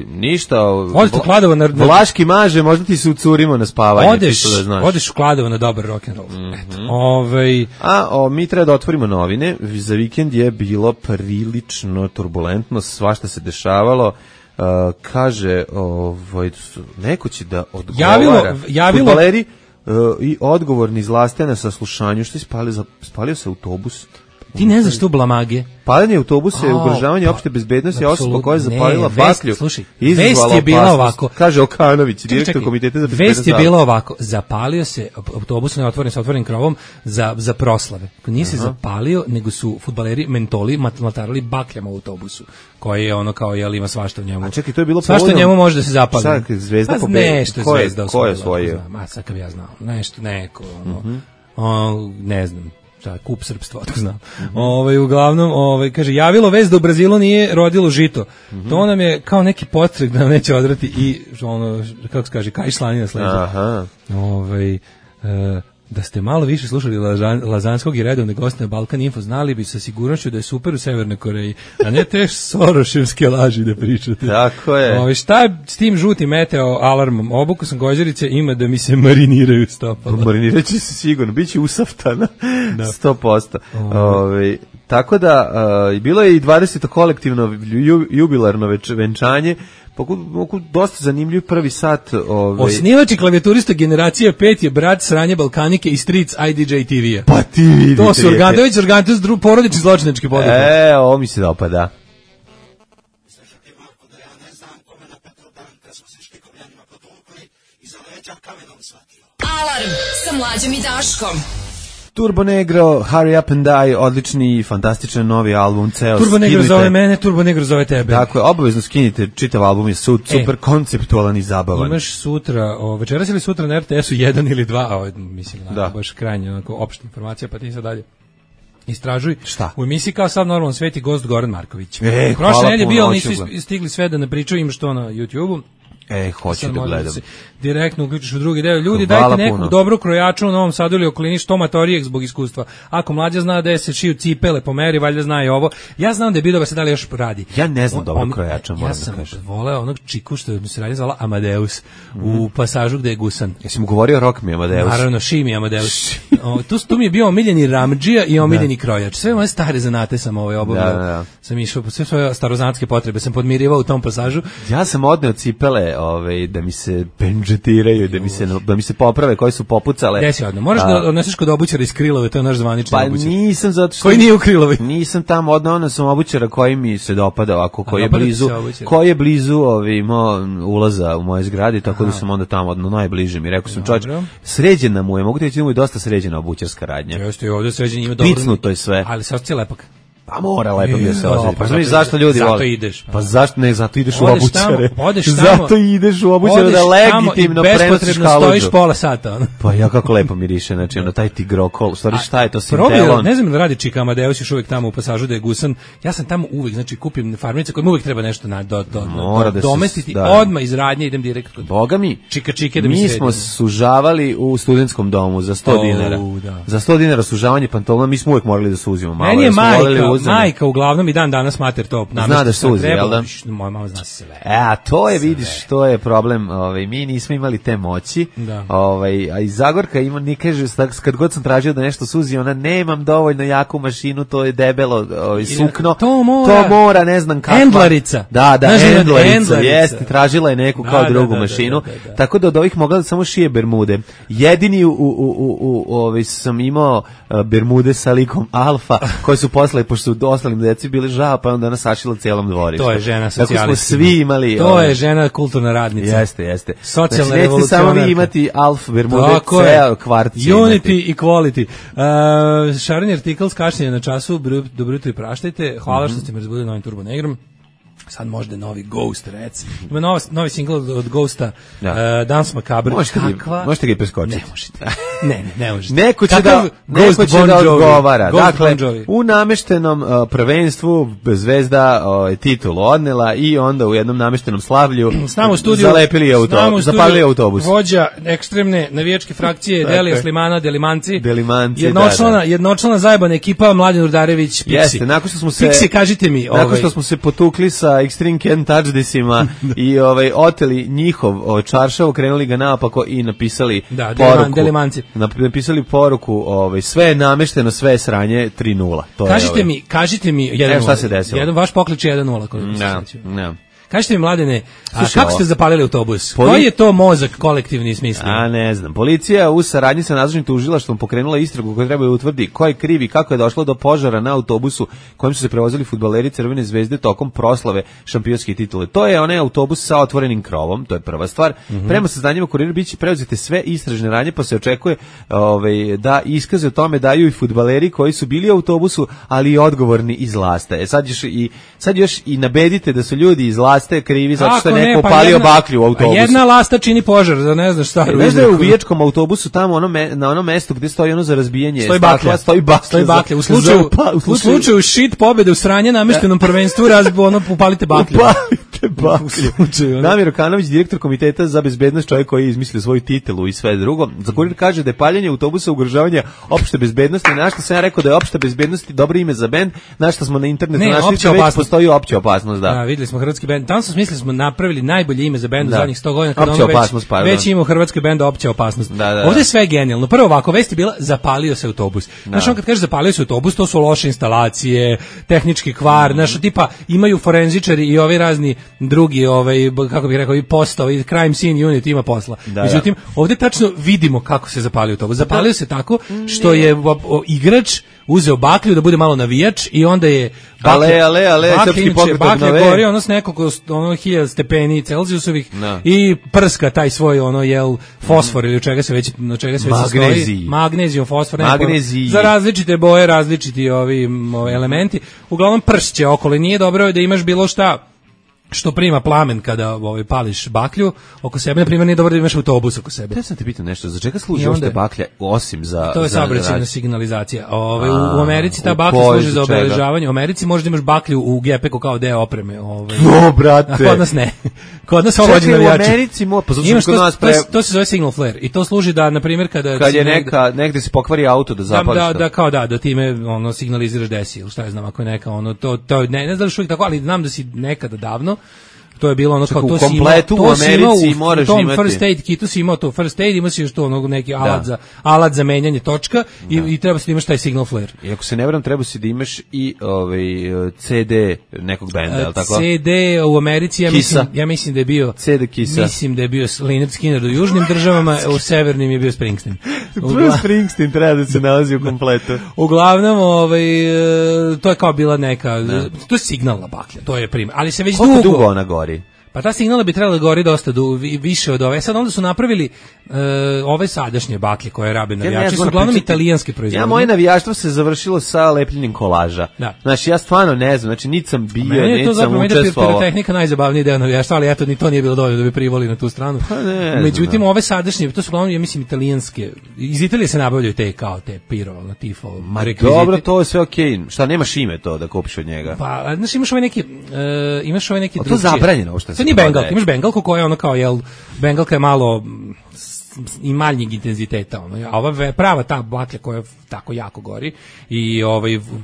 ništa. Odite u Kladovo na Vlaški maže, možda ti se ucurimo na spavanje. Odeš u Kladovo na dobar rock and roll. Mi treba da otvorimo novine. Za vikend je bilo prilično turbulentno, svašta se dešavalo. Kaže, neko će da odgovara. Fudbaleri i odgovorni iz Laste na saslušanju. Što je spalio se autobus? Ti ne znaš tu blamage. Paljenje autobusa je ugrožavanje opšte bezbednosti, a osoba koja je zapalila baklju. Slušaj, vest je bila ovako. Kaže Okanović, direktor komiteta za bezbednost. Vest je bila ovako, zapalio se autobus neotvoren sa otvorenim krovom za proslave. Nije se zapalio, nego su fudbaleri mentoli matarali bakljama u autobusu, koji je ono kao, ima svašta u njemu. A čekaj, to je bilo svašta u njemu može da se zapali. Sad Zvezda pobedila. Nešto Zvezda Ko je osvojio? Sad kad ja znao. Nešto, neko, ne znam. Kup srpstva, to znam. Uglavnom, kaže, javilo vest da u Brazilu nije rodilo žito. To nam je kao neki potreg da nam neće odrati i, kako se kaže, kaj slanina sleđa. Da ste malo više slušali Lazanskog i redovne goste na Balkan Info, znali bi sa sigurnošću da je super u Severnoj Koreji, a ne te soroševske laži da pričate. Tako je. Šta je s tim žutim meteo alarmom? Obuku sam Gođerice, ima da mi se mariniraju stopala. Marinirat će se sigurno, bit će usaftana, 100%. Tako da, bilo je i 20. kolektivno jubilarno venčanje, dosta zanimljiv prvi sat. Osnivač i klavijaturista generacija 5 je brat Sranje Balkanike i stric IDJ TV-a. Pa ti vidi. To su Organtović, porodični zločinački poduhvat. Ovo mi se dopada. Alarm sa Mlađom i Daškom. Turbo Negro, Hurry Up and Die, odlični i fantastičan novi album, ceo Turbo Negro zove mene, Turbo Negro zove tebe. Dakle, obavezno skinite, čitav album je super konceptualan i zabavan. Imaš sutra, večeras ili sutra na RTS-u 1 ili 2, mislim, baš krajnje, onako, opšta informacija, pa ti sad dalje istražuj. Šta? U emisiji Kao sav normalan svet i gost Goran Marković. Prošle nedelje bio, ali nisu stigli sve da ne pričaju, im što na YouTube-u. Hoću da gledam. Direktno uključiš u drugi deo. Ljudi, dajte nekog dobrog krojača u Novom Sadu ili okolini, što Matorijek zbog iskustva. Ako Mlađa zna da se šiju cipele po meri, valjda zna i ovo. Ja znam da je Bidoba se da li još radi. Ja ne znam dobrog krojača, moram da kažem. Ja sam voleo onog čiku što mi se radi zvala Amadeus u pasažu gde je gusan. Jesi mu govorio Rock mi Amadeus? Naravno, Šimi Amadeus. Tu mi je bio omiljeni ramdžija i omiljeni krojač. Sve moje stare zanate sam obavljao. Sam išao, sve svoje starozanatske potrebe sam podmirivao u tom pasažu. Ja sam odneo cipele da mi se pendžetiraju, da mi se poprave koje su popucale. Gde si odneo? Moraš da odneseš kod obućara iz Krilove, to je naš zvanični obućar. Pa nisam, zato što... Koji nije u Krilovi? Nisam tamo odneo sam obućara koji mi se dopada ovako, koji je blizu ulaza u moje zgradi, tako da sam onda tamo najbliže mi. Rekao sam, čovječ, sređena mu je, mogu ti reći da mu je dosta sređena obućarska radnja. Jeste, i ovdje sređen ima dobro. Picnuto je sve. Ali se osjeća lepak. Pa mora lepo da se osjeti. Pa znaš zašto ljudi vole? Zato ideš. Pa zašto ne, zato ideš u obućare. Odeš tamo. Zato ideš u obućare da legitimno prenosiš kaludžu. Bespotrebno stojiš pola sata. Pa ja kako lepo miriše, znači taj tigrokol. Šta je to sintelon? Ne znam da radi čika Amadeus još uvijek tamo u pasažu da je gusan. Ja sam tamo uvijek, znači kupim farmernice kojima uvijek treba nešto domestiti. Odmah iz radnje idem direkt kod Boga mi. Čika da mi mi smo sužavali u studentskom domu za 100 dinara. Za 100 dinara sužavanje pantolona, mi smo uvijek morali da suzimo malo. Meni je majka uglavnom i dan danas mater to zna da suzi, jel da? Moja mama zna sve. A to je, vidiš, to je problem. Mi nismo imali te moći. A i Zagorka ima, ni kaže, kad god sam tražio da nešto suzi, ona nemam dovoljno jaku mašinu, to je debelo sukno. To mora, ne znam kakva. Endlarica. Da, endlarica, jeste, tražila je neku kao drugu mašinu. Tako da od ovih mogla da samo šije bermude. Jedini sam imao bermude sa likom Alfa, koje su posle, pošto su ostalim deci bili žao, pa onda ona sašila cijelom dvorištu. To je žena socijalista. Tako smo svi imali. To je žena kulturna radnica. Jeste. Socijalna znači, nećete samo vi imati Alf, Bermude, ceo kvart. Unity i quality. Šareni artikl s kašnjenja na času, dobro jutro i praštajte. Hvala što ste me razbudili novim Turbo Negrom. Sad možda novi Ghost, rec. Ima novi single od Ghosta, Dance Macabre. Možete ga i preskočiti. Ne možete. Ne možete. Neko će da odgovara. Dakle, u nameštenom prvenstvu Zvezda titulu odnela i onda u jednom nameštenom slavlju zapalili autobus. Vođa ekstremne navijačke frakcije Delija Slimana, Delimanci. Jednočlana zajebana ekipa Mladen Urdarević, Pixi. Jeste, nakon što smo se... Pixi, kažite mi. Nakon što smo se potukli sa Extreme Ken Touchdisima i oteli njihov čaršav, krenuli ga naopako i napisali poruku. Delimanci. Napisali poruku, sve je namešteno, sve je sranje, 3-0. Kažite mi 1-0. Šta se desilo? Vaš poklič je 1-0. Ne. Kažite mi, Mladene, kako ste zapalili autobus? Koji je to mozak kolektivni smislio? Ne znam. Policija u saradnji sa nadležnim tužilaštvom pokrenula istragu koja treba da utvrdi ko je kriv i kako je došlo do požara na autobusu kojim su se prevozili fudbaleri Crvene zvezde tokom proslave šampionske titule. To je onaj autobus sa otvorenim krovom, to je prva stvar. Prema saznanjima Kurira biće preuzete sve istražne radnje, pa se očekuje da iskaze o tome daju i fudbaleri koji su bili u autobusu, ali i odgovorni iz Lasta. Sad još i nabedite da su ljudi iz Lasta krivi zato što je neko upalio baklju u autobusu. Jedna Lasta čini požar, da ne znaš šta. Ne znaš da je u vijačkom autobusu tamo na onom mestu gdje stoji ono za razbijanje stakla, stoji baklja. U slučaju šit pobjede u sranje nameštenom prvenstvu upalite baklju. Damir Okanović, direktor komiteta za bezbednost, čovjek koji je izmislio svoju titulu i sve drugo. Za Kurir kaže da je paljenje autobusa ugrožavanje opšte bezbednosti. Na što sam ja rekao da je opšta bezbednost dobro ime za bend, na što smo na internetu našli da već postoji opća opasnost. Da, videli smo hrvatski bend. Tamo smo smislili smo napravili najbolje ime za bend u zadnjih 100 godina. Opća opasnost, već ima u hrvatskoj bendu opća opasnost. Ovdje je sve genijalno. Prvo ovako, vest je bila zapalio se autobus. Znaš, on kad kaže zapalio se autobus, to su loše instalacije, tehnički kvar, znaš, tipa imaju forenzičari i ovi razni drugi, kako bih rekao, i postao, i crime scene unit ima posla. Međutim, ovdje tačno vidimo kako se zapalio autobus. Zapalio se tako što je igrač uzeo baklju da bude malo navijač i onda je baklja gori ono s nekog 1000 stepeni Celzijusovih i prska taj svoj fosfor ili čega se već stoji. Magnezijum, fosfor, za različite boje, različiti ovi elementi. Uglavnom pršće okolo, nije dobro da imaš bilo šta što prima plamen kada pališ baklju oko sebe, na primjer nije dobro da imaš autobus oko sebe. Ja sam te pitao nešto, za čega služi uopšte baklja osim za... To je saobraćajna signalizacija. U Americi ta baklja služi za obeležavanje. U Americi možda imaš baklju u gepeku kao deo opreme. Brate! A kod nas ne. Kod nas ovo vođi navijači. U Americi to se zove signal flare i to služi da, na primjer, kad je negde se pokvari auto da zapališ da time signaliziraš desi ili šta je znam, ako je neka ne znam što je tako, ali znam da si nekada davno to je bilo kao to kompletu u Americi moraš imati. U tom first aid kitu si imao to first aid, imaš još to neki alat za menjanje točka i treba si da imaš taj signal flare. I ako se ne varam, treba si da imaš i CD nekog benda, je li tako? CD u Americi, ja mislim da je bio CD Kisa. Mislim da je bio Lynyrd Skynyrd u južnim državama, u severnim je bio Springsteen. Springsteen treba da se nalazi u kompletu. Uglavnom, to je kao bila neka, to je signalna baklja, to je primjer. Ali se već dugo ona gori. Pa ta signala bi trebala da gori dosta više od ove. Sad onda su napravili ove sadašnje baklje koje rabe navijači, su uglavnom italijanske proizvodnje. Moje navijaštvo se završilo sa lepljenjem kolaža. Znači, ja stvarno ne znam, znači niti sam bio, niti sam učestvovao. Meni je to zapravo pirotehnika najzabavniji deo navijaštva, ali eto, ni to nije bilo dovoljno da bi privoli na tu stranu. Međutim, ove sadašnje, to su uglavnom, ja mislim, italijanske. Iz Italije se nabavljaju te piro, tifo, rekviziti. Dobro, to je sve okej. Šta, nemaš ime to da kupiš od njega? Pa, znači, imaš ove neki to zabranjeno, što to nije bengalka, imaš bengalku koja je ono kao, bengalka je malo i manjeg intenziteta, a ova prava ta baklja koja tako jako gori i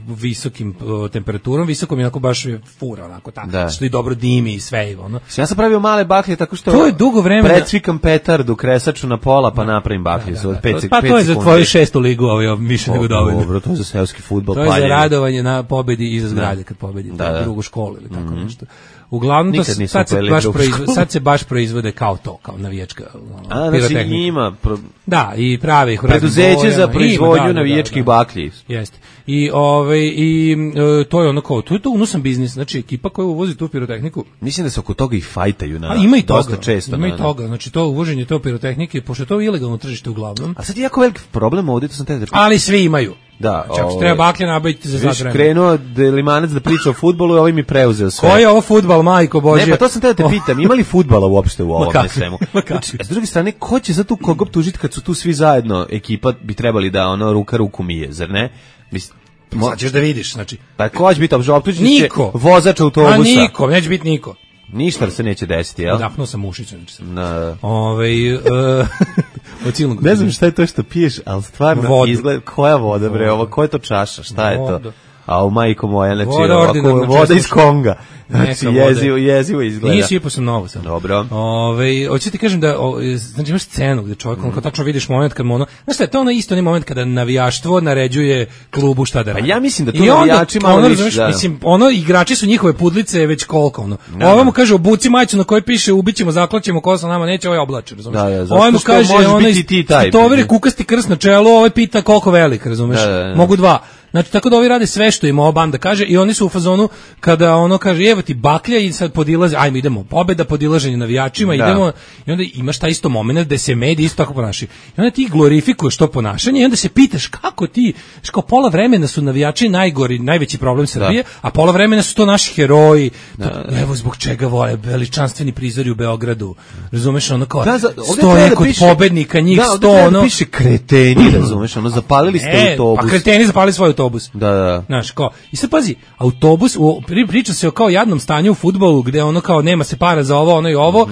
visokim temperaturom, visokom onako baš fura, onako tako, što i dobro dimi i sve. Ja sam pravio male baklje tako što to je dugo vremena. Precvikam petardu, kresaču na pola, pa napravim baklju za 5 sekundi. Pa to je za tvoju 6. ligu, više nego dovoljno. Dobro, to je za seoski fudbal. To je za radovanje na pobedi i za zgrade kad pobedi, drugu školu ili tako nešto. uglavnom to sad se baš proizvode kao navijačka pirotehnika. Znači ima da, i prave ih preduzeće za proizvodnju navijačkih baklji. Jeste. I to je ono kao, to je to unosan biznis, znači ekipa koja uvozi tu pirotehniku. Mislim da se oko toga i fajtaju ima i dosta toga, često. Ima i toga, znači to uvoženje to pirotehnike, pošto je to ilegalno tržište uglavnom. A sad je jako veliki problem ovdje, to sam te da... Ali svi imaju. Da, čak treba baklje nabaviti za sat vremena. Krenuo Delimanac da priča o fudbalu i ovaj mi preuzeo sve. Ko je ovo fudbal, majko Božje? Ne, pa to sam te da te pitam, ima li fudbala uopšte u ovome svemu? Znači, s druge strane, ko će za tu kogop tužiti kad su tu svi zajedno, ekipa bi trebali da ono ruku mije, zar ne? Sad ćeš da vidiš, znači. Pa ko će biti optužen? Niko. Vozač autobusa. A niko, neće biti niko. Ništa se neće desiti, jel? Dapnuo sam ušicu. Da. Ne znam šta je to što piješ, ali stvarno izgleda, koja voda bre, ovo, koja je to čaša, šta je to? A u majko moja, znači voda iz Konga. Znači jezivo izgleda. Nije sipao sam novo sam. Dobro. Hoću ti kažem da znači imaš scenu gdje čovjek kao tačno vidiš moment kad mu ono, znaš šta je to ono isto onaj moment kada navijaštvo naređuje klubu šta da radi. Pa ja mislim da tu navijači malo više, mislim ono igrači su njihove pudlice već koliko ono. Ovo mu kaže obuci majicu na kojoj piše ubićemo, zaklaćemo, ko sa nama neće, ovaj oblači, razumiješ? Ovo mu kaže ono tovere kukasti krst na čelu, ovaj pita koliko velik, razumiješ? Mogu dva. Znači, tako da ovi rade sve što im ova banda kaže i oni su u fazonu kada ono kaže evo ti baklja i sad podilaze, ajmo idemo, pobeda, podilaženje navijačima, idemo i onda imaš taj isto moment da se mediji isto tako ponašaju. I onda ti glorifikuješ to ponašanje i onda se pitaš kako ti, kao pola vremena su navijači najgori, najveći problem Srbije, a pola vremena su to naši heroji. Evo zbog čega vole veličanstveni prizori u Beogradu. Razumeš, ono kao stoje kod pobednika, njih 100 ono. Piše kreteni, razumeš, ono zapalili ste autobus. Pa kreteni zapalili svoj autobus. Da. Znaš, kao, i sad pazi, autobus, priča se o kao jadnom stanju u fudbalu, gde ono kao nema se para za ovo, ono i ovo,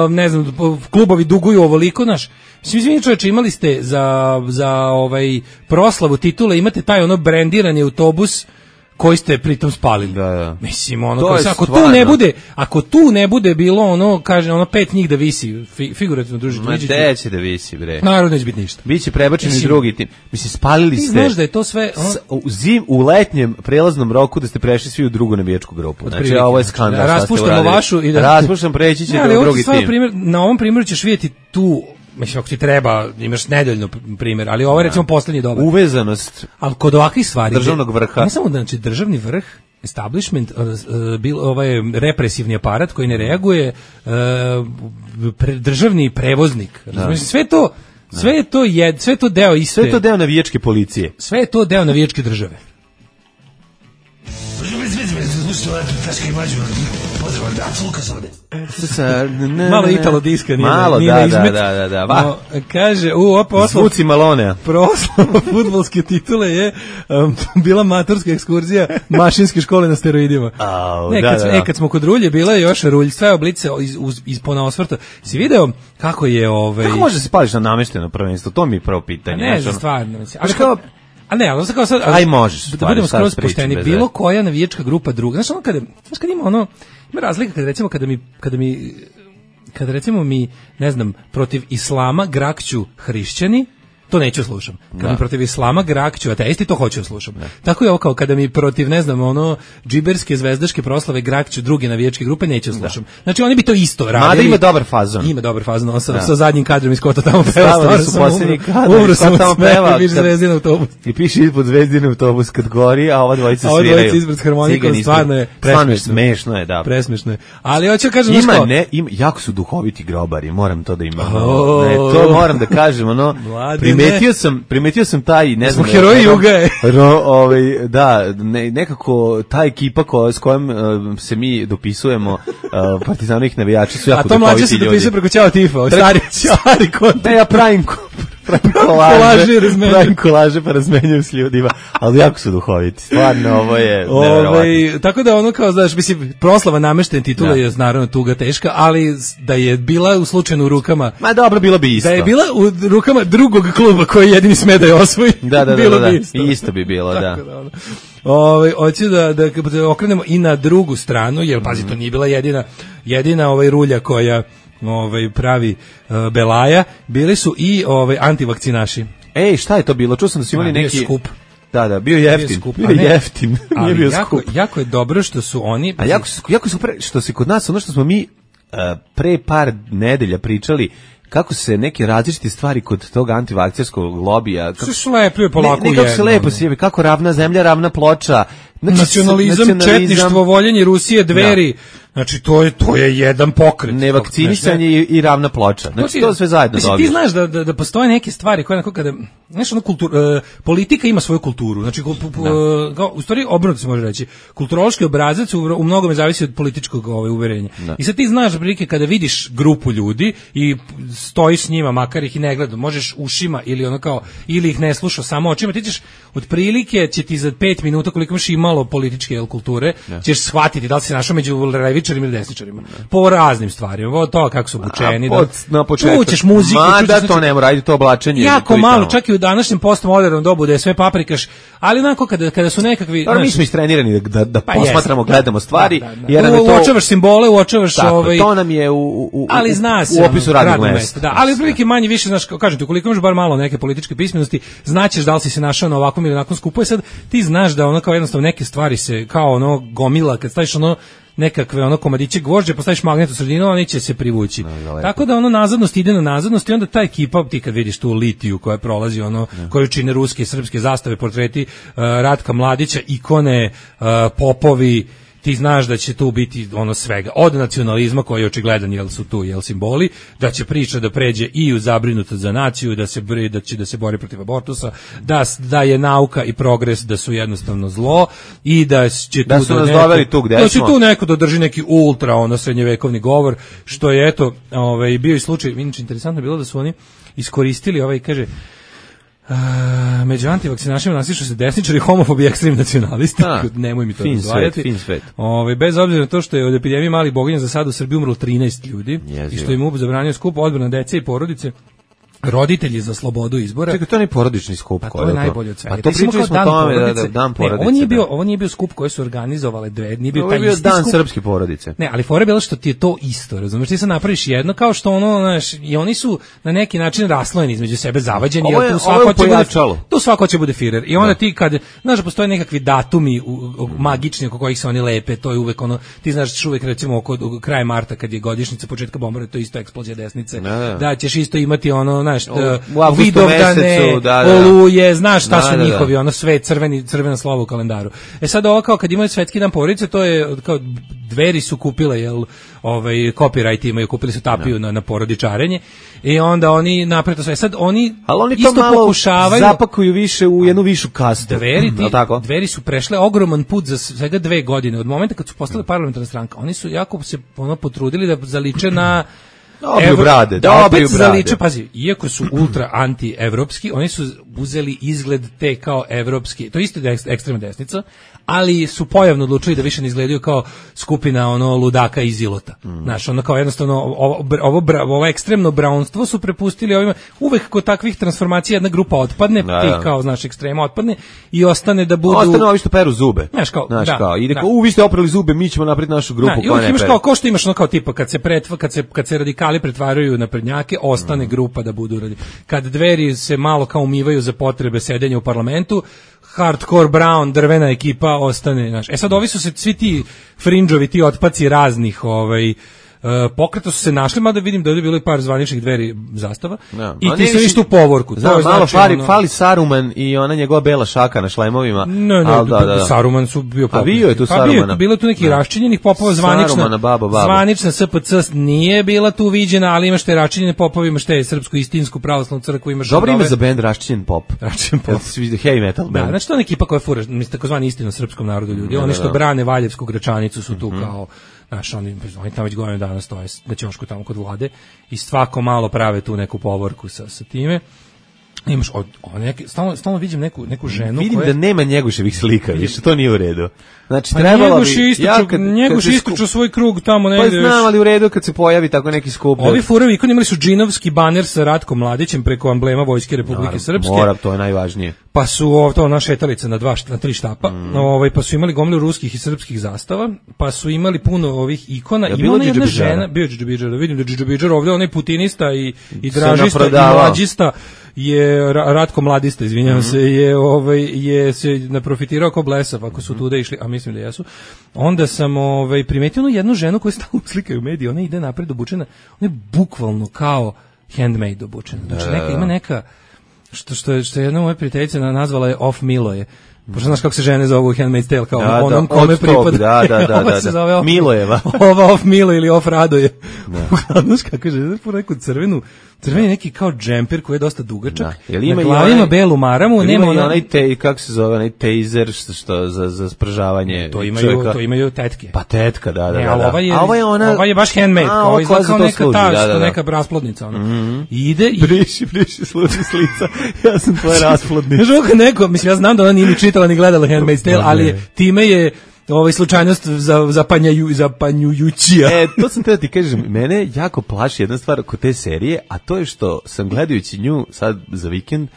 ne znam, klubovi duguju ovoliko, znaš, svi čovječe, imali ste za proslavu titule, imate taj ono brendirani autobus koji ste pritom spalili. Da. Mislim, ono, ako tu ne bude bilo ono, kaže, ono 5 njih da visi, figurativno družiti. Ma neće da visi, bre. Naravno neće biti ništa. Biće prebačeni drugi tim. Mislim, spalili ste. Ti znaš da je to sve... U letnjem prelaznom roku da ste prešli svi u drugu navijačku grupu. Znači, ovo je skandal. Raspuštamo vašu i da... Raspuštam, preći ćete u drugi tim. Na ovom primjeru ćeš vidjeti tu... Mislim, ako ti treba, imaš nedeljno primjer, ali ovo je recimo posljednji dobar. Uvezanost. Ali kod ovakvih stvari... Državnog vrha. Ne samo da, znači, državni vrh, establishment, ovaj represivni aparat koji ne reaguje, državni prevoznik. Razumiješ, sve je to deo iste... Sve je to deo navijačke policije. Sve je to deo navijačke države. Malo Italo diska nije. Malo, da. Kaže, zvuci Malonea. Proslava fudbalske titule je bila maturska ekskurzija mašinske škole na steroidima. Kad smo kod Rulje, bila je još Rulj, sve oblice ispod osvrta. Si video kako je... Kako može se pališ na namešteno prvenstvo? To mi je prvo pitanje. Ne, stvarno. A ne, ali kao sad... Aj možeš. Da budemo skroz pošteni. Bilo koja navijačka grupa druga. Znaš, kad ima ono... Ima razlika kad recimo kada recimo mi, ne znam, protiv islama grakću hrišćani, to neću slušam. Kad mi protiv islama grakću ateisti, to hoću slušam. Tako je ovo kao kada mi protiv, ne znam, ono džiberske zvezdaške proslave grakću druge navijačke grupe, neću slušam. Znači oni bi to isto radili. Mada ima dobar fazon. Ima dobar fazon, sa zadnjim kadrom iz kota tamo peva. Stavili su posljednji kadar, umro sam tamo peva. I piše Zvezdin autobus. I piše ispod Zvezdin autobus kad gori, a ova dvojica sviraju. A ova dvojica ispred harmonikom, stvarno je smešno je, da. Presmešno je. Ali hoću kažem jako su duhoviti grobari, moram to da imam. To moram da kažem, ono. Primetio sam taj, ne znam, heroji Juga je. Nekako ta ekipa s kojom se mi dopisujemo, partizanovih navijača su jako duhoviti ljudi. A to mlađe se dopisuje preko Ćao Tifa, stari kontent. Ne, ja pravim kolaže pa razmenjujem s ljudima, ali jako su duhoviti. Stvarno, ovo je nevjerovatno. Tako da ono kao, znaš, mislim, proslava nameštene titule je naravno tuga teška, ali da je bila u slučajno u rukama... Ma dobro, bilo bi isto. Da je bila u rukama drugog kluba koji jedini sme da je osvoji, bilo bi isto. Isto bi bilo, da. Hoću da okrenemo i na drugu stranu, jer pazi, to nije bila jedina rulja koja pravi belaja, bili su i antivakcinaši. Ej, šta je to bilo? Čuo sam da su imali neki skup. Da, bio jeftin. Bio jeftin. Nije bio skup. Jako je dobro što su oni... A jako su što se kod nas, ono što smo mi pre par nedelja pričali, kako se neke različite stvari kod tog antivakcerskog lobija... Kako se lepo polako kako se lepo sjebe, kako ravna zemlja, ravna ploča... Znači, nacionalizam, četništvo, voljenje Rusije, Dveri, znači to je jedan pokret. Nevakcinisanje i ravna ploča. Znači to sve zajedno dobije. Ti znaš da postoje neke stvari koje kada, znaš, politika ima svoju kulturu. Znači u stvari obrnuto se može reći. Kulturološki obrazac u mnogome zavisi od političkog uverenja. I sad ti znaš prilike kada vidiš grupu ljudi i stojiš s njima, makar ih i ne gledam, možeš ušima ili ih ne slušaš samo očima, ti ćeš otprilike će ti za 5 minuta koliko imaš imalo političke kulture, ćeš shvatiti da li si našao među levičarima ili desničarima. Po raznim stvarima, to kako su obučeni. Na početku. Čućeš muziku. Da to ne mora, to oblačenje. Jako malo, čak i u današnjem postmodernom dobu da je sve paprikaš, ali onako kada su nekakvi... Mi smo istrenirani da posmatramo, gledamo stvari. Uočavaš simbole, uočavaš... To nam je u opisu radnog mesta. Ali prilike manje više, znaš, kažem ti, ukoliko imaš bar malo neke političke pismenosti, znaćeš da li si se našao na ovakvom ili onakvom skupu, i sad ti znaš da ono kao jednostavno neke stvari se kao ono gomila, kad staviš ono nekakve komadiće gvožđe, postaviš magnet u sredinu, oni će se privući. Tako da nazadnost ide na nazadnost i onda ta ekipa, ti kad vidiš tu litiju koja prolazi koju čine ruske i srpske zastave, portreti Ratka Mladića, ikone, popovi, ti znaš da će tu biti svega, od nacionalizma koji je očigledan, jel su tu simboli, da će priča da pređe i u zabrinutost za naciju, da se bori protiv abortusa, da je nauka i progres da su jednostavno zlo i da će da su nas doveli tu gde smo. Da će tu neko da drži neki ultra srednjevekovni govor, što je eto bio i slučaj. Inače interesantno je bilo da su oni iskoristili kaže među antivakcinašima nasišu se desničari, homofobi i ekstremni nacionalisti. Nemoj mi to razvajati. Bez obzira na to što je od epidemije malih boginja za sad u Srbiji umrlo 13 ljudi i što im MUP zabranio skup odbrana dece i porodice. Roditelji za slobodu izbora. Čekaj, to je porodični skup. Pa to je najbolje od svega. Pa to pričali smo o tome da dan porodice. Ovo nije bio skup koji su organizovale dve, nije bio taj isti skup. Ovo je bio dan srpske porodice. Ne, ali fora je bilo što ti je to isto, razumiješ, ti sad napraviš jedno kao što znaš, i oni su na neki način raslojeni između sebe, zavađeni, jer tu svako će bude Führer. I onda ti kad, znaš da postoje nekakvi datumi magični oko kojih se oni lepe, to je uvek ti znaš uvek recimo oko kraja marta kad je godišnjica početka bombardovanja, to je isto eksplozija desnice, da ćeš isto imati Vidovdane, Oluje, znaš šta su njihovi, sve crvena slova u kalendaru. Sad ovo kao kad imaju svetski dan porodice, to je kao Dveri su kupile, copyright imaju, kupili su tapiju na porodičarenje i onda oni naprave to sve. Sad oni isto pokušavaju... zapakuju više u jednu višu kastu. Dveri su prešle ogroman put za svega 2 godine. Od momenta kad su postale parlamentarna stranka, oni su jako se potrudili da zaliče na... Dobri brade. Pazi, iako su ultra anti-evropski, oni su uzeli izgled te kao evropski, to isto je ekstremna desnica, ali su pojavno odlučili da više ne izgledaju kao skupina ludaka iz Ilota. Znaš, kao jednostavno ovo ekstremno braunstvo su prepustili ovima. Uvek kod takvih transformacija jedna grupa otpadne, ti kao, znaš, ekstrema otpadne i ostane da budu... Ostane ovi što peru zube. Znaš, kao, ide kao, vi ste oprali zube, mi ćemo napraviti našu grupu koja ne pere. Kao što imaš kao tipa, kad se radikali pretvaraju na prednjake, ostane grupa da budu kad Dveri se malo kao umivaju za potrebe sedenja u parlamentu, hardcore brown drvena ekipa ostane, znaš. Sad ovi su se svi ti frinđovi, ti otpaci raznih pokreta su se našli, mada vidim da je bilo i par zvaničnih Dveri zastava i ti se viš tu povorku. Malo fali Saruman i ona njegova bela šaka na šlajmovima. Saruman su bio popov. A bio je tu Sarumana. Bilo je tu neki raščinjenih popova, zvanična SPC nije bila tu viđena, ali imaš te raščinjene popove, imaš te srpsku istinsku pravoslavnu crkvu, imaš... Dobro ime za bend raščinjen pop. Heavy metal band. Znači to je ekipa koja fura, takozvani istina srpskom narodu ljudi. Oni što brane Valjevsku Gračanicu su tu kao... Znaš, oni tamo već godinu dana stoje na ćošku tamo kod Vlade i svako malo prave tu neku povorku sa time. Imaš stalno vidim neku ženu. Vidim da nema Njegoševih slika, više to nije u redu. Znači trebalo bi Njegoš ističu svoj krug tamo negde. Pa znam, ali u redu kad se pojavi tako neki skup. Ovi furovi ikoni imali su džinovski baner sa Ratkom Mladićem preko amblema Vojske Republike Srpske. Mora, to je najvažnije. Pa su ona šetalica na 3 štapa. Pa su imali gomilu ruskih i srpskih zastava, pa su imali puno ovih ikona. I ona jedna žena, bio Džidžabidžar, vidim da Džidžabidžar ovdje onaj putinista i dražista i mlađista je Ratko Mladista, izvinjavam se, je se naprofitirao kao blesav, ako su tuda išli, a mislim da jesu. Onda sam primetio jednu ženu koja stalno slikaju u mediji, ona ide napred obučena, ona je bukvalno kao handmade obučena. Znači ima neka što je jedna moja prijateljica nazvala je Off Miloje. Pošto znaš kako se žene zovu Handmaid's Tale, kao onom kome pripada. Da. Milojeva. Ova Off Milo ili Off Radoje. Znaš kako žene, po neku crveni neki kao džemper koji je dosta dugačak. Na glavi ima belu maramu. Nema onaj kako se zove, onaj taser što za spržavanje. To imaju tetke. Pa tetka, da. Ova je baš handmade, kao izgleda kao neka ta, neka rasplodnica. I ide i... Briši, služi s lica, ja sam tvoja rasplodnica. Znaš ovo neko, mislim, ja znam da ona nije ni čitala ni gledala Handmaid's Tale, ali time je slučajnost zapanjujućija. To sam te da ti kažem, mene jako plaši jedna stvar kod te serije, a to je što sam gledajući nju sad za vikend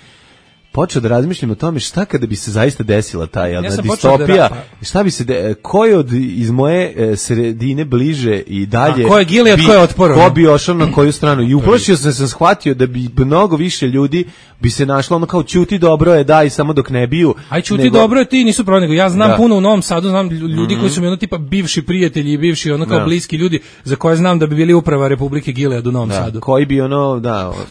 počeo da razmišljam o tome šta kada bi se zaista desila ta distopija, šta bi se ko je iz moje sredine bliže i dalje, a ko je Gilead, ko je Otpor, ko bi ošao na koju stranu, i uplašio sam shvatio da bi mnogo više ljudi bi se našlo ono kao ćuti dobro je, daj samo dok ne biju. Aj ćuti dobro je, ti nisu pravo, nego ja znam puno u Novom Sadu, znam ljudi koji su mi ono tipa bivši prijatelji i bivši ono kao bliski ljudi za koje znam da bi bili uprava Republike Gilead u Novom Sadu. Koji bi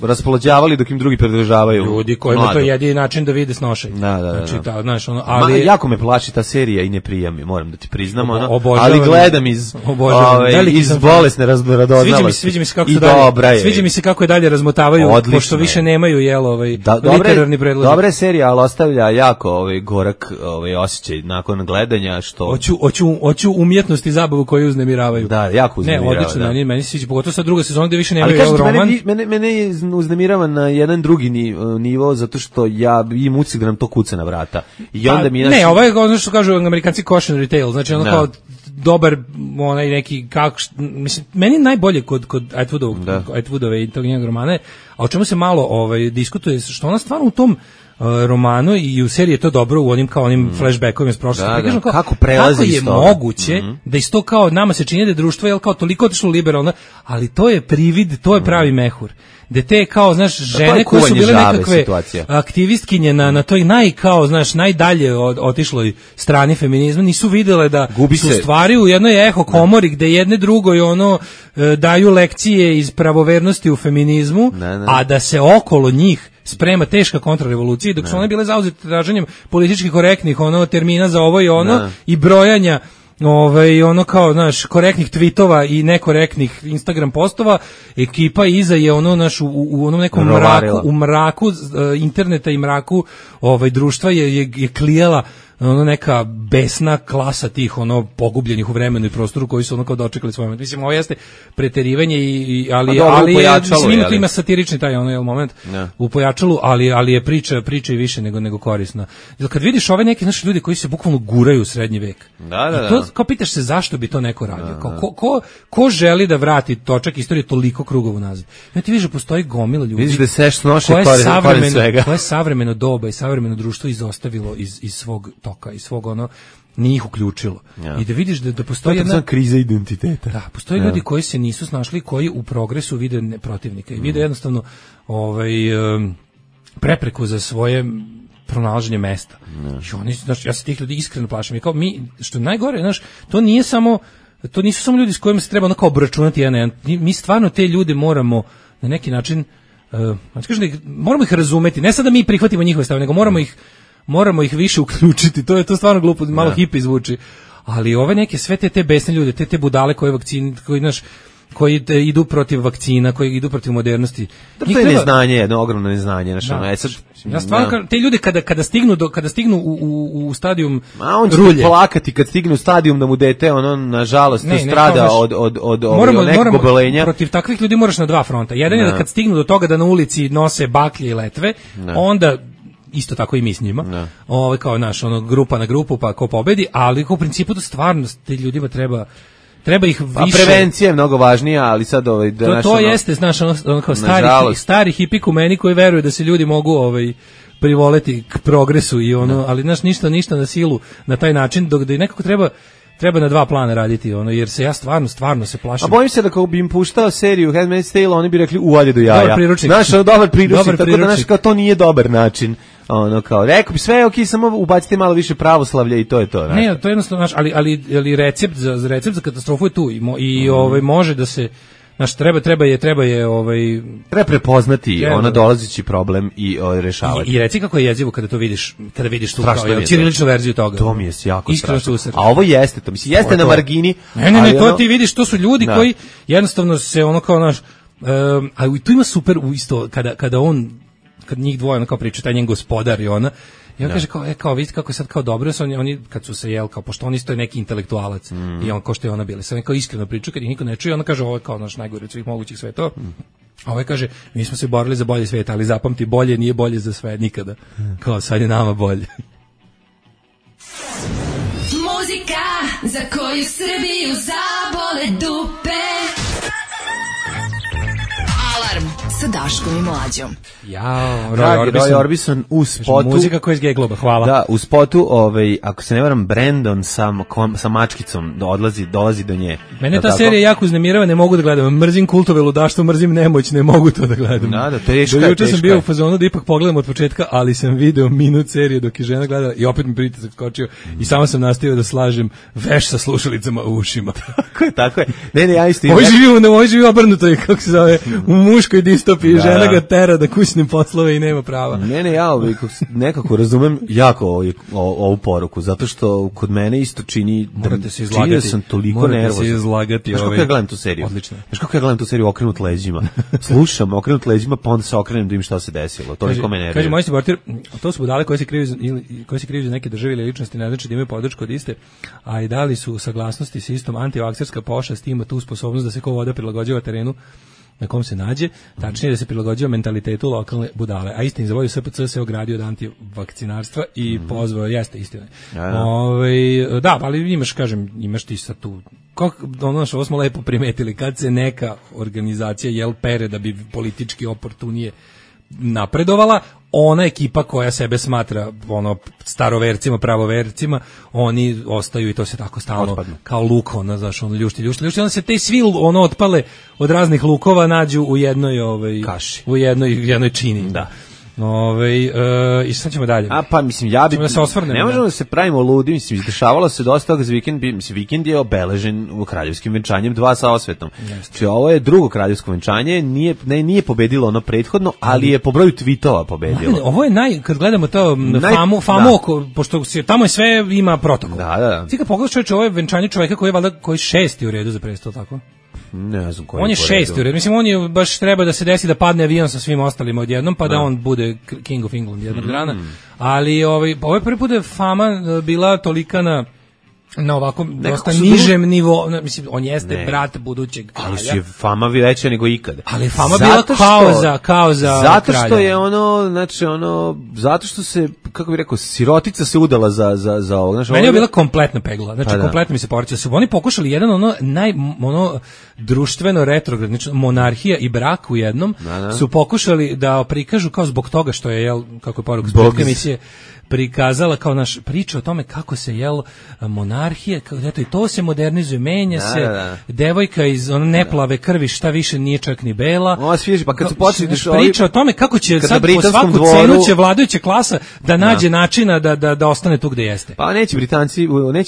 raspolođavali dok im drugi pridržavaju. Ljudi kojima to je način da vide snošaj. Znači, znaš, ali jako me plaši ta serija i ne prija mi, moram da ti priznam, ali gledam iz bolesne radoznalosti. Sviđa mi se kako je dalje razmotavaju, pošto više nemaju literarni predložak. Dobra je serija, ali ostavlja jako gorak osjećaj nakon gledanja, što hoću umjetnost i zabavu koju uznemiravaju. Da, jako uznemiravaju. Ne, odlično, meni se sviđa, pogotovo sad druga sezona gde više nemaju roman. Mene je uznemirava na jedan drugi nivo, zato što ja imam utisak da nam to kuca na vrata. I onda ne, ovo je ono što kažu Amerikanci cautionary tale, znači ono kao dobar onaj neki mislim, meni najbolje kod Atwoodove i tog njegovog romana, a o čemu se malo diskutuje, što ona stvarno u tom romanu i u seriji je to dobro u onim kao onim flashbackovima iz prošlosti. Kako prelazi kako je moguće da isto kao nama se čini da je društvo je kao toliko otišlo liberalno, ali to je privid, to je pravi mehur. Da te kao, znaš, žene koje su bile nekakve aktivistkinje na toj najdalje otišloj strani feminizma, nisu videle da su stvari u jednoj eho komori gde jedne drugoj daju lekcije iz pravovernosti u feminizmu, a da se okolo njih sprema teška kontrarevolucija, dok su one bile zauzete traženjem politički korektnih termina za ovo i i brojanja kao, znaš, korektnih tweetova i nekorektnih Instagram postova, ekipa iza je u onom nekom mraku, u mraku interneta i mraku društva je klijala neka besna klasa tih pogubljenih u vremenu i prostoru koji su kao dočekali svoj moment. Mislim, ovo jeste preterivanje ali je ima satirični taj moment u pojačalu, ali je priča i više nego korisna. Jer kad vidiš ove neke naše ljudi koji se bukvalno guraju u srednji vek, kao pitaš se zašto bi to neko radio, ko želi da vrati točak istorije toliko krugova nazad. Ja ti vidiš da postoji gomila ljudi vidiš da seš noše koje savremeno doba i savremeno društvo izostavilo iz svog toka i svog nije ih uključilo. I da vidiš da postoji jedna kriza identiteta. Da, postoje ljudi koji se nisu snašli, koji u progresu vide protivnika i vide jednostavno prepreku za svoje pronalaženje mesta. I oni, znaš, ja se tih ljudi iskreno plašim. I kao što je najgore, znaš, to nisu samo ljudi s kojima se treba kao obračunati jedan na jedan. Mi stvarno te ljude moramo na neki način moramo ih razumeti, ne sad da mi prihvatimo njihove stave, nego moramo ih više uključiti. To je to stvarno glupo, malo hipi zvuči. Ali ove neke sve te besne ljude, te budale koji idu protiv vakcina, koji idu protiv modernosti. To je neznanje, jedno ogromno neznanje. Ja stvarno, te ljudi kada stignu u stadijum on će rulje. Plakati kad stigne u stadijum da mu dete, nažalost, strada od nekog obolenja. Protiv takvih ljudi moraš na dva fronta. Jedan je da kad stignu do toga da na ulici nose baklje i letve, onda isto tako i mi s njima. Kao naš grupa na grupu, pa ko pobedi, ali u principu to stvarno te ljudima treba ih više. A prevencija je mnogo važnija, ali sad to jeste, znaš, kao stari hipikumeni koji veruju da se ljudi mogu privoleti k progresu i ali znaš, ništa na silu na taj način, dok da nekako treba na dva plana raditi, jer se ja stvarno se plašim. A bojim se da kako bi im puštao seriju Handmaid's Tale, oni bi rekli uvalje do jaja. Dobar priručnik. Dobar priručnik, tako da kao to nije dobar način. Kao, rekao bi sve, samo ubacite malo više pravoslavlja i to je to. Ne, to je jednostavno, ali recept za katastrofu je tu i može da se, treba prepoznati dolazeći problem i rešavati. I reci kako je jezivo kada to vidiš, tu kao ćiriličnu verziju toga. To mi je jako strašno. A ovo jeste, to mislim, jeste na margini. Ne, to ti vidiš, to su ljudi koji jednostavno se a tu ima super isto kada njih dvoje kao priča, taj njen gospodar i ona, i on kaže kao vidite kako je sad kao dobro, oni kad su se kao pošto on isto je neki intelektualac i on kao što je ona bila, sad kao iskreno priča kad ih niko ne čuje, ona kaže ovo je kao naš najgori od svih mogućih sve to. A ovaj kaže, mi smo se borili za bolji svijet, ali zapamti, bolje nije bolje za sve nikada. Kao sad je nama bolje. Muzika za koju Srbiju zabole dupe. Alarm sa Daškom i Mlađom. Roy Orbison u spotu. Muzika koja je iz G-Globa, hvala. Da, u spotu, ako se ne varam, Brandon sa mačkicom dolazi do nje. Mene ta serija jako uznemirava, ne mogu da gledam. Mrzim kultove ludaštvo, mrzim nemoć, ne mogu to da gledam. Da, teška je. Juče sam bio u fazonu da ipak pogledam od početka, ali sam video minut serije dok je žena gledala i opet mi pritisak skočio i samo sam nastavio da slažem veš sa slušalicama u ušima. Tako je. Ne, ja isto. Ovo živi obrnuto je, kako se zove, u muškoj distopiji, žena ga tera da kućne poslove i nema prava. Ne, ja nekako razumem jako ovu poruku, zato što kod mene isto čini da sam toliko nervozan. Morate se izlagati. Znaš kako ja gledam tu seriju? Odlično. Znaš kako ja gledam tu seriju okrenut leđima? Slušam okrenut leđima, pa onda se okrenem da im šta se desilo. To niko me nervira. Kaže, moj reporter, to su budale koje se kriju za neke države ili ličnosti, ne znači da imaju podršku od iste, a i dali su saglasnosti s istom antivakserska pošast, ima tu sposobnost da se ko voda prilagođava terenu na kom se nađe, tačnije da se prilagođava mentalitetu lokalne budale. A istini za volju SPC se ogradio od antivakcinarstva i pozvao, jeste istina. Da, ali imaš ti sad tu, ovo smo lepo primetili, kad se neka organizacija pere da bi politički oportunije napredovala, ona ekipa koja sebe smatra starovercima, pravovercima, oni ostaju i to se tako stalno otpadno. Kao luk, ljušti, onda se te svi otpale od raznih lukova nađu u jednoj kaši, u jednoj čini. Da. I sad ćemo dalje. Pa mislim, ne možemo da se pravimo ludi, mislim, izdešavalo se dosta toga za vikend, vikend je obeležen u kraljevskim venčanjem 2 sa osvetom. Znači, ovo je drugo kraljevsko venčanje, nije pobedilo ono prethodno, ali je po broju tweetova pobedilo. Ovo je kad gledamo to famu pošto tamo je sve ima protokol. Da. Ti kad pogledaš čovječe, ovo je venčanje čovjeka koji je valjda šesti u redu za presto, tako? Ne znam koji on je šesti u redu. Mislim, on je baš treba da se desi da padne avion sa svim ostalima odjednom, pa da on bude King of England jednog dana. Ali ovo je prvi put da je fama bila tolika na ovako dosta nižem nivou, mislim, on jeste brat budućeg kralja. Ali je fama veća nego ikada. Ali fama bila kao za zato kralja. Što je zato što se, kako bih rekao, sirotica se udala za ovo. Meni je bila kompletna pegla, kompletno mi se porcija. Su oni pokušali jedan društveno retrograd, znači monarhija i brak u jednom, su pokušali da prikažu kao zbog toga što je, kako je poruka zbog emisije, prikazala kao naš priča o tome kako se monarhija, eto i to se modernizuje, menja se, devojka iz neplave krvi, šta više nije čak ni bela. Pa kad su počeli priča o tome kako će sad po svaku cenu će vladajuća klasa da nađe načina da ostane tu gde jeste. Pa neće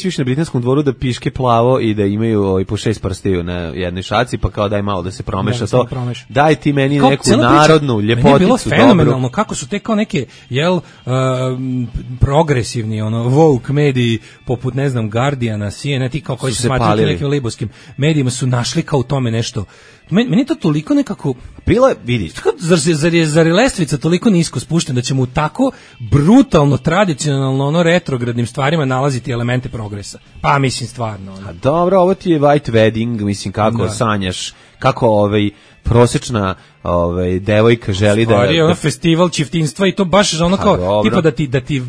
više na britanskom dvoru da piške plavo i da imaju po 6 prstiju na jednoj šaci, pa kao daj malo da se promeša to. Daj ti meni neku narodnu ljepoticu. Meni je bilo fenomenalno kako su te kao neke progresivni woke mediji poput ne znam Guardiana, CNN, ti kao koji se smatraju nekim libovskim medijima su našli kao u tome nešto. Meni to toliko nekako bilo, vidi. Zar je lestvica toliko nisko spuštena da ćemo u tako brutalno tradicionalno retrogradnim stvarima nalaziti elemente progresa? Pa mislim stvarno. A dobro, ovo ti je white wedding, mislim kako sanjaš, kako prosečna devojka želi da... Stvari je ono festival čiftinstva i to baš ono kao, tipa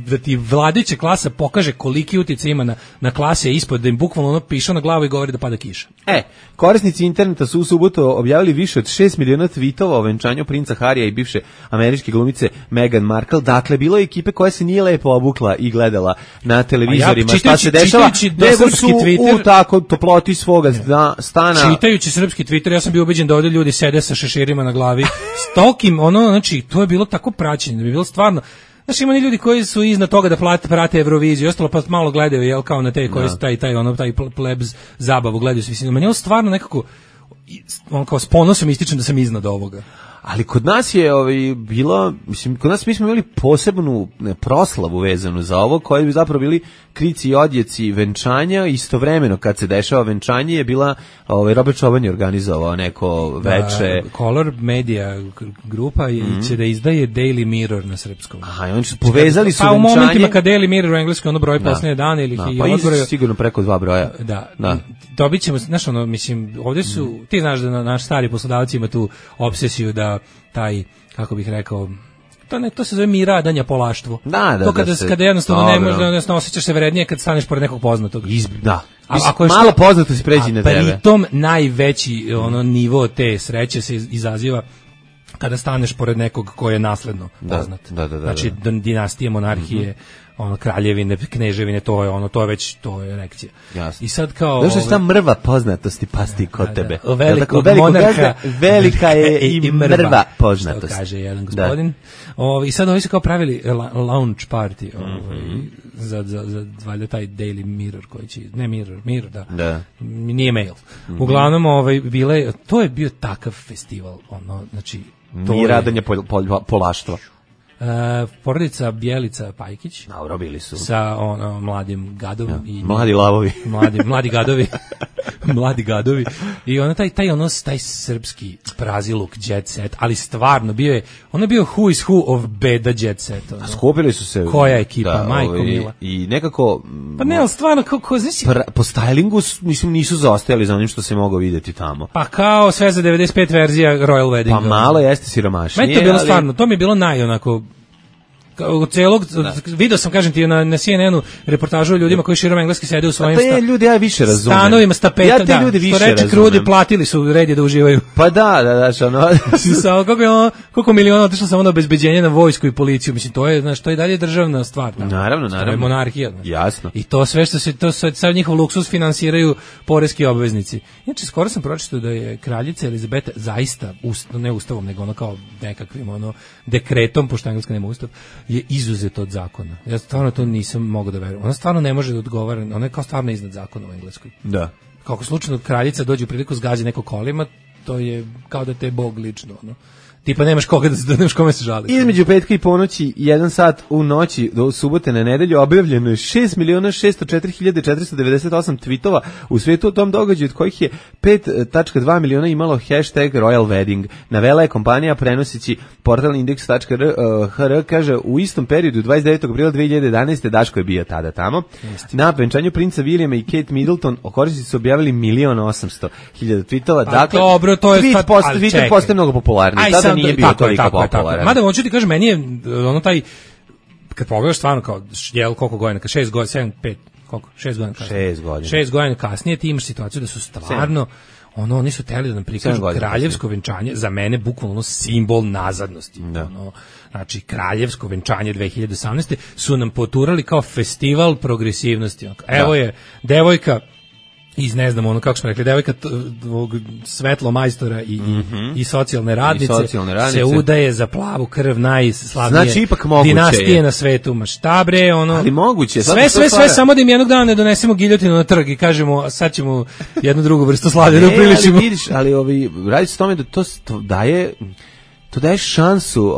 da ti vladajuća klasa pokaže koliki utjecaj ima na klase ispod, da im bukvalno ono piše na glavu i govori da pada kiša. Korisnici interneta su u subotu objavili više od 6 miliona tweetova o venčanju princa Harija i bivše američke glumice Meghan Markle. Dakle, bilo je ekipe koja se nije lepo obukla i gledala na televizorima šta se dešava, nego su u tako toploti svoga stana. Čitajući srpski Twitter, ja sam bio ubeđen da ovdje ljudi sede sa šeširima na glavi. Stokim, znači, to je bilo tako praćenje, da bi bilo stvarno. Znači, ima ljudi koji su iznad toga da prate Euroviziju i ostalo, pa malo gledaju, jel, kao na te koji su taj plebs zabavu gledaju se visinu. Meni je ovo stvarno nekako, kao s ponosom ističem da sam iznad ovoga. Ali kod nas je bilo, mislim, kod nas mi smo imali posebnu proslavu vezanu za ovo, koji bi zapravo bili krici i odjeci venčanja. Istovremeno kad se dešava venčanje je bila Robert Čoban je organizovao neko veče. Color Media grupa će da izdaje Daily Mirror na srpskom. Aha, i oni su povezali su venčanje. Pa u momentima kad Daily Mirror u engleskom ono broj posljednje dane ili pa sigurno preko 2 broja. Da. Dobit ćemo, znaš ono, mislim, ovdje su, ti znaš da naš stari poslodavac ima tu obsesiju da taj, kako bih rekao, to se zove miradanja polaštvo. To kada jednostavno ne možeš, jednostavno osjećaš se vrednije kad staneš pored nekog poznatog. Malo poznato se pređi na tebe. Pritom najveći nivo te sreće se izaziva kada staneš pored nekog ko je nasledno poznat. Znači dinastije, monarhije, kraljevine, kneževine, to je erekcija. Jasno. I sad kao došla je ta mrva poznatosti pasti kod tebe. Monarha velika je i mrva poznatost. Što kaže jedan gospodin. I sad ovi su kao pravili launch party za valjda taj Daily Mirror koji će, ne Mirror, da. Nije mail. Uglavnom to je bio takav festival, znači miradanje polaštva. Porodica Bjelica Pajkić. Bili su. Sa mladim gadom. I mladi lavovi. Mladi gadovi. Mladi gadovi. I taj srpski praziluk jet set, ali stvarno bio je who is who of beda jet set. Skupili su se. Koja ekipa, majko mila. I nekako... Pa ne, ali stvarno, znači... Po stylingu, mislim, nisu zaostajali za onim što se moglo vidjeti tamo. Pa kao sve za 95 verzija Royal Wedding. Pa malo jeste siromašnije. Meni to bilo stvarno, to mi je bilo onako... celog, video sam, kažem ti, na CNN-u reportažu o ljudima koji širom engleski sede u svojim ljudi ja više razumem. Stanovima s tapeta, ja te ljudi više razumem. Krudi, platili su red je da uživaju. Pa da, ono. Koliko miliona otišlo samo na obezbeđenje, na vojsku i policiju, mislim, to je, znaš, to je dalje državna stvar. Naravno. To je monarhija. Jasno. I to sve što se, to sad njihov luksus finansiraju poreski obveznici. Znači, skoro sam pročitao da je kraljica Elizabeta zaista, ne ustavom, nego ono kao nekakvim, dekretom, pošto engleska nema ustav, je izuzet od zakona. Ja stvarno to nisam mogao da verujem. Ona stvarno ne može da odgovara, ona je kao stvarno iznad zakona u Engleskoj. Da. Kako slučajno kraljica dođe u priliku zgađa neko kolima, to je kao da te je Bog lično, tipa nemaš koga nemaš kome se žaliti. Između petka i ponoći, 1 sat u noći do subote na nedelju objavljeno je 6.604.498 tweetova u svijetu o tom događaju, od kojih je 5.2 miliona imalo hashtag Royal Wedding. Navela je kompanija prenoseći portal index.hr, kaže u istom periodu 29. aprila 2011. Daško je bio tada tamo. Na venčanju princa Williama i Kate Middleton korisnici su objavili 1.800.000 tweetova. Dakle, dobro, to je Twitter postaje mnogo popularniji. Tada nije bio toliko popularan. Mada hoću ti kažem, meni je taj, kad pogledaš stvarno kao, koliko godina, 6 godina, 7, 5, koliko, 6 godina kasnije. 6 godina kasnije ti imaš situaciju da su stvarno, oni su teli da nam prikažu kraljevsko venčanje, za mene bukvalno simbol nazadnosti. Znači, kraljevsko venčanje 2018. su nam poturali kao festival progresivnosti. Evo je devojka iz, ne znam, kako smo rekli, devojka svetlo majstora i socijalne radnice se udaje za plavu krv najslavnije, znači, ipak moguće dinastije na svetu. Ma šta bre, ali moguće. Sve, samo da im jednog dana ne donesemo giljotinu na trg i kažemo, sad ćemo jednu drugu vrstu slavlja da upriličimo. Ali vidiš, radi se o tome da to daje to daješ šansu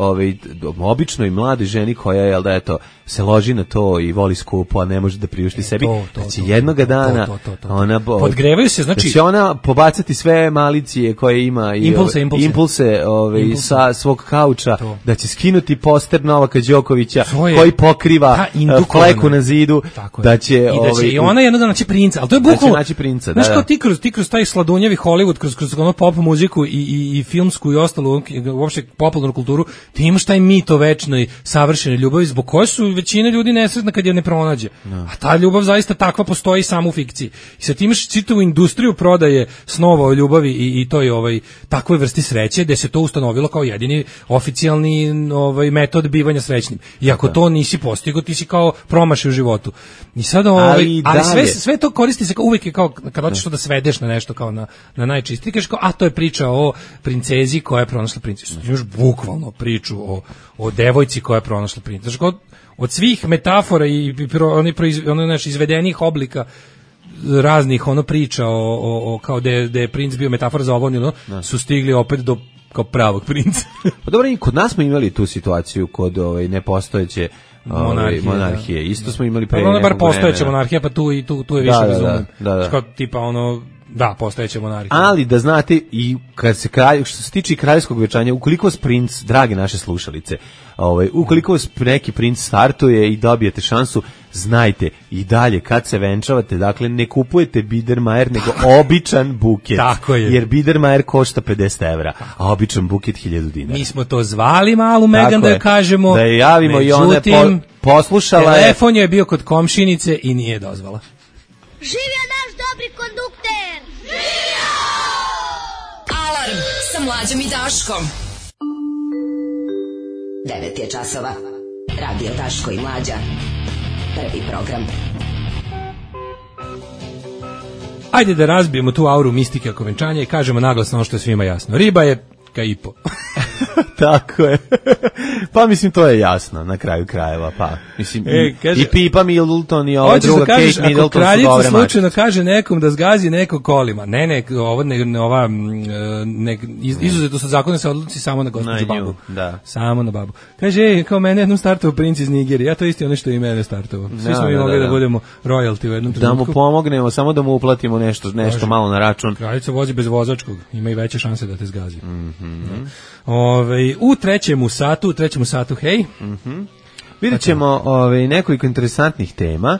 običnoj mladoj ženi koja je, jel da, eto, se loži na to i voli skupo, a ne može da priušti sebi, da će jednoga dana ona podgrevaju se, znači da će ona pobacati sve malicije koje ima i impulse sa svog kauča, da će skinuti poster Novaka Đokovića koji pokriva fleku na zidu, da će i ona jednoga naći princa, al to je bukvalno naći princa, znaš, kao ti kroz taj sladunjavi Hollywood, kroz ono pop muziku i filmsku i ostalu uopšte popularnu kulturu, ti imaš taj mit o večnoj savršenoj ljubavi zbog koje su većina ljudi nesretna kad je ne pronađe. A ta ljubav zaista takva postoji samo u fikciji. I sad imaš čitavu industriju prodaje snova o ljubavi i toj takvoj vrsti sreće gde se to ustanovilo kao jedini oficijalni metod bivanja srećnim. I ako to nisi postigao, ti si kao promašio u životu. I sad ali sve to koristi se kao uvijek kao kad hoćeš to da svedeš na nešto kao na najčistije, kažeš kao a to je priča o princezi koja je pronašla princesu. Imaš bukvalno priču o devojci koja je pronašla princesu. Znači od svih metafora i izvedenih oblika raznih priča o kao da je princ bio metafora za ovo, su stigli opet do kao pravog princa. Pa dobro, i kod nas smo imali tu situaciju kod nepostojeće monarhije. Isto smo imali pre. Bar postojeća monarhija, pa tu je više razumem. Kao tipa da, postojeće monarhije. Ali da znate, i kad se što se tiče kraljevskog venčanja, ukoliko vas princ, drage naše slušalice, ukoliko vas neki princ startuje i dobijete šansu, znajte i dalje kad se venčavate, dakle ne kupujete Biedermeier, nego običan buket. Tako je. Jer Biedermeier košta 50 €, a običan buket 1000 dinara. Mi smo to zvali malu Megan da je kažemo. Da je javimo, međutim, i ona je poslušala. Telefon je bio kod komšinice i nije dozvala. Živio naš dobri kondukter! Živio! Alarm sa Mlađom i Daškom. 9 je časova. Radio Daško i Mlađa. Prvi program. Ajde da razbijemo tu auru mistike oko venčanja i kažemo naglasno ono što je svima jasno. Riba je kaipo. Tako je. Pa mislim to je jasno na kraju krajeva, pa mislim kaže, i Pipa Middleton i ova druga Kate Middleton su dobre mače. Kraljica slučajno kaže nekom da zgazi neko kolima. Izuzetno sa zakona se odluči samo na gospođu babu. Da. Samo na babu. Kaže, kao mene jednom startovao princ iz Nigerije. Ja to isto ono što i mene startovao. Svi smo mogli da budemo royalty u jednom trenutku. Da mu pomognemo, samo da mu uplatimo nešto malo na račun. Kraljica vozi bez vozačkog. Ima i veće šanse da te zgazi. U trećem satu, hej. Vidjet ćemo nekoliko interesantnih tema.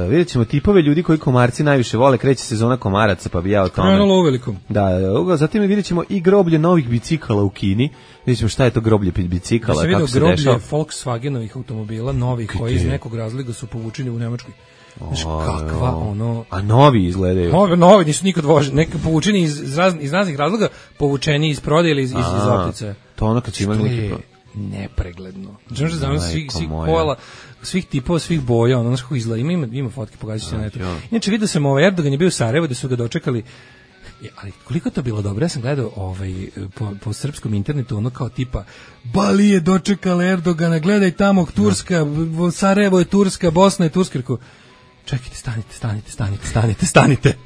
Vidjet ćemo tipove ljudi koji komarci najviše vole. Kreće sezona komaraca, pa bi ja o tome. Krenulo uvelikom. Da, zatim vidjet ćemo i groblje novih bicikala u Kini. Vidjet ćemo šta je to groblje bicikala, kako se dešava. Groblje Volkswagenovih automobila, novih, koji iz nekog razloga su povučeni u Nemačkoj. Znaš kakva A novi izgledaju. Novi nisu nikad voženi, neki povučeni iz raznih razloga, povučeni iz prodaje ili iz optice. To ono kad će imali neki nepregledno. Znači da znam svih pojela, svih tipova, svih boja, ono kako izgleda. Ima fotke, pokazat ću na netu. Inače vidio sam Erdogan je bio u Sarajevu da su ga dočekali. Ali koliko to bilo dobro, ja sam gledao po srpskom internetu, ono kao tipa Bali je dočekala Erdogana, gledaj tamo Turska, Sarajevo je Turska, Bosna je Turska. Čekajte, stanite.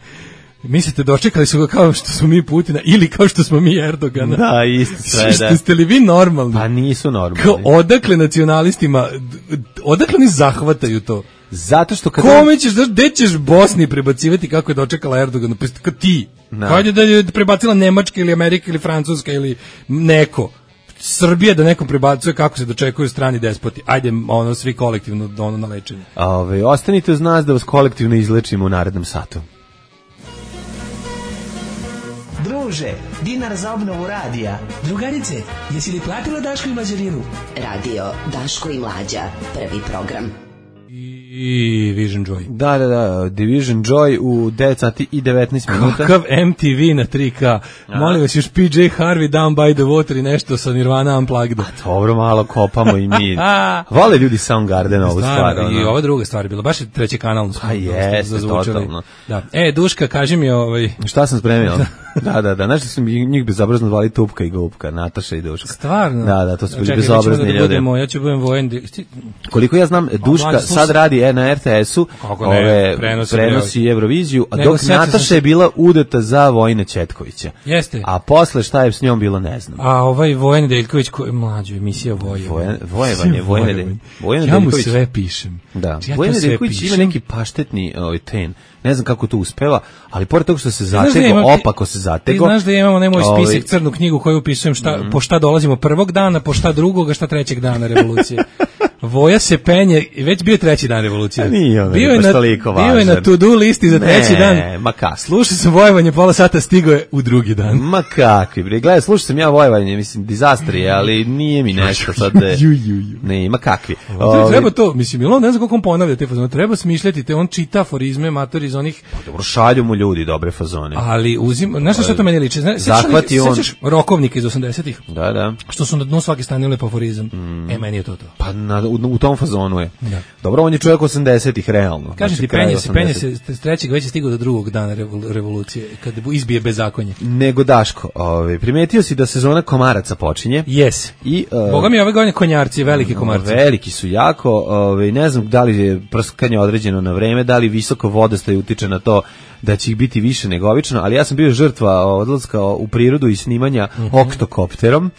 Mislite, dočekali su ga kao što smo mi Putina ili kao što smo mi Erdogana? Da, isto sve, da. Ste li vi normalni? Pa nisu normalni. Kao odakle nacionalistima, odakle oni zahvataju to? Zato što kad... Gde ćeš Bosni prebacivati kako je dočekala Erdogana? Kao ti. Kao da je prebacila Nemačka ili Amerika ili Francuska ili neko. Srbija da nekom prebacuje kako se dočekuju strani despoti. Ajde, svi kolektivno na lečenje. Ostanite uz nas da vas kolektivno izlečimo u narednom satu. Druže, dinar za obnovu radija. Drugarice, jesi li platila Daško i Mlađarinu? Radio Daško i Mlađa, prvi program. I Vision Joy. Da, Division Joy u 9 sati i 19 minuta. Kakav MTV na 3K. Molim vas, još PJ Harvey Down by the Water i nešto sa Nirvana Unplugged. Dobro, malo kopamo i mi. Vole ljudi Soundgarden ovu stvar. I ova druga stvar je bila, baš je treći kanal. Jeste, totalno. Da. Duška, kaži mi Šta sam spremio? Da, znaš da su njih bezobrazno zvali Tupka i Gubka, Nataša i Duška. Stvarno? Da, to su bili bezobrazni ljudi. Ja ću budem vojen. Koliko ja znam, Duška sad radi na RTS-u prenosi Euroviziju, a dok Nataša je bila udata za Vojina Ćetkovića. Jeste. A posle šta je s njom bilo, ne znam. A ovaj Vojan Nedeljković, mlađu emisija Vojan ja mu sve pišem. Da, Vojan Nedeljković ima neki paštetni ten. Ne znam kako to uspeva, ali pored toga što se opako se zatego. Ti znaš da imamo nemoj spisak, crnu knjigu koju upisujem po šta dolazimo prvog dana, po šta drugog, a šta trećeg dana revolucije. Voja se penje, već bio je treći dan revolucije. Bio je na to-do listi za treći dan. Ma kako? Slušao sam Vojvanje, pola sata stigo je u drugi dan. Ma kakvi, bre. Gledaj, slušao sam ja Vojvanje, mislim, dizastrije, ali nije mi nešto sad. Ne, ma kakvi. Treba to, mislim, ne znam kako on ponavlja te fazone, treba smišljati te, on čita aforizme, matori iz onih... Pa dobro, šalju mu ljudi dobre fazone. Ali znaš što to meni liči? Zahvati on... Sećaš rokovnike iz 80-ih? Da. Što su na dnu svake strane lepo aforizam. Meni je to. Pa u tom fazonu je. Da. Dobro, on je čovjek 80-ih, realno. Kažem ti, penje se s trećeg već je stigao do drugog dana revolucije, kad izbije bezakonje. Nego Daško, primetio si da sezona komaraca počinje? Yes. Boga mi ove godine konjarci, veliki komarci. Veliki su jako, ne znam da li je prskanje određeno na vreme, da li visoko vodostaj utiče na to da će ih biti više nego obično, ali ja sam bio žrtva odlaska u prirodu i snimanja oktokopterom.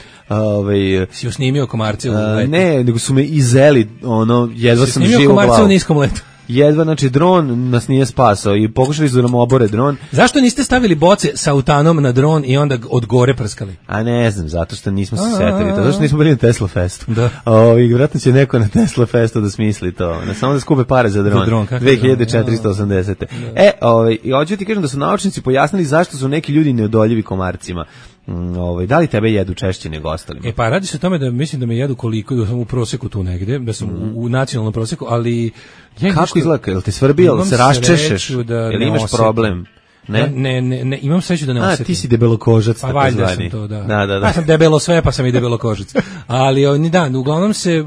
Si usnimio komarce u letu? Ne, nego su me izeli, jedva sam živo u glavu. Si snimio komarce u niskom letu? Jedva, znači dron nas nije spasao i pokušali su da nam obore dron. Zašto niste stavili boce sa autanom na dron i onda od gore prskali? A ne znam, zato što nismo se setili to, zato što nismo bili na Tesla Festu. Da. Vjerojatno će neko na Tesla Festu da smisli to, samo da skupe pare za dron 2480. I hoću ti kažem da su naučnici pojasnili zašto su neki ljudi neodoljivi komarcima. Da li tebe jedu češće nego ostalima? Pa radi se o tome da mislim da me jedu koliko, da sam u proseku tu negde, da sam u nacionalnom proseku, ali... Kako izgleda? Jel te svrbi, jel se raščešeš? Jel imaš problem? Ne, imam sreću da ne osjetim. Ti si debelokožac, pa valjda sam to, da. Ja sam debelo sve, pa sam i debelokožac. Ali, uglavnom se,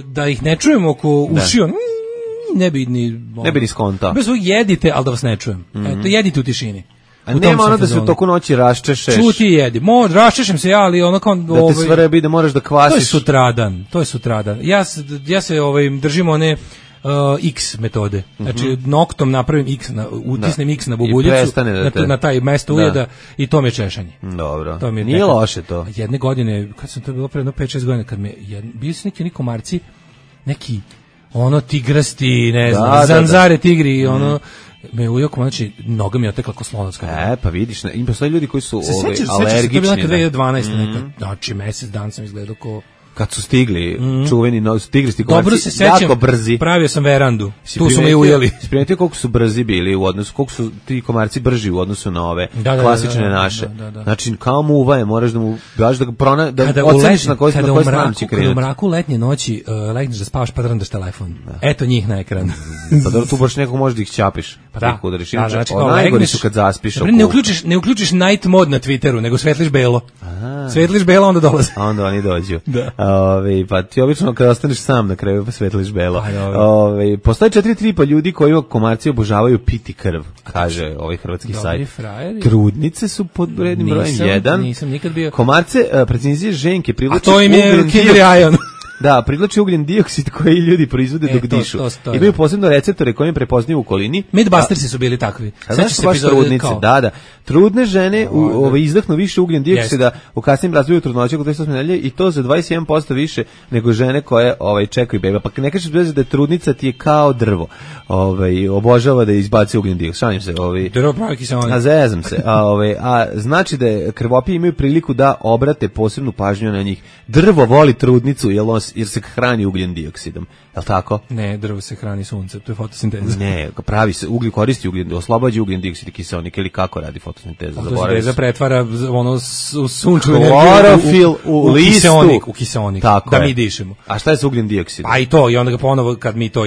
da ih ne čujem oko ušio, ne bi ni skontao. Bez ovog jedite, ali da vas ne čujem. Eto, jedite u tišini. A nema ono da se u toku noći raščešeš. Čuti jedi. Raščešem se ja, ali ono kao... Da te svrbi, da moraš da kvasiš. To je sutradan. Ja se držim one X metode. Znači, noktom napravim X, utisnem X na bubuljicu, na taj mesto ujeda i to mi je češanje. Dobro. Nije loše to. Jedne godine, kad sam to bilo pre 5-6 godina, kad me, bili su neki komarci, neki tigrasti, ne znam, zanzare tigri, me ujoko, znači, noga mi je otekla ko slonovska. Pa vidiš, ima postoji ljudi koji su alergični. Sećaš se, to je bilo nekad 2012. Nekad, znači, mesec dan sam izgledao ko... Kad su stigli čuveni tigristi komarci, jako brzi. Pravio sam verandu, tu su me ujeli. Si primetio koliko su brzi bili u odnosu, koliko su ti komarci brži u odnosu na ove klasične naše. Znači, kao muva je, moraš da mu daš da oceniš na koji stranu će krenuti. Kada u mraku letnje noći legneš da spavaš pa drndaš telefon. Eto njih na ekran. Pa dobro, tu baš nekog možeš da ih ćapiš. Pa da. Znači, najgori su kad zaspiš. Ne uključiš night mod na Twitteru, nego svetliš belo. Svetliš belo, onda dolaze. Onda oni dođu. Pa ti obično kada ostaneš sam na kraju pa svetliš belo. Postoje 4 ljudi koji komarci obožavaju piti krv, kaže ovaj hrvatski sajt. Trudnice su pod rednim brojem 1. Nisam nikad bio. Komarce, preciznije ženke privlače ugljen. Da, privlači ugljen dioksid koji ljudi proizvode dok dišu. Imaju posebno receptore koji im prepoznaju u okolini. Mythbustersi su bili takvi. Znači baš trudnice, da. Trudne žene izdahnu više ugljen dioksida u kasnijem razvoju trudnoće kod 28 nedelje i to za 21% više nego žene koje čekaju beba. Pa ne kažeš da je trudnica ti je kao drvo. Obožava da izbaci ugljen dioksid. Šalim se, drvo pravi kiseonik. A zezam se. A znači da krvopije imaju priliku da obrate posebnu pažnju na njih. Drvo voli trudnicu jer se hrani ugljen dioksidom. Je li tako? Ne, drvo se hrani suncem, to je fotosinteza. Ne, pravi se, koristi ugljen, oslobađa ugljen dioksid i kiseonik, ili kako radi fotosinteza? Fotosinteza pretvara u sunčevu energiju u listu. U kiseonik, tako da mi dišemo. A šta je sa ugljen dioksidom? A i to, i onda ga ponovo, kad mi to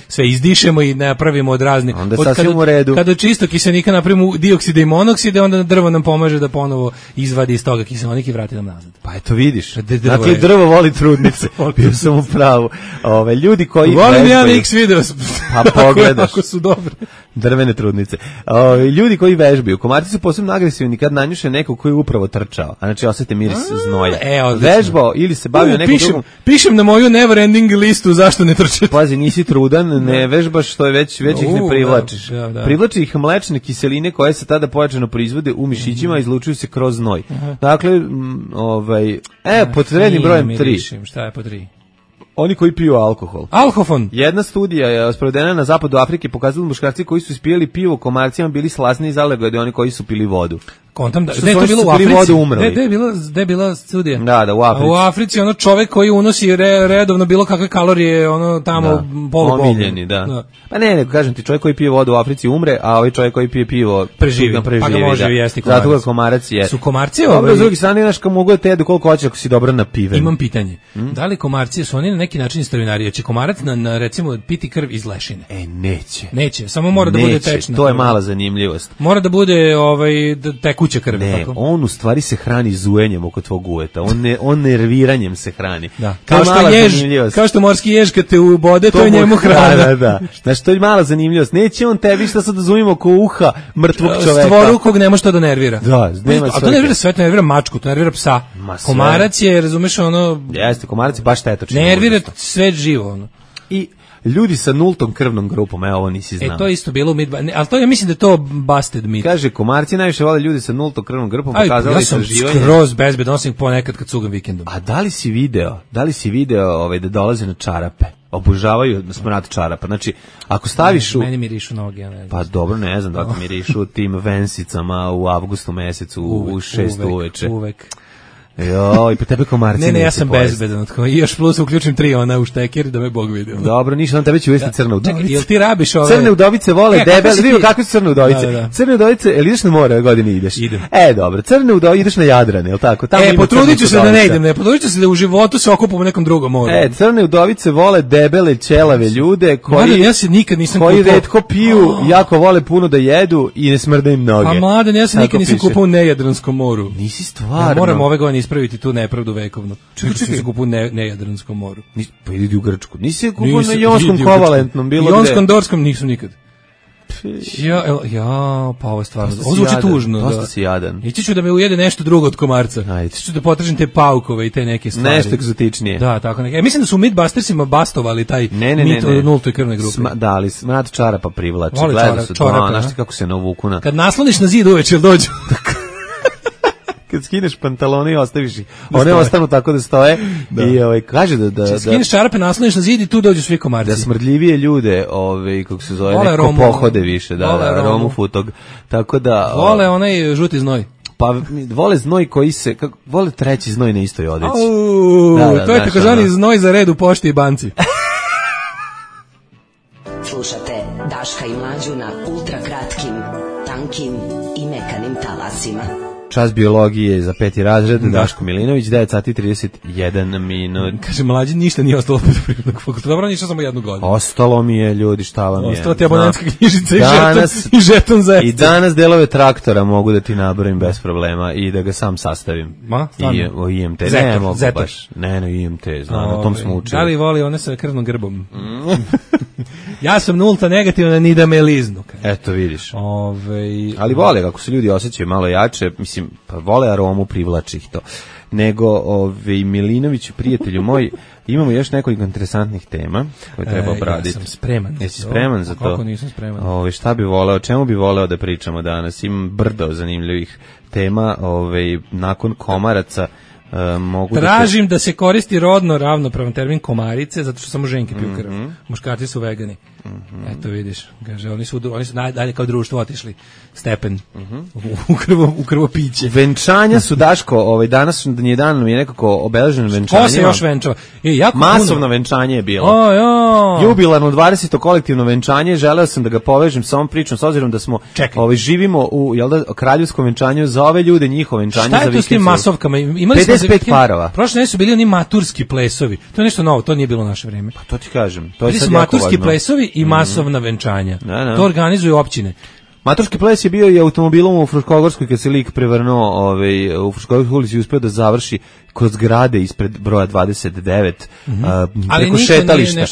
sve izdišemo i napravimo od raznih... Onda je sasvim u redu. Kada čisto kiselnika napravimo diokside i monokside, onda drvo nam pomaže da ponovo izvadi iz toga kiseonik i vrati nam nazad. Pa eto vidiš, dakle drvo voli trudnice, bio sam u pravu. Ljudi koji volim ja X videos, pa pogledaš, ako su dobre. Drvene trudnice. Ljudi koji vežbaju, komarci su posebno agresivni kad nanjuše nekog koji je upravo trčao. A znači osete miris znoja. Vežbao ili se bavio nekom drugom. Pišem na moju never ending listu zašto ne trčete. Pazi, nisi trudan, ne vežbaš, što je već ih ne privlačiš. Da. Privlači ih mlečne kiseline koje se tada pojačano proizvode u mišićima i izlučuju se kroz znoj. Dakle, pod rednim brojem 3. Šta je po 3? Oni koji piju alkohol. Alhofon. Jedna studija je sprovedena na zapadu Afrike, pokazala muškarci koji su ispijali pivo komarcima bili slasniji zalegodi oni koji su pili vodu. Kontam da je to bilo u Africi. Gde je bila studija? Da, u Africi. U Africi ono čovjek koji unosi redovno bilo kakve kalorije, ono tamo polubolno. Omiljeni, da. Pa ne, kažem ti, čovjek koji pije vodu u Africi umre, a ovaj čovjek koji pije pivo preživi. Pa ga može jesti komarac. Zato ga komarac je. Su komarci s druge strane, znaš, kao mogu da te jedu koliko hoće ako si dobro napiven. Imam pitanje. Da li komarci su oni na neki način starinari? Će komarac na recimo piti krv iz lešine? Neće, samo mora da bude tečna. To je mala zanimljivost. Mora da bude tekuća krv. Ne, tako? On u stvari se hrani zujenjem oko tvog uveta. On nerviranjem se hrani. Da. Kao što morski jež kad te ubode, to je njemu hrana. Da. Znači, to je mala zanimljivost. Neće on tebi šta sad da zujimo oko uha mrtvog čoveka. Stvorukog nema što da nervira. Da, nema a to nervira sve, to nervira mačku, to nervira psa. Komarac je, razumeš, ono... Jeste, komarac je baš štetočan. Nervira sve živo, ono. I ljudi sa nultom krvnom grupom, ovo nisi znao. To je isto bilo u ali to ja mislim da je to busted mit. Kaže, komarci najviše vole ljudi sa nultom krvnom grupom, pokazali istraživanje. Ja sam skroz bezbedonosnik ponekad kad cugam vikendom. A da li si video da dolaze na čarape? Obožavaju smrad čarapa. Znači, ako staviš meni mirišu noge, ja ne znam. Pa dobro, ne znam da li mirišu tim vensicama u avgustu mesecu u 6 uveče. Uvek. Joj, pa tebe komarci ne, ja sam bezbedan. I još plus uključim 3 u šteker da me Bog vidi. Dobro, ništa, on tebe će uvesti crne udovice. Čekaj, jel ti rabiš ove... Crne udovice vole debel, vidimo kakve su crne udovice. Da. Crne udovice, jel ideš na more ove godine ideš? Idem. Dobro, crne udovice, ideš na Jadran, jel tako? Potrudit ću se da ne idem, potrudit ću se da u životu se okupam u nekom drugom moru. Crne udovice vole debele, ćelave ljude koji... Ja se nikad nisam koji retko piju, jako vole puno da jedu i ne smrde im noge. A mladen, ja se nikad nisam kupao u Nejadranskom moru. Nisi stvarno. Moram ove godine ispraviti tu nepravdu vekovno. Čekaj, se kupao u Nejadranskom moru. Pa idi u Grčku. Nisi kupao na Jonskom kovalentnom, bilo gde? Jonskom Dorskom nisam nikad. Pa ovo je stvarno. Ovo zvuči tužno. Dosta si jadan. Ići ću da me ujede nešto drugo od komarca. Ići ću da potražim te paukove i te neke stvari. Nešto egzotičnije. Da, tako neke. Mislim da su u Mythbustersima bastovali taj mit o nultoj krvnoj grupi. Da, ali smrad čarapa privlači. Gledao su to, znaš ti kako se navuku na... Kad nasloniš na zid uveče, dođu. Kad skineš pantalone i ostaviš ih. One ostanu tako da stoje i kaže da skineš čarape, nasloniš na zid i tu dođu svi komarci. Da smrdljivije ljude, kako se zove, neko pohode više, aromu futog. Tako da vole onaj žuti znoj. Pa vole znoj koji se vole treći znoj na istoj odeći. To je takozvani znoj za red u pošti i banci. Slušate Daška i Mlađu na ultra kratkim, tankim i mekanim talasima. Čas biologije za 5. razred, Daško Milinović, 9:31 minut. Kaže, Mlađi, ništa nije ostalo poljoprivrednog fakulteta. Dobro, ništa samo 1 godinu. Ostalo mi je, ljudi, šta vam je? Ostalo ti abonentska knjižica i žeton za ekstra. I danas delove traktora mogu da ti nabrojim bez problema i da ga sam sastavim. O IMT. Ne mogu baš. Ne, IMT, znam, na tom smo učili. Da li voli one sa krvnom grbom? Ja sam nulta negativna, ni da me liznu. Eto, vidiš. Ali vole, kako se ljudi osjećaju malo jače, mislim, pa vole aromu, privlači ih to. Nego, Milinović, prijatelju moj, imamo još nekoliko interesantnih tema koje treba obraditi. Ja sam spreman. Jesi spreman za to? Kako nisam spreman? Šta bi voleo, čemu bi voleo da pričamo danas? Imam brdo zanimljivih tema, nakon komaraca. Tražim da se koristi rodno ravnopravan termin komarice, zato što samo ženke piju krv. Muškarci su vegani. Eto vidiš, kaže, oni su dalje kao društvo otišli stepen u krvopiće. Venčanja su, Daško, danas je dan je nekako obeleženo venčanje. Ko se još venčava? Masovno venčanje je bilo. Jubilarno 20. kolektivno venčanje, želeo sam da ga povežem sa ovom pričom, s obzirom da smo živimo u kraljevskom venčanju za ove ljude, njihovo venčanje. Šta je to s tim masovkama? 55 parova. Prošle nesu bili oni maturski plesovi. To je nešto novo, to nije bilo u naše vreme. Pa to ti kažem. Bili su maturski plesovi i masovna venčanja. To organizuju općine. Maturski ples je bio i automobilom u Fruškogorskoj kad se lik prevrnuo u Fruškogorskoj ulici i uspeo da završi kroz zgrade ispred broja 29 preko šetališta.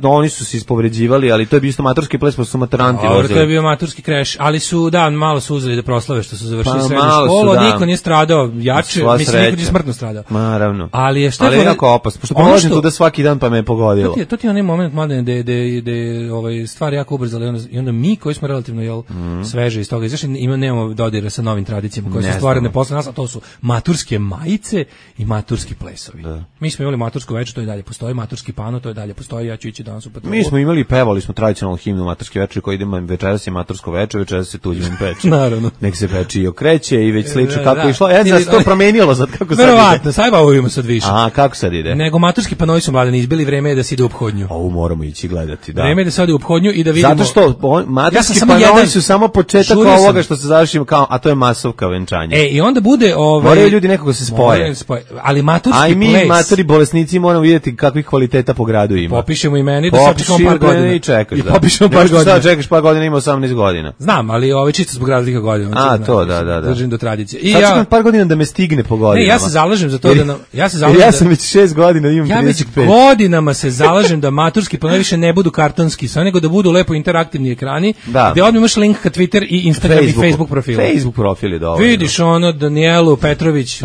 Oni su se ispovređivali, ali to je bio isto maturski ples, pa su maturanti vozili. To je bio maturski kreš, ali su, malo su uzeli da proslave što su završili srednju školu, niko nije stradao jače, mislim, niko nije smrtno stradao. Naravno. Ali je jako opasno, pošto prolazim tu da svaki dan pa me je pogodilo. To ti je onaj moment, mladene, gde stvari jako ubrzali i onda mi koji smo relativno sveže iz toga izašli, nemamo dodira sa novim tradicijama koje su stvarane posle nas, a to su maturske majice i maturski plesovi. Da. Mi smo imali matursko veče, to i dalje postoji, maturski pano, to i dalje postoji, ja ću ići danas u patrolu. Mi smo imali, pevali smo tradicionalnu himnu maturske veče koji idemo večeras je matursko veče, večeras se tuđim peče. Naravno. Nek se peče i okreće i već slično kako je išlo. Znači to promenilo sad kako sad ide. Verovatno, sad bavimo sad više. A kako sad ide? Nego maturski panovi su mladeni izbili, vreme je da se ide u ophodnju. Moramo ići gledati, da. Vreme je da se ide u ophodnju i da vidimo. Zato što maturski panovi su samo početak ovoga što se završi kao, a to je masovka venčanja. I onda bude moraju ljudi nekako se spoje. Ali maturski ples. Mi maturi bolesnici moramo vidjeti kakvih kvaliteta po gradu ima. Popišemo imeni da sad čekamo par godina. I čekaš, da. Popišemo par godina. Sad čekaš par godina, ima 18 godina. Znam, ali čisto zbog razlika godina. To, da. Držim do tradicije. I sad čekam par godina da me stigne po godinama. Ja se zalažem za to ja sam već 6 godina, imam 35. Ja već godinama se zalažem da maturski panovi više ne budu kartonski, sve nego da budu lepo interaktivni ekrani, gde odmah imaš link ka Twitter i Instagram i Facebook profilu. Facebook profil je dovoljno. Vidiš Danijelu Petrović,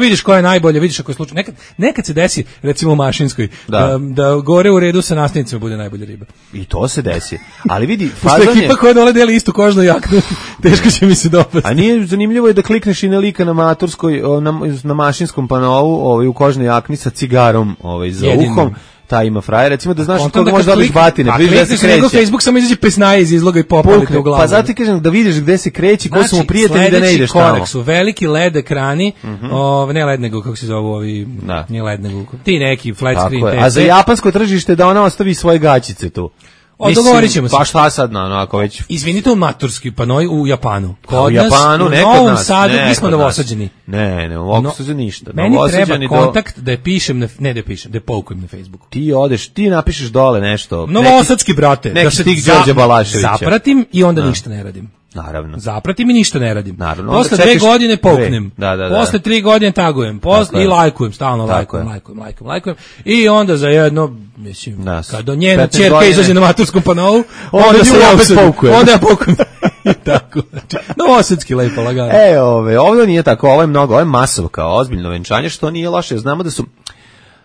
vidiš koja je najbolja, vidiš ako je slučaj. Nekad se desi, recimo u Mašinskoj, da gore u redu sa nastavnicima bude najbolja riba. I to se desi. Ali vidi, fazon je... ekipa koja dole deli istu kožnu jaknu, teško će mi se dopasti. A nije zanimljivo je da klikneš i na lika na maturskoj, na Mašinskom panovu, u kožnoj jakni sa cigarom za uhom. Ta ima frajer, recimo da znaš koga može dobiti batine, vidiš da se kreće. Nego Facebook samo izađe pesnaje iz izloga i popalite u glavu. Pa zato ti kažem da vidiš gde se kreće, ko su mu prijatelji da ne ideš tamo. Korak su veliki LED ekrani, ne LED nego, kako se zovu ovi, nije LED nego, ti neki flat screen. A za japansko tržište da ona ostavi svoje gaćice tu. Dogovorit ćemo se. Pa šta sad, ako već... Izvinite, u maturski panoj u Japanu. U Japanu, ne kod nas. U Novom Sadu, mi smo novosađeni. Ne, u Novosađu ništa. Meni treba kontakt da je pišem, da je poukujem na Facebooku. Ti odeš, ti napišeš dole nešto. Novosadski, brate. Da se Đorđe Balaševića. Zapratim i onda ništa ne radim. Naravno. Zapratim i ništa ne radim. Posle 2 godine poknem. Posle 3 godine tagujem. I lajkujem, stalno lajkujem. I onda za jedno, mislim, kad do njena ćerka izađe na maturskom panovu, onda se ja opet poukujem. Onda ja poukujem. Tako. Novosadski lepo lagano. Ovdje nije tako, ovo je mnogo, ovo je masovka, ozbiljno venčanje, što nije loše. Znamo da su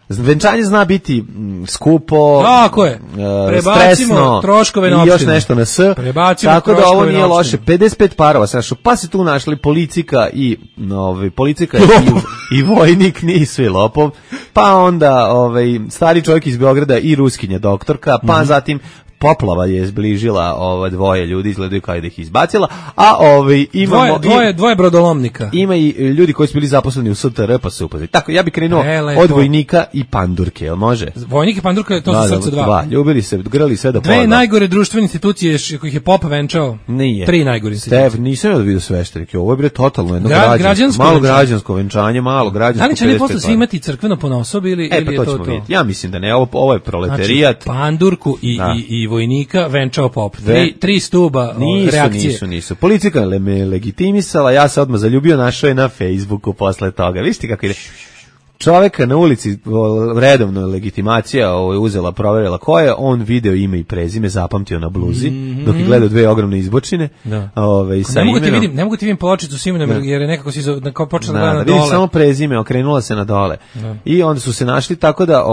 venčanje zna biti skupo, tako je. Prebacimo troškove na opštinu. I još nešto na tako da ovo nije loše. 55 parova se našlo, pa se tu našli policika i vojnik, nisu i lopov, pa onda stari čovjek iz Beograda i ruskinja doktorka, pa zatim poplava je zbližila dvoje ljudi, izgledaju kao da ih izbacila, a imamo dvoje brodolomnika. Ima i ljudi koji su bili zaposleni u STR, pa se upoznali. Tako, ja bih krenuo od vojnika i pandurke, jel može? Vojnik i pandurka, to su srce dva. Ljubili se, grali sve do pola. Dve najgore društvene institucije kojih je pop venčao. Nije. 3 najgore institucije. Nisam ja da vidio sveštenike, ovo je bre totalno jedno malo građansko venčanje, malo građansko. Ali će ne posle svi imati crkveno ponaosob ili je to? Ja mislim da ne, ovo je proletarijat. Pandurku i vojnika venčao pop. 3 stuba reakcije. Nisu. Politika me legitimisala, ja se odmah zaljubio, našao je na Facebooku posle toga. Vište kako ide. Čoveka na ulici, redovno legitimacija uzela, proverila ko je, on video ime i prezime, zapamtio na bluzi, dok je gledao 2 ogromne izbočine. Ne mogu ti vidim pločicu s imenom, jer je nekako si počela da gleda na dole. Vidiš samo prezime, okrenula se na dole. I onda su se našli tako da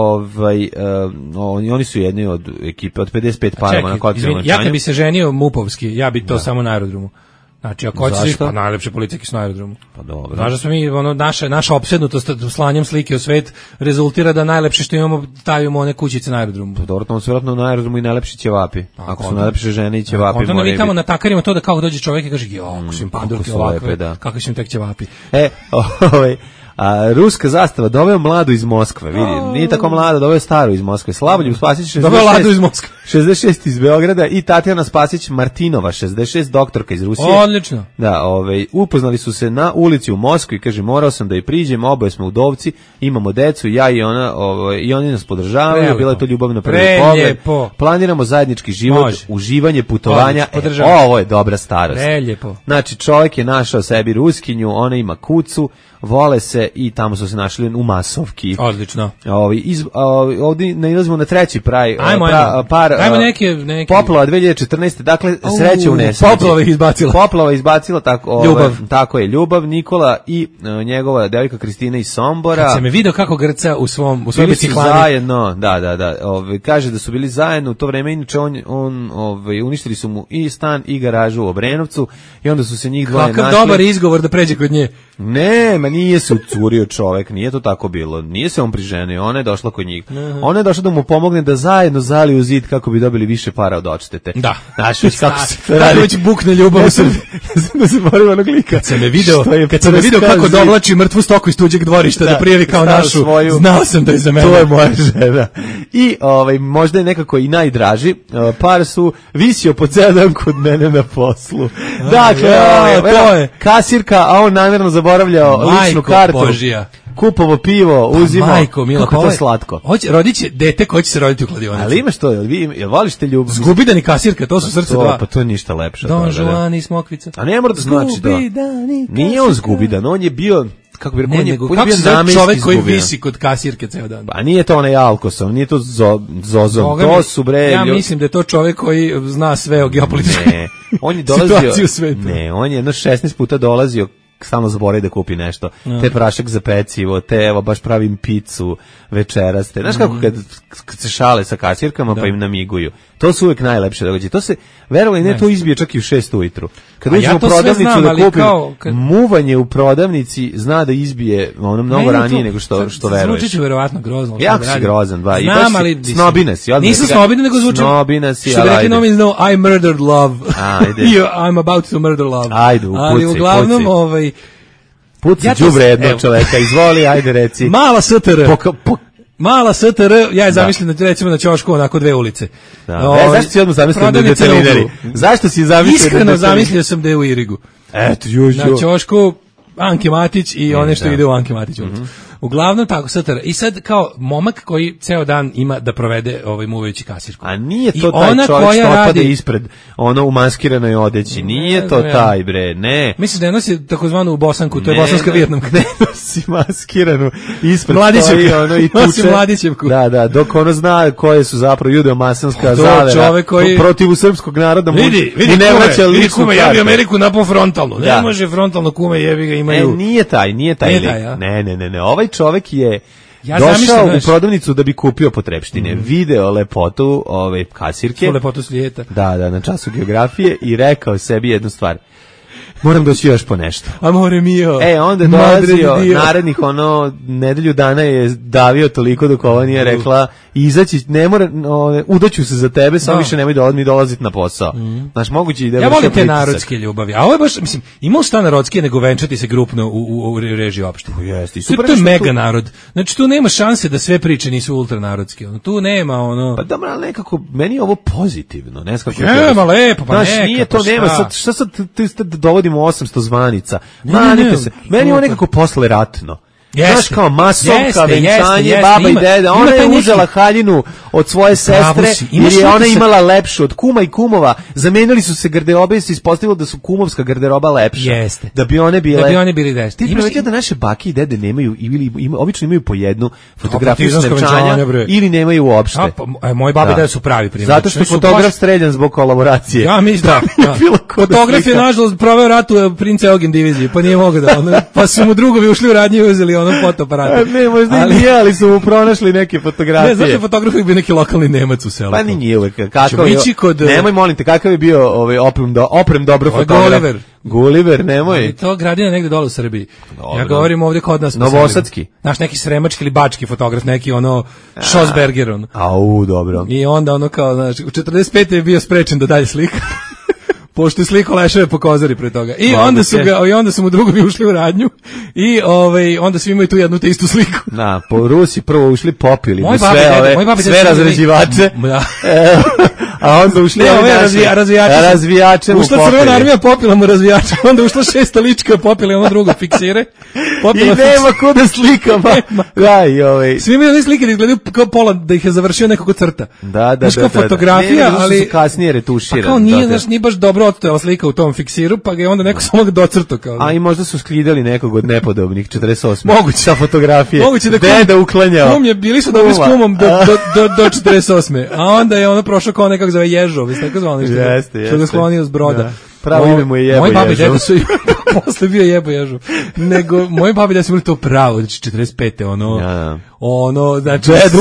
oni su jedni od ekipe, od 55 parova na kockama venčanju. Ja kad bi se ženio mupovski, ja bi to samo na aerodromu. Znači, ako hoćeš, pa najlepše politike su na aerodromu. Pa dobro. Znaš da smo mi, naša opsednutost slanjem slike u svet rezultira da najlepše što imamo, stavimo one kućice na aerodromu. Pa dobro, tamo su vjerojatno na aerodromu i najlepši ćevapi. Ako su najlepše žene i ćevapi, moraju biti. Onda mi tamo natakarimo to da kao dođe čovjek i kaže, ako su im pandurke ovakve, kakvi su im tek ćevapi. A ruska zastava doveo mladu iz Moskve, vidi, nije tako mlada, doveo staru iz Moskve. Slavoljub Spasić 66, doveo mladu iz Moskve. 66 iz Beograda i Tatjana Spasić Martinova 66, doktorka iz Rusije. Odlično. Da, upoznali su se na ulici u Moskvi, kaže morao sam da je priđem, oboje smo udovci, imamo decu, ja i ona, i oni nas podržavaju, bila je to ljubav na prvi pogled. Planiramo zajednički život, uživanje, putovanja. Ovo je dobra starost. Preljepo. Znači, čovjek je našao sebi ruskinju, ona ima kucu, vole se i tamo su se našli u masovki. Odlično. Ovdje nailazimo na treći par. Ajmo neki. Poplava 2014. Dakle, sreće u nesreći. Poplava izbacila. Ljubav. Tako je, Ljubav, Nikola i njegova devojka Kristina iz Sombora. Kad se me video kako grca u svom biciklani. Zajedno, da. Kaže da su bili zajedno u to vreme, inače uništili su mu i stan i garažu u Obrenovcu i onda su se njih dvoje našli. Kakav dobar izgovor da pređe kod nje. Ne, nije se ucurio čovek, nije to tako bilo. Nije se on priženio, ona je došla kod njih. Ona je došla da mu pomogne da zajedno zaliju zid kako bi dobili više para od odštete. Da. Znaš već kako se to radi. Već bukne ljubav u Srbiji. Da se borim onog lika. Kad sam me video kako dovlači mrtvu stoku iz tuđeg dvorišta da prijavi kao našu, znao sam da je za mene. To je moja žena. I možda je nekako i najdraži. Par su visio po ceo dan kod mene na poslu. Dakle, to je kasirka, a on namjerno zaboravljao ličnu kartu. Božija. Kupovo pivo, uzimo. Majko, mila, kako to slatko. Rodit će dete koje će se roditi u kladionici. Ali imaš to, jel voliš te ljubav? Zgubidan i kasirka, to su srce dva. Pa to je ništa lepše. Don Juan i Smokvica. A ne mora da znači da. Nije on zgubidan, on je bio, kako bi rekao, kako se zove čovek koji visi kod kasirke ceo dan? Pa nije to onaj Alkosom, nije to Zozom, to su bre. Ja mislim da je to čovek koji zna sve o geopolitičkoj. Ne, on je dolazio. Ne, on je jedno 16 puta dolazio, samo zaboravi da kupi nešto. Te prašak za pecivo, te evo baš pravim picu večeraste. Znaš kako kad se šale sa kasirkama pa im namiguju. To su uvek najlepše događaje. To se, verovali ne, to izbije čak i u 6 ujutru. Kad uđemo u prodavnicu da kupim, muvanje u prodavnici zna da izbije ono mnogo ranije nego što veruješ. Zvuči će verovatno grozno. Jako si grozan, ba. Znam, ali snobina si. Nisam snobina, nego zvuči. Snobina si, što bi rekli nomi znao, I murdered love. I'm about to murder love. Ajde, upuci. Ali uglavnom, puci đubre jednog čoveka, izvoli, ajde reci. Mala STR. Mala STR, ja je zamišljam da recimo na ćošku onako 2 ulice. Zašto si odmah zamislio da je detelineri? Zašto si zamislio da je Iskreno zamislio sam da je u Irigu. Eto, na ćošku Anke Matić i one što ide u Anke Matić ulicu. Uglavnom tako STR. I sad kao momak koji ceo dan ima da provede muvajući kasirku. A nije to taj čovjek što otpade ispred ono u maskiranoj odeći. Nije to taj bre, ne. Mislim da je nosi takozvanu bosanku, to je bosanska vijetnamka. Ne nosi maskiranu ispred Mladićevku. Ono i tuče. Mladićevku. Da, dok ono zna koje su zapravo judeo-masonska zavera protiv srpskog naroda. Vidi ne vraća ličnu kartu. Ja bi Ameriku napao frontalno. Ne može frontalno kume, jebi ga imaju. Nije taj. Ne. Ovaj čovjek je došao u prodavnicu da bi kupio potrepštine, video lepotu kasirke. Su lepotu svijeta. Da, na času geografije i rekao sebi jednu stvar. Moram doći još po nešto. Amore mio. Onda je dolazio narednih nedelju dana je davio toliko dok ova nije rekla izaći, ne mora, udaću se za tebe, samo više nemoj dolaziti na posao. Znaš, moguće i da ja volim te narodske ljubavi, a ovo je baš, mislim, imao šta narodske nego venčati se grupno u režiji opštine. To je mega narod. Znači, tu nema šanse da sve priče nisu ultranarodske. Tu nema Pa dobro, ali nekako, meni je ovo pozitivno. Nema lepo, pa neka. Nije to, nema, šta sad dovodimo 800 zvanica. Manite se. Meni je ovo nekako posle ratno. Znaš kao masovka, venčanje, baba i deda, ona je uzela haljinu od svoje sestre jer je ona imala lepšu od kuma i kumova, zamenili su se garderobe i se ispostavilo da su kumovska garderoba lepša, da bi one bili deste. Ti primetio da naše bake i dede nemaju, obično imaju po jednu fotografiju venčanja ili nemaju uopšte. Moji babe i dede su pravi primjer. Zato što je fotograf streljan zbog kolaboracije. Ja mislim da. Fotograf je nažalost proveo rat u Prince Eugen diviziji, pa nije mogao da, pa su mu drugovi ušli u radnju i uzeli ono fotoaparate. Ne, možda nije, ali su mu pronašli neke fotografije. Ne, zašto fotograf je bio neki lokalni Nemac u selu? Pa nije uvek. Nemoj, molim te, kakav je bio oprem dobro fotograf? Gulliver, nemoj. I to gradina negde dole u Srbiji. Ja govorim ovdje kod nas. Novosadski. Znaš, neki sremački ili bački fotograf, neki Schosberger. Dobro. I onda kao, znaš, u 45. je bio sprečen da dalje slika. pošto je sliko leševe po kozari pre toga. I onda su mu drugovi ušli u radnju i onda svi imaju tu jednu te istu sliku. Da, po Rusi prvo ušli popili sve razređivače. Da. A onda ušli razvijače. Ušla Crvena armija, popila mu razvijače, onda ušla 6. lička, popila ono drugo fiksire. I nema ko da slika. Svi imaju one slike da izgledaju kao pola, da ih je završio nekako crta. Da. Fotografija, ali su kasnije retuširani. Pa kao nije baš dobro odstojala slika u tom fiksiru, pa ga je onda neko samo docrto kao. A i možda su sklidali nekog od nepodobnih 48. Moguće sa fotografije. Moguće da deda uklanjao. Kum je bili su dobri s kumom do 48. A onda je ono prošao kao nekako zove Ježov, jeste tako zvano nešto. Što ga sklonio s broda. Pravo ime mu je Jebo Ježov. Moji babi deda su posle bio Jebo Ježov. Nego moji babi da su bili to pravo, znači 45. ono znači deda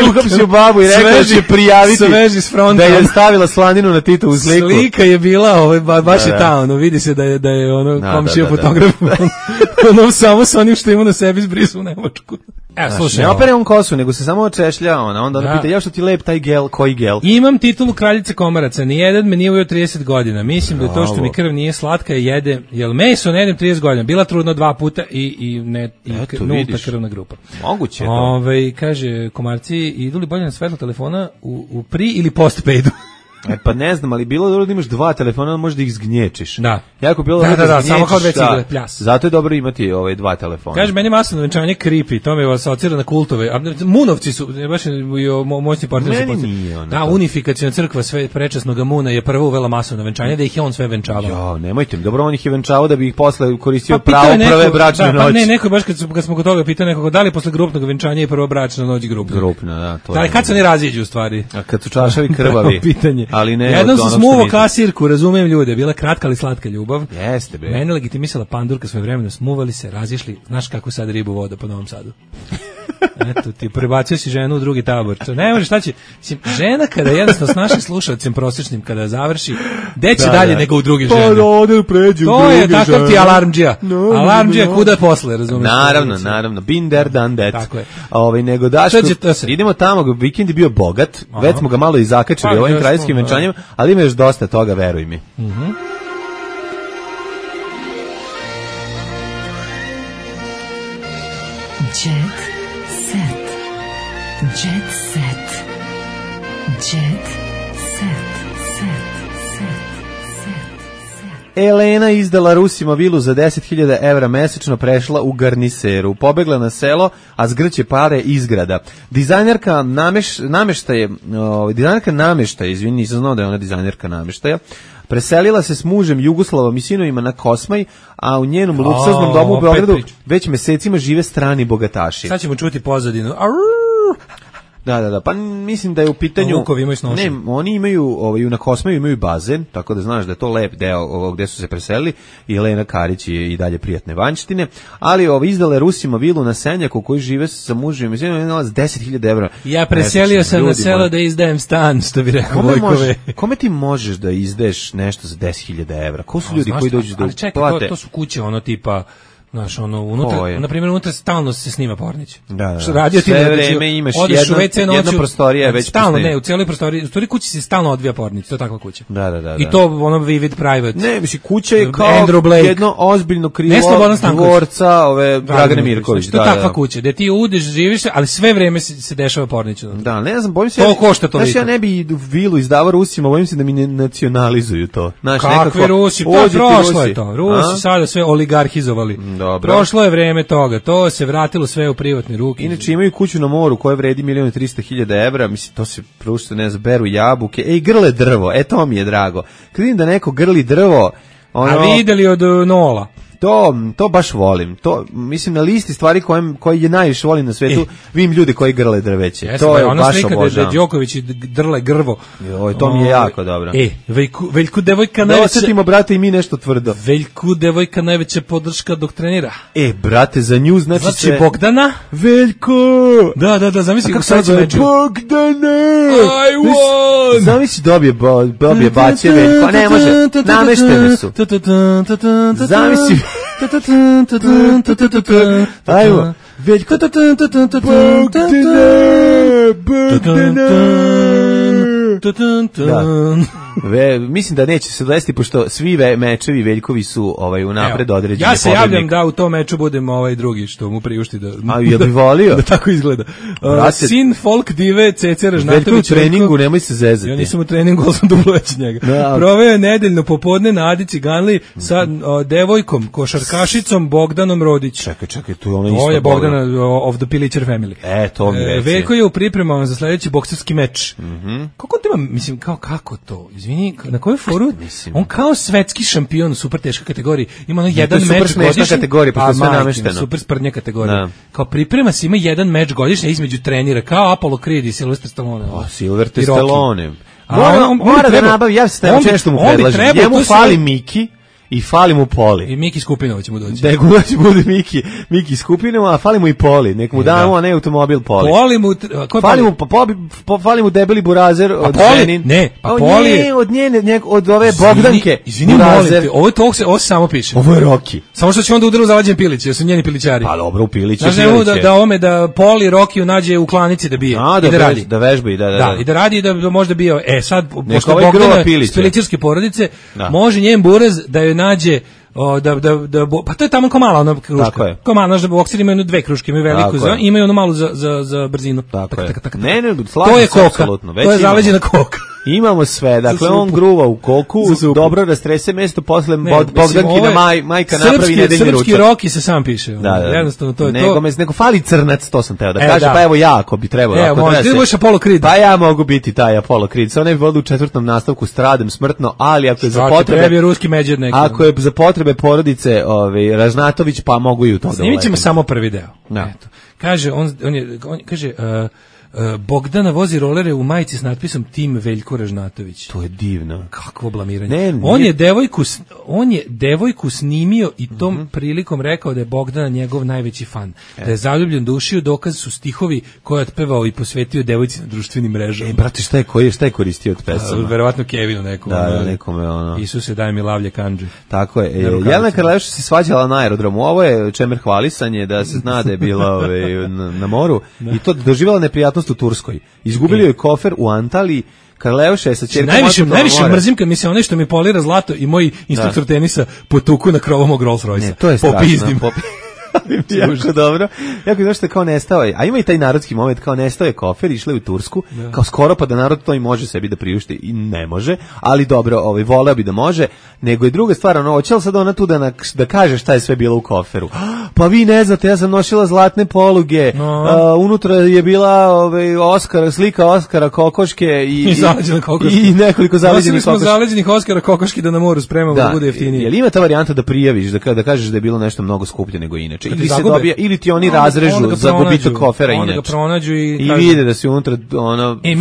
uhapsio babu i rekao da će prijaviti da je stavila slaninu na Titovu sliku. Slika je bila baš je ta, vidi se da je komšija fotograf ono samo sa onim što ima na sebi zbrisu u Nemačku. Slušaj, ne opere on kosu, nego se samo češlja onda pita, ja što ti lep taj gel, koji gel? Imam titulu kraljice komaraca, nijedan me nije ujeo 30 godina, mislim da to što mi krv nije slatka jede, jel meso ne jedem 30 godina, bila trudna 2 puta i nulta krvna grupa. Moguće je to. Kaže, komarci, idu li bolje na svetlo telefona u pri ili postpaidu? Pa ne znam, ali bilo je dobro da imaš 2 telefona, možda ih zgnječiš. Da. Jako bilo da zgnječiš, samo kao 2 cigle, pljas. Zato je dobro imati 2 telefona. Kaže, meni masno venčanje creepy, to me asocira na kultove. Munovci su, baš moćni partner se podsjeća. Da, unifikacijna crkva sve prečasnog Muna je prvo uvela masovno venčanje, da ih je on sve venčavao. Nemojte mi, dobro, on ih je venčavao da bi ih posle koristio pravo prve bračne noći. Ne, neko baš kad smo kod toga pitao nekoga, da li posle grupnog venčanja je prvo bračna noć grupna? Grupna, da. Da, kad se oni raziđu u stvari? A kad su čašavi krvavi. Ali ne. Jednom su smuvo kasirku, razumijem ljude, bila kratka ali slatka ljubav. Jeste bre. Mene legitimisala pandurka svoje vremena, smuvali se, razišli, znaš kako sad ribu voda po Novom Sadu. Eto ti, prebacio si ženu u drugi tabor. Ne može, šta će? Žena kada jednostavno s našim slušalcem prosječnim kada završi, deće dalje nego u drugi žene. Pa ode pređu to je takav ti alarmdžija. Alarmdžija kuda posle, razumiješ? Naravno. Been there, done that. Tako je. Nego Daško, idemo tamo, vikend je bio bogat, već smo ga malo i zakačili ovim kraljevskim venčanjem, ali ima još dosta toga, veruj mi. Jet set. Jet set. Jet set. Elena izdala Rusima vilu za 10.000 evra mesečno, prešla u Garniseru. Pobegla na selo, a zgrće pare izgrada. Dizajnerka namještaja, izvini, nisam znao da je ona dizajnerka namještaja, preselila se s mužem Jugoslavom i sinovima na Kosmaj, a u njenom luksuznom domu u Beogradu već mesecima žive strani bogataši. Sad ćemo čuti pozadinu. Da, pa mislim da je u pitanju... Vukovi imaju snošenje. Ne, oni imaju, na Kosmaju imaju bazen, tako da znaš da je to lep deo gde su se preselili, i Elena Karić je i dalje prijatne vanjštine, ali izdala je Rusima vilu na Senjaku koji žive sa mužem i sinom, je nalaz 10.000 evra. Ja preselio sam na selo da izdajem stan, što bi rekao Vojkove. Kome ti možeš da izdaješ nešto za 10.000 evra? Ko su ljudi koji dođu da plate? To su kuće, tipa... Znaš, unutra, na primjer, unutra stalno se snima Pornić. Da. Sve vreme imaš jedna prostorija već stalno, ne, u cijeloj prostoriji, u stvari kući se stalno odvija Pornić, to je takva kuća. Da. I to vivid private. Ne, mislim, kuća je kao jedno ozbiljno krilo dvorca Dragane Mirković. To je takva kuća, gde ti udeš, živiš, ali sve vreme se dešava Pornić. Da, ne znam, bojim se... To košta toliko. Znaš, ja ne bi vilu izdavao Rusima, bojim se da mi ne nacionalizuju to. Kakvi Rusi? Pa prošlo je to. Rusi sada sve oligarhizovali. Prošlo je vreme toga, to se vratilo sve u privatne ruke. Inače imaju kuću na moru koja vredi 1.300.000 evra, mislim, to se prušte, ne znam, beru jabuke, grle drvo, to mi je drago. Kad vidim da neko grli drvo... A videli od Nola? To baš volim. To, mislim, na listi stvari koje je najviše volim na svetu, vidim ljude koji grle drveće. To je baš obožavam. Da Đoković drle grvo. To mi je jako dobro. Veljku devojka najveća... Da osetimo, brate, i mi nešto tvrdo. Veljku devojka najveća podrška dok trenira. Brate, za nju znači Bogdana? Veljko! Da, zamisli kako sad među. Bogdana! I won! Zamisli dobije baće Veljko, a ne može, nameštene su. Zamisli... Ajmo, Veljko, Bogdana, Mislim da neće se desiti, pošto svi mečevi Veljkovi su unapred određeni. Ja se javljam da u tom meču budem drugi, što mu priušti da... A jel bi volio? Da tako izgleda. Sin folk dive Cece Ražnatović. Veljko u treningu, nemoj se zezati. Ja nisam u treningu, ali sam duplo već njega. Proveo je nedeljno popodne na Adi Ciganli sa devojkom, košarkašicom Bogdanom Rodić. Čekaj, tu je ona isto. Ovo je Bogdana of the Pilićer family. To mi reći. Veljko je u pripremama za sledeći bokserski meč. Kako to ima, mislim, kako to? Izvini, na koju foru? On kao svetski šampion u super teškoj kategoriji. Ima jedan meč godišnji. Super smešna kategorija, pa to sve namešteno. Super sprdnja kategorija. Kao priprema se, ima jedan meč godišnji između trenira, kao Apollo Creed i Sylvester Stallone. Sylvester Stallone. Mora da nabavi, ja se stavim nešto mu predlažem. Njemu fali Miki i fali mu Poli. I Miki Skupinova će mu doći. Nego će bude Miki Skupinova, a fali mu i Poli. Nek mu damo, a ne automobil Poli. Fali mu debeli burazer od Zenin. Ne, pa Poli je... Od ove Bogdanke. Izvini, molim te, ovo se samo piše. Ovo je Roki. Samo što će onda udaru zavađen Pilić, jer su njeni Pilićari. Pa dobro, u Piliću. Znaš da Poli Rokiju nađe u klanici da bije. Da vežba i da. I da radi i da možda bio. Sad, pošto Bogdana iz pilićarske porodice, može njen buraz da joj nađe pa to je tamo ko mala ona kruška. Tako je. Ko mala, znaš, bokseri imaju dve kruške, imaju veliku i imaju onu malu za brzinu. Tako je. To je koka, to je zaleđena koka. Imamo sve, dakle on gruva u koku, dobro rastrese mesto, posle Bogdankina majka napravi nedeljni ručak. Srpski Roki se sam piše. Jednostavno to je to. Nego fali crnac, to sam teo da kažem, pa evo ja ako bi trebalo. Ti budeš Apollo Creed. Pa ja mogu biti taj Apollo Creed, sa ne bi vodu u 4. nastavku stradem smrtno, ali ako je za potrebe... ruski međer neki. Ako je za potrebe porodice Ražnatović, pa mogu i u to da snimit ćemo samo prvi deo. Kaže, on kaže... Bogdana vozi rolere u majici s natpisom Tim Veljko Ražnatović. To je divno. Kakvo blamiranje. On je devojku snimio i tom prilikom rekao da je Bogdana njegov najveći fan. Da je zaljubljen dušio, dokaz su stihovi koje je otpevao i posvetio devojci na društvenim mrežama. Brate, šta je koristio od pesama? Verovatno Kevinu nekom. Nekome ono. Isuse, daj mi lavlje kandže. Tako je. Jelena Karleuša se svađala na aerodromu. Ovo je čemer hvalisanje, da se zna da je bila na moru i to doživjela neprijatnost u Turskoj. Izgubili joj kofer u Antaliji. Karleuša je sa ćerkom. Najviše mrzim kad mi se nešto mi polira zlato i moj instruktor tenisa potuku na krovom mog Rolls Royce. Ne, to je strašno. Jako dobro. Jako je što je kao nestao. A ima i taj narodski moment, kao nestao je kofer, išla je u Tursku, kao skoro pa da narod to i može sebi da priušti i ne može, ali dobro, voleo bi da može, nego je druga stvar, hoće li sad ona tu da kaže šta je sve bilo u koferu? Pa vi ne znate, ja sam nosila zlatne poluge, unutra je bila slika Oskara Kokoške i nekoliko zaleđenih kokoški. Zaleđenih Oskara Kokoški da na moru spremamo da bude jeftinije. Jel ima ta varijanta da prijaviš, da kažeš da je bilo nešto mnogo skuplje nego inače? Ili se dobija, ili ti oni razrežu za gubitak kofera inače. Onda ga pronađu i vide da si unutra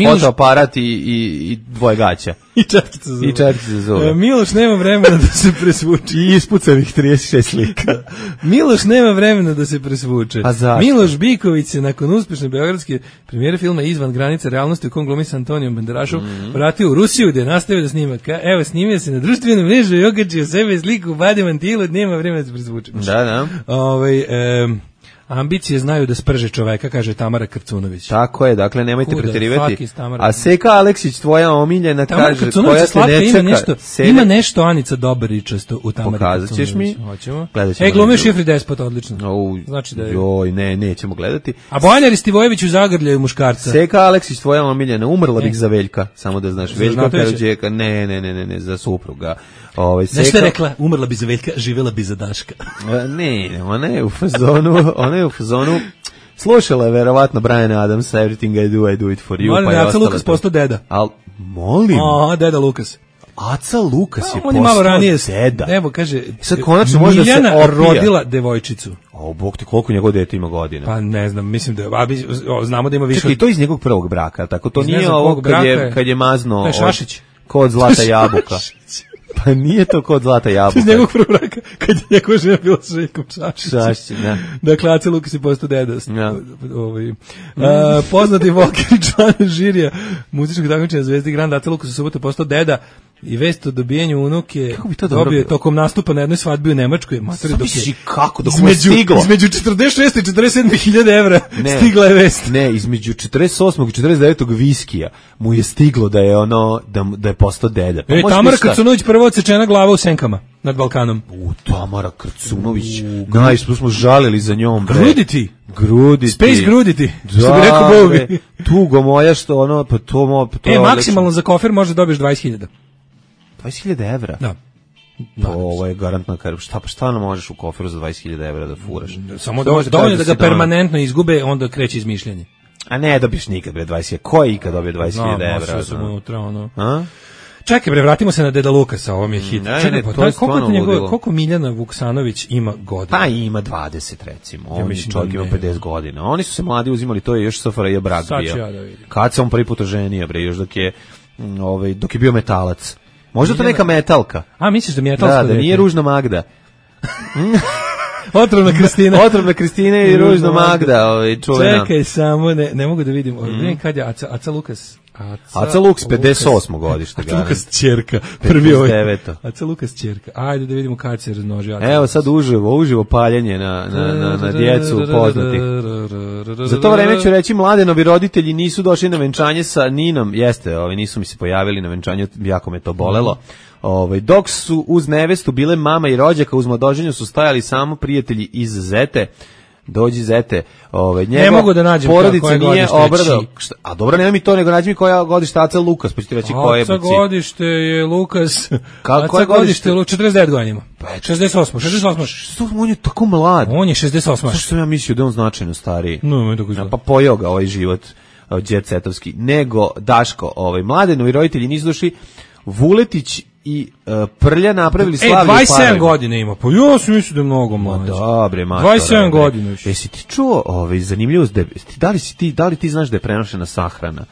fotoaparat i dvoje gaća. I četkice za zube. Miloš nema vremena da se presvuče. I ispucanih 36 slika. Miloš nema vremena da se presvuče. Miloš Biković se nakon uspešne beogradske premijere filma Izvan granica realnosti u kom glumi s Antonijom Banderašom vratio u Rusiju gde je nastavio da snima. Evo, snimio se na društvenom mrežu i okačio sebe sliku u badi mantilu, nema vremena da se presvuče. Da. Ambicije znaju da sprže čoveka, kaže Tamara Krcunović. Tako je, dakle nemojte preterivati. A Seka Aleksić, tvoja omiljena, Tamara kaže, koja te nećeka. Ima nešto Anica Dobaričasto u Tamari Krcunović. Pokazat ćeš mi? Hoćemo. Glumio Šifri Despot, odlično. Znači da je... nećemo gledati. A Bojana Ristivojević u zagrljaju muškarca. Seka Aleksić, tvoja omiljena, umrla bih za Veljka, samo da znaš. Veljka Karadžeka, ne, za supruga. Nešto je rekla, umrla bi za Veljka, živjela bi za Daška. Ona je u fazonu, slušala je verovatno Bryan Adams, Everything I do it for you. Molim, Aca Lukas postao deda. Molim? Deda Lukas. Aca Lukas je postao malo ranije deda. Evo, kaže, sad konačno može da se opija. Miljana rodila devojčicu. Bog ti, koliko njegov dete ima godina? Pa ne znam, mislim da znamo da ima više. Čekaj, to iz njegovog prvog braka, tako to nije ovo kad je mazno Šašić. kod zlata jabuka. Pa nije to kod zlata jabuka. Iz njegovog prvog braka. baka, kad je njegova žena bila sa Željkom Čašićem. Da. Dakle, Aca Lukas je postao deda. Poznati Volker i član žirija muzičkog takmičenja Zvezdi Grand, Aca Lukas u subotu postao deda i vest o dobijanju unuke dobio tokom nastupa na jednoj svadbi u Nemačkoj. Kako? Dok mu je stiglo? Između 46 i 47.000 evra stigla je vest. Ne, između 48. i 49. viskija mu je stiglo da je da je postao deda. Pa Tamara Krcunović prvo odsečena glava u Senkama nad Balkanom. Tamara Krcunović. Najspo smo žalili za njom. Gruditi. Space gruditi. Što bi rekao Bovi. Tugo moja što ono, pa to maksimalno za kofer može dobiješ 20.000. 20.000 evra? Da. Ovo je garantna karba. Šta nam možeš u koferu za 20.000 evra da furaš? Samo dovoljno da ga permanentno izgube, onda kreće izmišljanje. A ne dobiješ nikad, bre, 20.000. Ko je ikad dobio 20.000 evra? No, sam unutra, ono. Čekaj, bre, vratimo se na Deda Lukasa, ovo mi je hit. Čekaj, koliko Miljana Vuksanović ima godina? Pa ima 20, recimo. On čovjek ima 50 godina. Oni su se mladi uzimali, to je još SFRJ brak bio. Kad se on prvi put oženio, bre, još dok je bio metalac. Možda to neka metalka. A, misliš da mi je metalska? Da nije Ružna Magda. Otrovna Kristina i Ružna Magda, čuvena. Čekaj samo, ne mogu da vidim. Vidim kad je Aca Lukas. Aca Lukas 58. godište. Aca Lukas ćerka. Prvi ovaj. Aca Lukas ćerka. Ajde da vidimo kad se razmnožio. Evo sad uživo paljenje na djecu poznatih. Za to vreme ću reći, Mladenovi roditelji nisu došli na venčanje sa Ninom. Jeste, nisu mi se pojavili na venčanju, jako me to bolelo. Dok su uz nevestu bile mama i rođaka, uz mladoženju su stajali samo prijatelji iz Zete. Dođi Zete, ne mogu da nađem porodica nije obrado. A dobro, nema mi to, nego nađi mi koja godište Aca Lukas, pa ću ti reći koje je. Aca godište je Lukas. Koje godište? 49 godina ima. 68. Što on je tako mlad? On je 68. Što sam ja mislio da on značajno stariji? No, tako izgleda. Pa pojeo ga ovaj život džetsetovski. Nego Daško, Mladenovi roditelji nisu došli. Vuletić i Prlja napravili slavlje 27 godina ima. Pa ja sam mislio da je mnogo mlađe. Dobre, 27 godina. Jesi ti čuo zanimljivost? Da li ti znaš da je prenošena sahrana?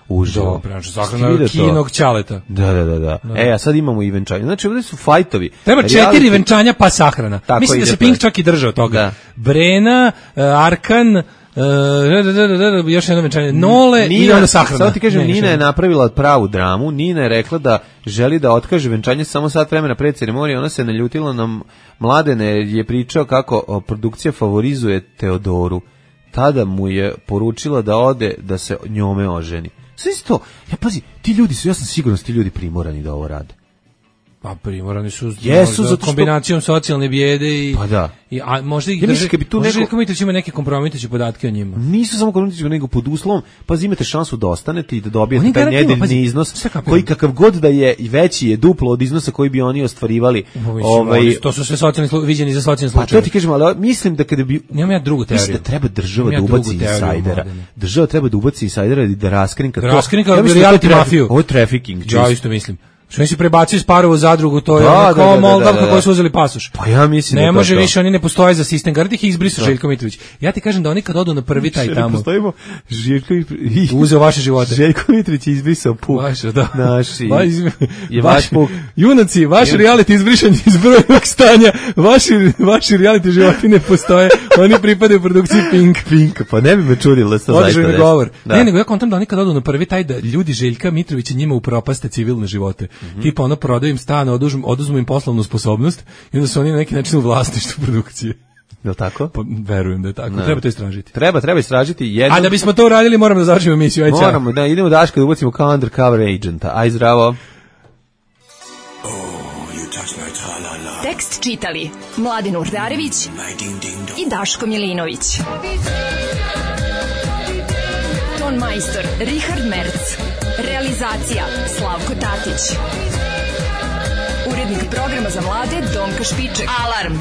Uživo. Prenošena sahrana kinog ćaleta. Da. A sad imamo i venčanje. Znači, ovdje su fajtovi. Treba 4 venčanja pa sahrana. Mislim da se Pink čak i držao toga. Brena, Arkan, još jedno venčanje, Nole i onda sahrana. Sada ti kažem, Nina je napravila pravu dramu. Nina je rekla da želi da otkaže venčanje samo sat vremena pred ceremonije. Ona se naljutila na Mladene, je pričao kako produkcija favorizuje Teodoru. Tada mu je poručila da ode da se njome oženi. Sve to, pazi, ja sam siguran da ti ljudi primorani da ovo rade. Pa primorani su za kombinacijom socijalne bijede i... Pa da. A možda ih drži... Možda Komitović ima neke kompromitujuće podatke o njima. Nisu samo kompromitujuće, nego pod uslovom, pa imate šansu da ostanete i da dobijete taj nedeljni iznos, koji kakav god da je i veći je duplo od iznosa koji bi oni ostvarivali. To su sve viđeni za socijalne slučaje. Pa to ti kažem, ali mislim da kada bi... Nemam ja drugu teoriju. Mislim da treba država da ubaci insajdera. Država treba da ubaci insajdera i da raskrinka to. Raskrinka reality mafiju. Ovo je trafficking. Ja isto mislim. Što mi se prebacio iz Parovu zadrugu, to je kao Moldavka koji su uzeli pasoš. Pa ja mislim ne može više, oni ne postoje za sistem. Garant ih izbrisao Željko Mitrović. Ja ti kažem da oni kad odu na prvi taj tamo. Postojimo Željko uzeo vaše živote. Željko Mitrović je izbrisao puk. Vaše, da. Naši. Je vaš puk. Junaci, vaš reality izbrišanje iz brojnog stanja, vaši reality životi ne postoje. Oni pripadaju produkciji Pink. Pa ne bi me čudilo da se zaista desi. Govor. Ne, nego ja kontam da oni kad odu na prvi taj da ljudi Željka Mitrovića njima upropaste civilne živote. Tipa ono prodaju im stan, oduzmu im poslovnu sposobnost i onda su oni na neki način u vlasništvu produkcije. Je li tako? Pa, verujem da je tako. Treba to istražiti. Treba istražiti. A da bismo to uradili moramo da završimo emisiju. Moramo, da idemo Daška da ubacimo kao undercover agenta. Aj zdravo. Tekst čitali Mladin Urdarević i Daško Milinović. Ton majstor Richard Merc. Realizacija Slavko Tatić. Urednik programa za mlade Donka Špiček. Alarm!